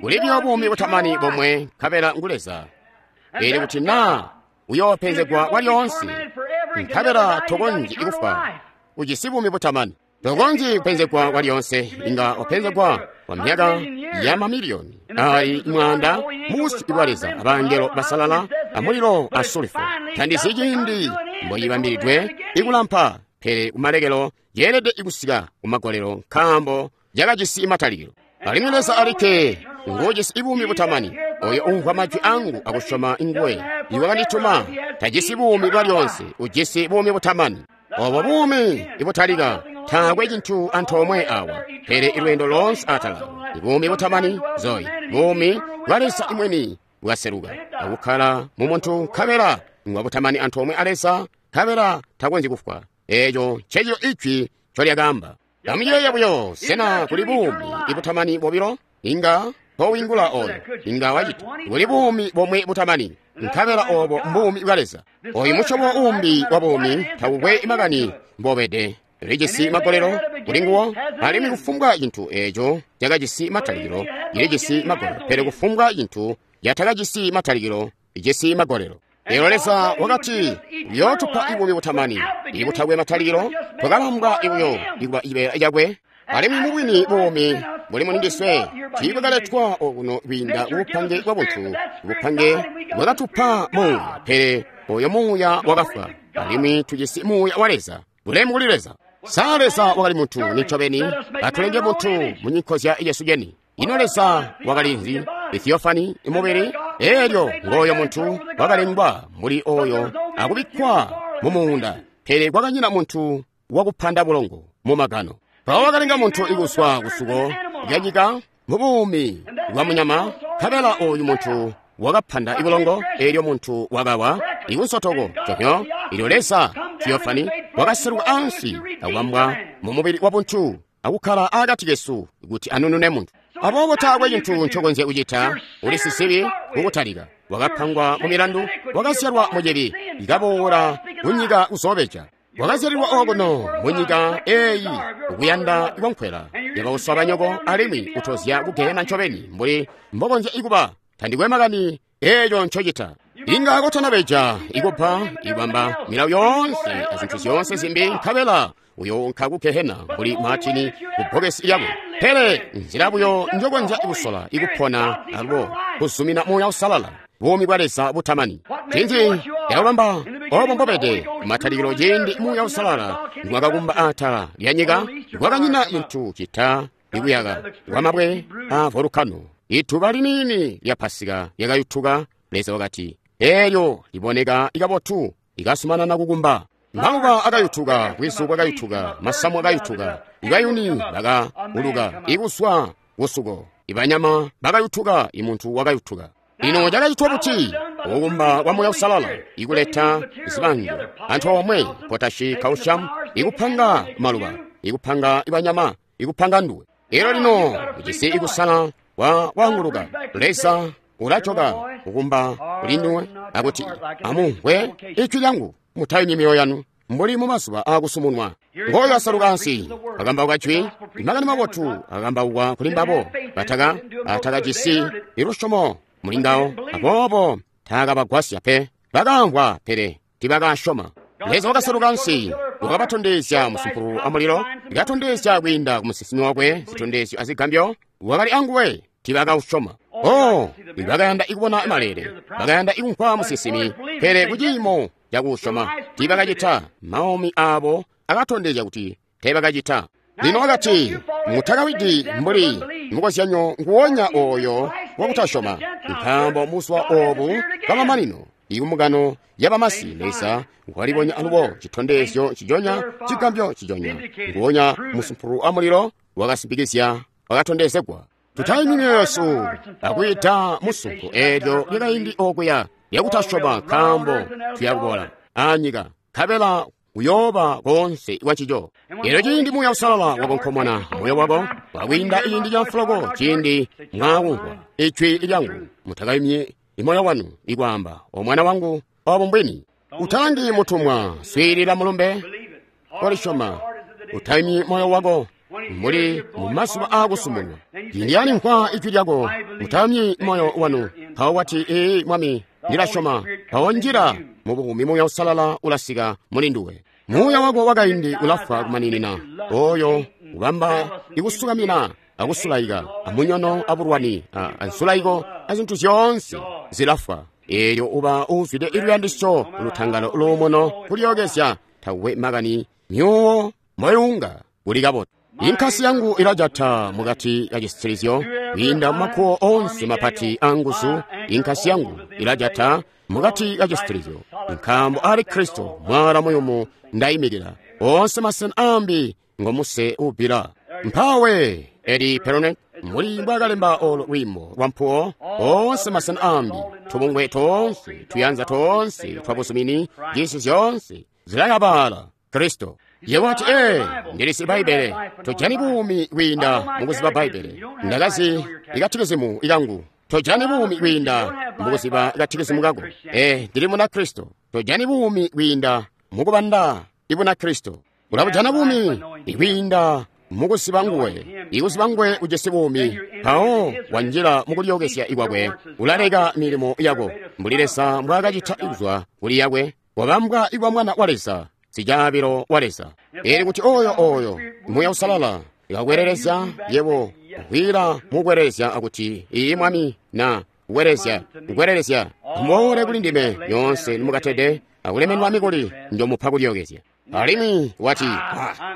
A: kuli buyo buumi butamani bomwe, nkabela ngu Leza. Pele kuti naa uyoopenzegwa kwalyoonse, nkabela tokonzyi kufwa, ujisi buumi butamani. Tokonzyi kupenzegwa kwalyoonse, inga wapenzegwa kwa myaka ya mamiliyoni ali mwanda mu busyu bwa Leza abangelo basalala. amulilo a sulfo. Tandizi ciindi mboyibambilidwe ikulampa, pele kumalekelo yeelede ikusika kumagolelo, nkaambo yakajisi matalikilo. Alimwi Leza alikke nguujisi buumi butamani. Oyo umvwa majwi angu akusyoma nguwe iwakandituma tajisi buumi bwalyonse, ujisi buumi butamani. Obo buumi ibutalika taakwe cintu antoomwe awa, pele ilweendo loonse atala ibuumi butamani zoyi, buumi bwa Leza imweni bwaseluka akukkala mu muntu, nkabela ngwa butamani antoomwe a Leza, nkabela takonzyi kufwa. Eeco ncencico ijwi ncolyakaamba. Amuyeeye buyo, sena kuli buumi ibutamani bobilo? Inga towingula oyo, inga wacita. Kuli buumi bomwe butamani, nkabela obo mbuumi bwa Leza. Oyu musyobo uumbi wa buumi tawukwe makani mbobede, lijisi magolelo kuli nguwo, alimwi kufumbwa cintu eeco cakajisi matalikilo cilijisi magolelo, pele kufumbwa cintu catakajisi matalikilo cijisi magolelo. Lero Leza wakati uyootupa ibuumi butamani ibutakwe matalikilo, twakalambwa ibuyo ikuba cibeela cakwe. Alimwi mubwini buumi buli mulindiswe tiibwakaletwa okuno kwiinda kubupange bwa buntu, bupange bwakatupa muuya, pele oyo muuya wakafwa, alimwi tujisi muuya wa Leza. Bulemu kuli Leza. Sa Leza wakali muntu nincobeni, atulenge muntu munyinkozya yesu yeni. Ino Leza wakali nzi? Theophany mubili. Eelyo ngooyo muntu wakalengwa mbuli oyo akubikkwa mu muunda, pele kwakanyina muntu wakupanda bulongo mu magano. Mpawo wakalenga muntu ikuswa kusuko lyanyika mu buumi bwa munyama, nkabela oyu muntu wakapanda ibulongo, eelyo muntu wakawa ikunsotoko conyo. Ilyo Leza Theophany wakaseluka ansi akubambwa mu mubili wa buntu akukkala akati kesu kuti anunune muntu. Aboobo taakwe cintu ncokonzya kucita, uli sisibi kukutalika, wakapangwa mu milandu, wakazyalwa mu cibi, ikaboola kunyika kuzoobeja. Wakazyalilwa okuno munyika eeyi kuyanda kwankwela yabauswa banyoko, alimwi utozya kugehena ncobeni mbuli mbokonzya ikuba. Tandikwe makani eeco ncocita. Inga kotanabeja, ikupa, ikubamba milawo yoonse azintu zyoonse zimbi, nkabela uyounka kugehena mbuli Martini kubbokesi lyakwe. Pele nzila buyo njokonzya kusola ikupona alubo kuzumina Muuya Uusalala, buumi bwa Leza butamani. Cinzi yakubamba obo mbobede kumatalikilo, ciindi Muuya Uusalala ngwakakumba atala lya nyika, kwakanyina cintu cita ikuyaka kwamabwe a volukano. Ituba liniini lya Pasika lyakayutuka. Leza wakati, eelyo liboneka ikabotu, ikasumanana kukumba. Maluba akayutuka, bwizu bwakayutuka, masamu akayutuka, ikayuni bakauluka ikuswa kusuko, ibanyama bakayutuka, imuntu wakayutuka. Ino cakacitwa buti? Kukumba kwa Muuya Uusalala ikuleta zibango antoomwe, potashi, calcium, ikupanga maluba, ikupanga ibanyama, ikupanga nduwe. Elo lino ujisi ikusala kwa kwaanguluka. Leza ulacoka kukumba kuli nduwe akuti, amumvwe ijwi lyangu, mutayumyi myoyo yanu mbuli mu mazuba aakusumunwa. Ngooyo asaluka ansi akambauka jwi, makani mabotu akambaukwa kuli mbabo bataka atakajisi ilusyomo muli ngawo, aboobo taakabagwasya pe. Bakamvwa pele tibakasyoma. Leza wakaseluka ansi wakabatondezya musumpululu amulilo, ikatondezya kwiinda ku musinsimi wakwe zitondezyo azigambyo. Wakali anguwe, tibakausyoma. Oh, bakayanda ikubona malele, bakayanda ikumvwa musinsimi, pele kuciimo cakuusyoma tibakacita. Maumi aabo akatondezya kuti teebakacita. Lino wakati, mutakawidi mbuli mukozyanyo nguwonya oyo wakutasyoma, nkaambo muzuba obu bwamamanino ikumukano yabamasi Leza walibonya alubo citondezyo cijonya, cigambyo cijonya, nguwonya musumpululu amulilo wakasimpikizya, wakatondezegwa. Tutayimyi myoyo yesu akwiita musunko eelyo lyakaindi okuya lyakutasyoma, nkaambo tuyakubola anyika, nkabela uyooba koonse kwancico. Elyo ciindi Muuya Uusalala wakonkomona moyo wako wakwiinda ciindi ca mfuloko, ciindi mwaakumvwa ijwi lyangu, mutakayumyi imoyo wanu ikwaamba, o mwana wangu, obo mbwini. Utalangi mutumwa, swiilila mulumbe, kolisyoma. Utayumyi moyo wako muli mu mazuba aakusumunwa. Ciindi yalimvwa ijwi lyako, mutayumyi moyo wanu. Mpawo wati, ee Mwami, ndilasyoma. Mpawo njila mu buumi, Muuya Uusalala ulasika muli nduwe. Muuya wako wakaindi ulafwa kumaninina, oyo ubamba ikusukamina akusulaika amunyono abulwani ansulaiko azintu zyoonse zilafwa. Eelyo uba uuzwide iluyandisyo, lutangalo, luumuno, kulyookezya, takukwe makani myuuwo mboyunga kuli kabotu. Inkasi yangu ilajata mukati ka cisitilizyo, kwiinda mumakuwo oonse mapati anguzu. Inkasi yangu ilajata mukati ka cisitilizyo, nkaambo ali Kristo mwala muyumu ndayimikila. Oonse masena ambi ngomuse uubbila. Mpawe Eli Peronet mbuli mbwakalemba olo lwiimbo lwa mpuwo. Oonse masena ambi, tubungwe toonse, tuyanza toonse twabuzumini, cisi zyoonse zilayabala Kristo. Yebo wati, ee, ndilisi Bbaibbele. Tojani buumi kwiinda mukuziba Bbaibbele. Ndakazi ikatikizimu ikangu. Tojani buumi kwiinda mukuziba ikatikizimu kako. Ee, ndili muna Kristo. Tojani buumi kwiinda mukubanda ibuna Kristo. Ulabujana buumi ikwiinda mukuziba nguwe. Ikuziba nguwe ujisi buumi. Mpawo wanjila mukulyookezya ikwakwe. Ulaleka milimo yako mbuli Leza mbwaakacita kuzwa kuli yakwe. Wabambwa ikwa mwana wa Leza, sicaabilo wa Leza. Eli kuti oyo oyo Muuya Usalala ikakwerelezya yebo kwila mukwerelezya akuti iyi Mwami na kwerelezya kwerelezya muboole kuli ndime nyoonse nimukatede akulemenwa mikuli njomupa kulyookezya. Alimwi wati,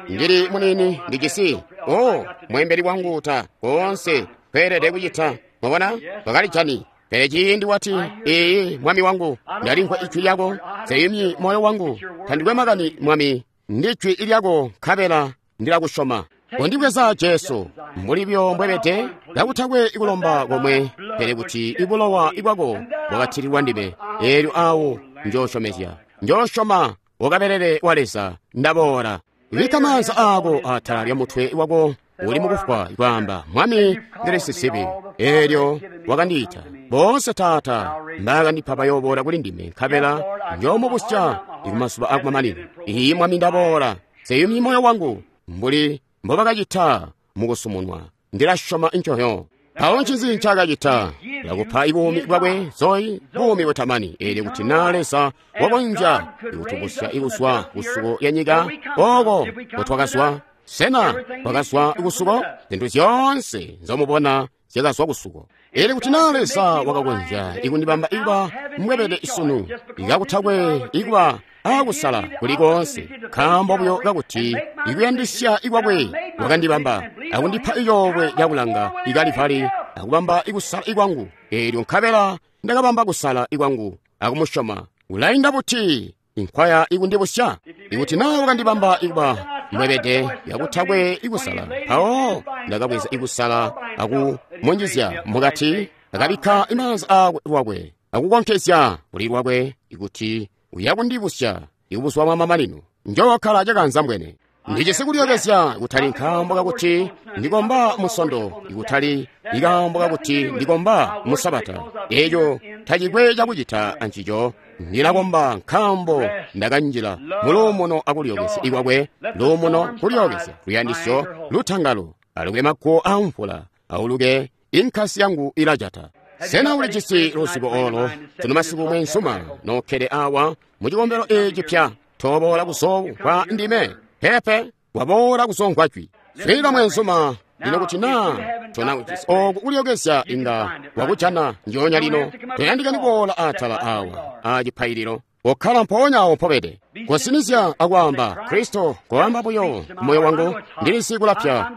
A: ndili munini ndijisi o mwembeli wangu ta koonse kweelede kucita. Mwabona bakalijani. Pele ciindi wati, iyi Mwami wangu, ndalimvwa ijwi lyako, seyumyi moyo wangu, tandikwe makani Mwami, ndijwi lyako nkabela ndilakusyoma. Kondibweza Jesu mbuli byo mbwebede, kakutakwe ikulomba komwe, pele kuti ibulowa ibwako bwakatililwa ndime. Eelyo awo njoosyomezya, njoosyoma wakabelele wa Leza, ndaboola. Bikka maanza aako atala lya mutwe wako uli mukufwa kwaamba, Mwami, ndili sizibi. Eelyo wakandiita. Boonse Taata mbaakandipa bayooboola kuli ndime, nkabela njoomubusya kumazuba akumamanino. Iyi Mwami, ndaboola. Seyumyi moyo wangu mbuli mbobakacita mukusumunwa. Ndilasyoma ncoyo. Mpawo ncinzi ncaakacita? Lakupa ibuumi bwakwe Zoe, buumi butamani. Eelyo kuti naa Leza wakonzya ikutubusya ikuzwa kusuko ya nyika oko kotwakazwa. Sena twakazwa kusuko? Zintu zyoonse nzomubona zyakazwa kusuko. Eelyo kuti naa Leza wakakonzya ikundibamba ikuba mbwebede isunu, ikakutakwe ikuba akusala kuli koonse, nkaambo buyo kakuti ikuyandisya ikwakwe wakandibamba akundipa icoolwe cakulanga ikalivali akubamba ikusala ikwangu. Eelyo nkabela ndakabamba kusala ikwangu akumusyoma. Ulainda buti inkwaya ikundibusya? Ikuti naa wakandibamba ikuba mbwebede yakutakwe ikusala, mpawo ndakabweza ikusala akumunjizya mukati, akabikka imaanza aakwe lwakwe akukonkezya kuli lwakwe ikuti uyakundibusya ikubuswa mwa mamanino. Njookkala cakanzambwene. Ndijisi kulyookezya kutali nkaambo kakuti ndikomba musondo, ikutali ikaambo kakuti ndikomba musabata. Eeco tacikwe cakucita ancico. Ndilakomba nkaambo ndakanjila muluumuno akulyookezya ikwakwe, luumuno, kulyookezya, luyandisyo, lutangalo. Aluke makuwo amvula, auluke inkasi yangu ilajata. Sena ulijisi luzibo olo? Tino masiku mwensuma nokkede awa mu cikombelo eeci pya, toboola kuzomvwa ndime pepe, waboola kuzomvwa jwi. Swiilila mwensuma lino kuti naa tona oku kulyookezya inga wakujana njoonya lino. Toyandikani kuboola atala awa acipaililo, kokkala mpoonya awo mpobede. Kosinizya akwaamba Kristo, koamba buyo kumoyo wangu, ndilisi kulapya,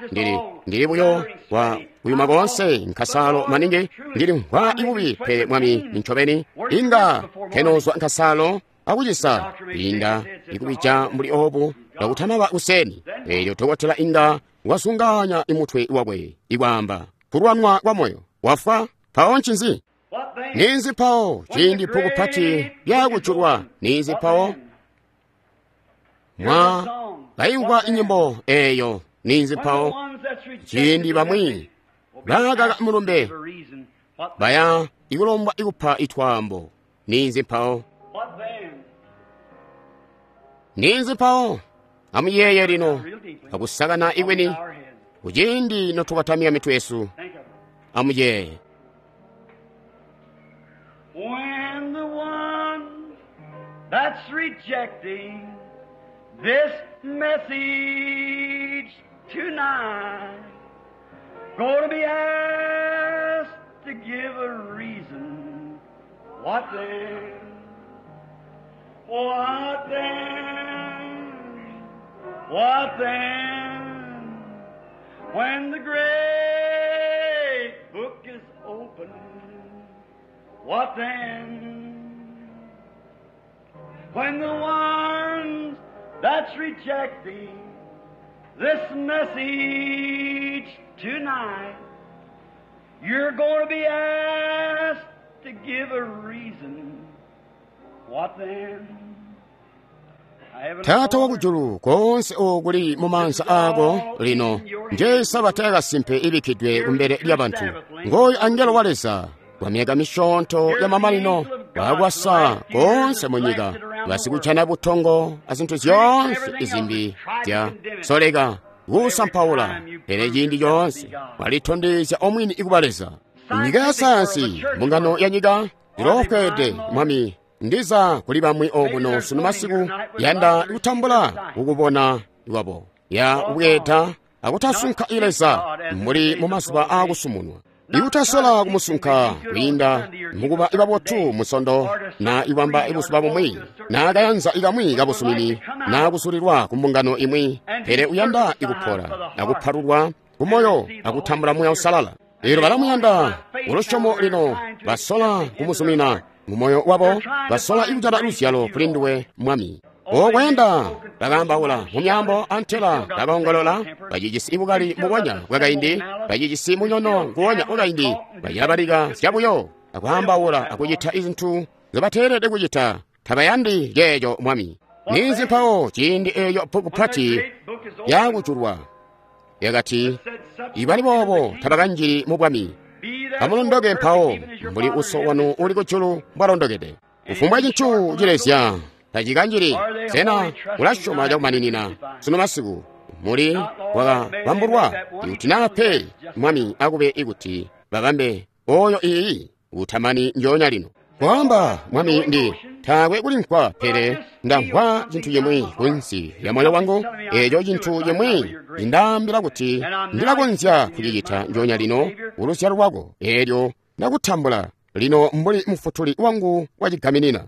A: ndili buyo wa kuyuma koonse nkasalo maningi, ndili mvwa ibubi, pele Mwami nincobeni inga kenozwa nkasalo akucisa inda ikubija mbuli obu kakutanaba kuseni. Eelyo dokotela inga wasunganya imutwe wakwe ikwaamba kulwanwa kwa moyo wafwa. Mpawo ncinzi? Ninzi mpawo ciindi bbuku pati lyakujulwa? Ninzi mpawo mwa kaimvwa inyimbo eeyo? Ninzi mpawo ciindi bamwi bakaka mulumbe baya ikulombwa ikupa itwaambo? Ninzi mpawo? Ninzi mpawo? Amuyeeye lino akusakana ikweni kuciindi notukatamya mitwe yesu. Amuyeeye.
B: When the one that's rejecting this message tonight going to be asked to give a reason, What then? What then? What then? When the great book is opened, what then? When the ones that's rejecting this message tonight, you're going to be asked to give a reason. What then?
A: Taata wakujulu, koonse oku kuli mu maanza aako lino nje sabata yakasimpe ibikkidwe kumbele lyabantu. Ngooyu angelo wa Leza kwa myaka misyoonto ya mamanino bakwasa koonse mu nyika, basikucana butongo azintu zyoonse izimbi zya soleka kusampaula, pele ciindi coonse walitondezya omwini ikuba Leza. Nyika ya sayansi, mbungano ya nyika iloofweede, Mwami, ndiza kuli bamwi okuno sunu masiku yanda kutambula kukubona kwabo ya kubweeda akutasunka Leza mbuli mu mazuba aakusumunwa, ikutasola kumusunka kwiinda mukuba ibabotu musondo na ibamba ibuzuba bumwi na kayanza ikamwi kabusumini na kusulilwa ku mbungano imwi, pele uyanda ikupola akupalulwa kumoyo akutambula Muuya Uusalala. Elo balamuyanda ulusyomo lino basola kumuzumina mumoyo wabo, basola ikujana luzyalo kuli nduwe Mwami. Okwenda bakaambaula mu myaambo antela bakaongolola, bacijisi ibukali mukonya bwakaindi, bacijisi munyono nguwonya wakaindi, bacilabalika zyabuyo akwaambaula akucita izintu nzobateelede kucita. Tabayandi ceeco Mwami. Ninzi mpawo ciindi eeyo bbuku pati yakujulwa yakati, ibali boobo tabakanjili mu bwami. Amulondoke mpawo mbuli uso wanu uli kujulu mbwalondokede. Kufumbwa cintu cilezya tacikanjili. Sena ulasyoma cakumaninina sunu masiku muli wakabambulwa? Ikuti naa pe, Mwami akube ikuti babambe oyo iyi utamani njoonya lino. Kwaamba Mwami, ndi taakwe kulimvwa, pele ndamvwa cintu cimwi kunsi lya moyo wangu, eeco cintu cimwi cindaambila kuti ndilakonzya kucicita njoonya lino kuluzyalo lwako, eelyo ndakutambula lino mbuli mufutuli wangu wacigaminina.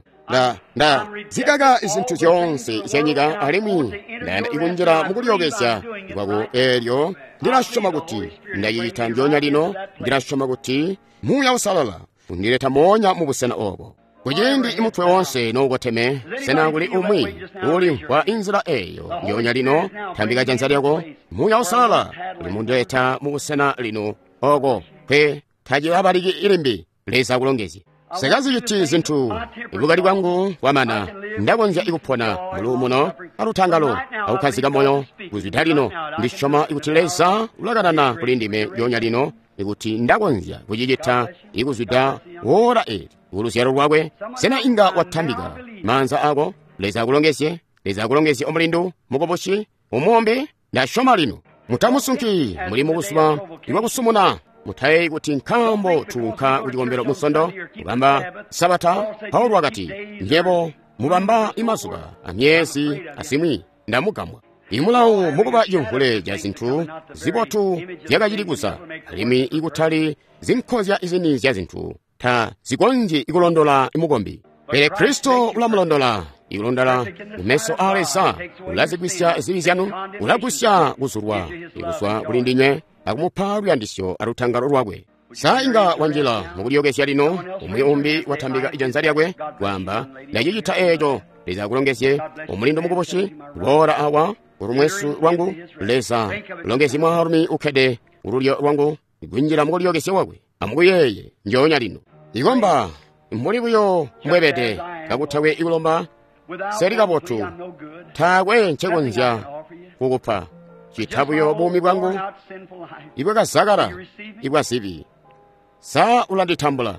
A: Nda zikaka izintu zyoonse zya nyika alimwi ndayanda ikunjila mukulyokezya kwako, eelyo ndilasyoma kuti ndacicita njoonya lino. Ndilasyoma kuti Muuya Uusalala undileta moonya mu busena obo. Kuciindi imutwe wonse noukoteme, sena kuli umwi ulimvwa inzila eyo njoonya lino? Tambika janza lyako. Muuya Uusalala ulimundileta mu busena lino oko kwe tacilabaliki ilimbi. Leza akulongezye. Sekaziciti zintu ibukali bwangu bwamana, ndakonzya ikupona muluumuno alutangalo akukkazika moyo kuzwida lino. Ndisyoma ikuti Leza ulakanana kuli ndime njoonya lino, ikuti ndakonzya kucicita ikuzwida woola eli kuluzyalo lwakwe. Sena inga watambika maanza ako? Leza akulongezye. Leza akulongezye, omulindu mukubusi umuombe. Ndasyoma lino. Mutamusunki muli mubuzuba ibwakusumuna. Mutayeeyi kuti nkaambo tuunka kucikombelo musondo kubamba sabata. Paulo wakati, nyebo mubamba imazuba amyezi azimwi, ndamugambwa. Imulawu mukuba cimvule ca zintu zibotu zyakacili kuza, alimwi ikutali zinkozya izini zya zintu ta zikonzyi ikulondola mukombi. Pele Kristo ulamulondola, ikulondola mumeso a Leza, ulazigwisya zibi zyanu, ulagwisya kuzulwa ikuzwa kuli ndinywe akumupa luyandisyo alutangalo lwakwe. Sa inga wanjila mukulyokezya lino? Umwi umbi watambika ijanza lyakwe kwaamba, ndacicita eeco. Leza akulongezye, omulindu mukubusi, boola awa kulumwesu lwangu. Leza longezye mwaalumi ukkede kululyo lwangu, kunjila mukulyokezya kwakwe. Amukuyeeye njoonya lino. Ikomba mbuli buyo mbwebede, kakutakwe ikulomba seli kabotu, taakwe ncekonzya kukupa cita buyo buumi bwangu ibwakazakala ibwa zibi. Sa ulanditambula?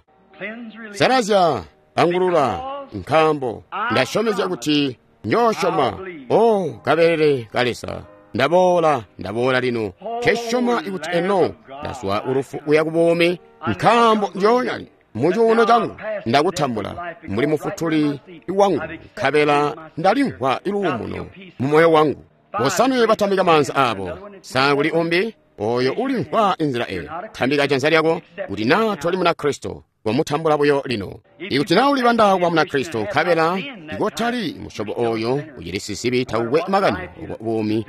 A: Salazya, angulula, nkaambo ndasyomezya kuti njoosyoma. O kabelele ka Leza, ndaboola, ndaboola lino, nkesyoma ikuti eno ndazwa ulufu kuya ku buumi, nkaambo njoonya mucuuno cangu ndakutambula mbuli mufutuli wangu, nkabela ndalimvwa iluumuno mu moyo wangu. Bosanwe batambika maanza abo. Sa kuli umbi? Oyo ulimvwa inzila eyo, tambika janza lyako kuti naa toli Munakristo, wamutambula buyo lino. Ikuti naa ulibanda kuba Munakristo nkabela ikotali musyobo oyo ucili sizibi takukwe makani obo buumi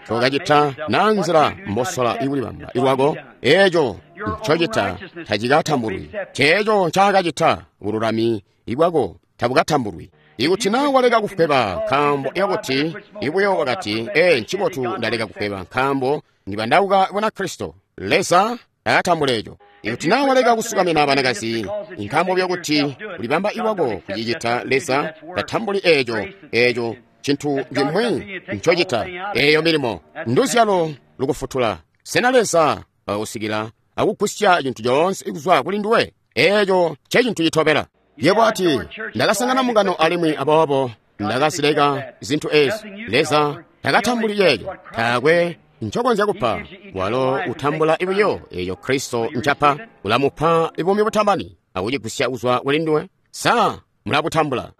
A: tokacita naa nzila mbosola ikulibamba lwako, eeco ncocita tacikatambulwi. Ceeco ncaakacita bululami ibwako tabukatambulwi. Ikuti naa waleka kufweba nkaambo yakuti ibuyo wakati, ee ncibotu ndaleka kufweba nkaambo ndibandauka Bunakristo, Leza takatambula eco. Ikuti naa waleka kusukamina banakazi nkaambo byakuti ulibamba iwako kucicita, Leza tatambuli eeco. Eeco cintu cimwi ncocita. Eeyo milimo nduzyalo lukufutula. Sena Leza wakakusikila akugusya cintu coonse kuzwa kuli nduwe? Eeco ncecintu citobela. Yebo ati, ndakasangana mungano alimwi aboobo ndakazileka zintu ezi. Leza takatambuli ceeco. Taakwe ncokonzya kupa. Walo utambula buyo eeco Kristo ncapa. Ulamupa buumi butamani akucigusya kuzwa kuli nduwe. Sa mulabutambula?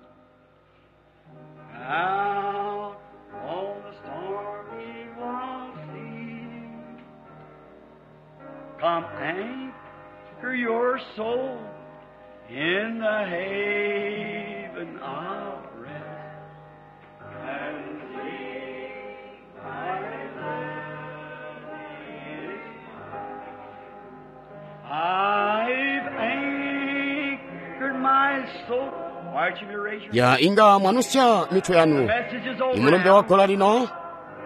B: Out on the stormy wild sea, come anchor your soul in the haven of rest, and see my land is mine. I've anchored my soul. Why don't you raise your
A: Ya inga mwanusya mitwe
B: The
A: yanu.
B: message is over
A: Imulumbe
B: now.
A: wagola lino,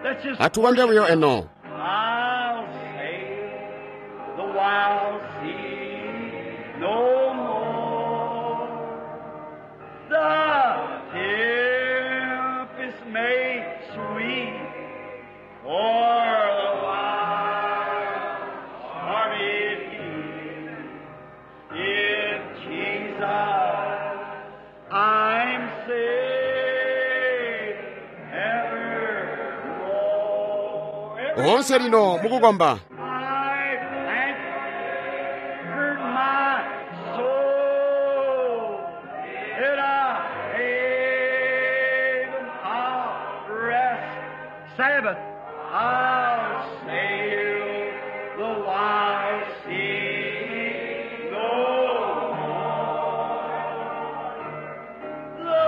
B: Let's just
A: atukonde buyo eno.
B: I'll sail the wild sea no more. The tempest may sweep o'er the wild stormy deep. In Jesus I'm safe evermore.
A: Onse lino mukukomba.
B: I've anchored my soul in a haven of rest. Sabbath, I'll sail the wild sea no more. The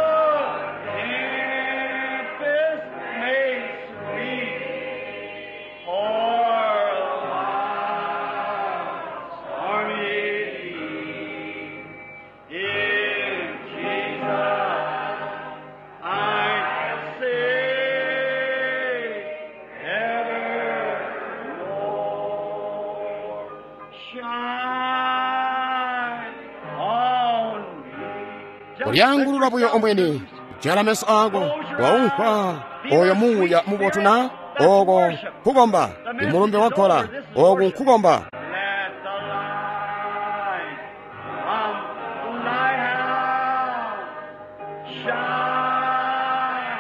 B: tempest may sweep o'er the wild stormy deep. In Jesus I'm safe evermore. Shine on me. Just
A: Ulyangulula buyo omwene, jala meso ako, waumva oyo muuya mubotu na oko nkukomba. Imulumbe wagola, oku nkukomba.
B: Let the light from the lighthouse shine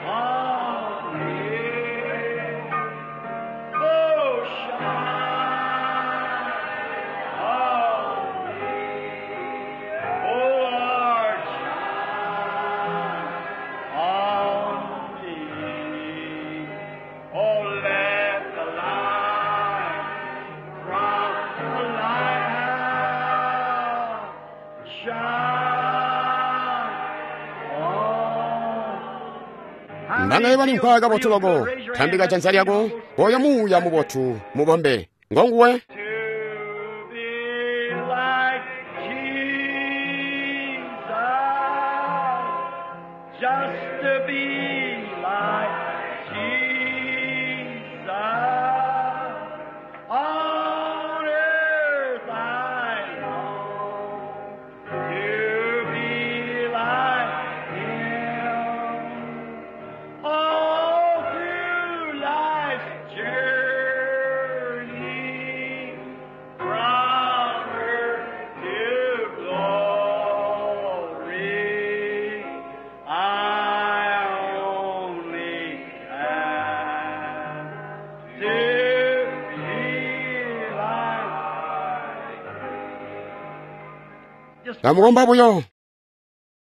B: on me. Oh, shine on me. Oh, Lord, shine on me. Oh, let the light from the lighthouse shine on.
A: Mbanga bali nkhwaka kabotu loko, tambika janza lyako, oyo muuya mubotu mubombe. Ngonguwe.
B: To be like Jesus, just to be like Jesus. On earth I long to be like Him. All through life's journey, from earth to glory, I only ask to be like. Just
A: Kamukomba buyo.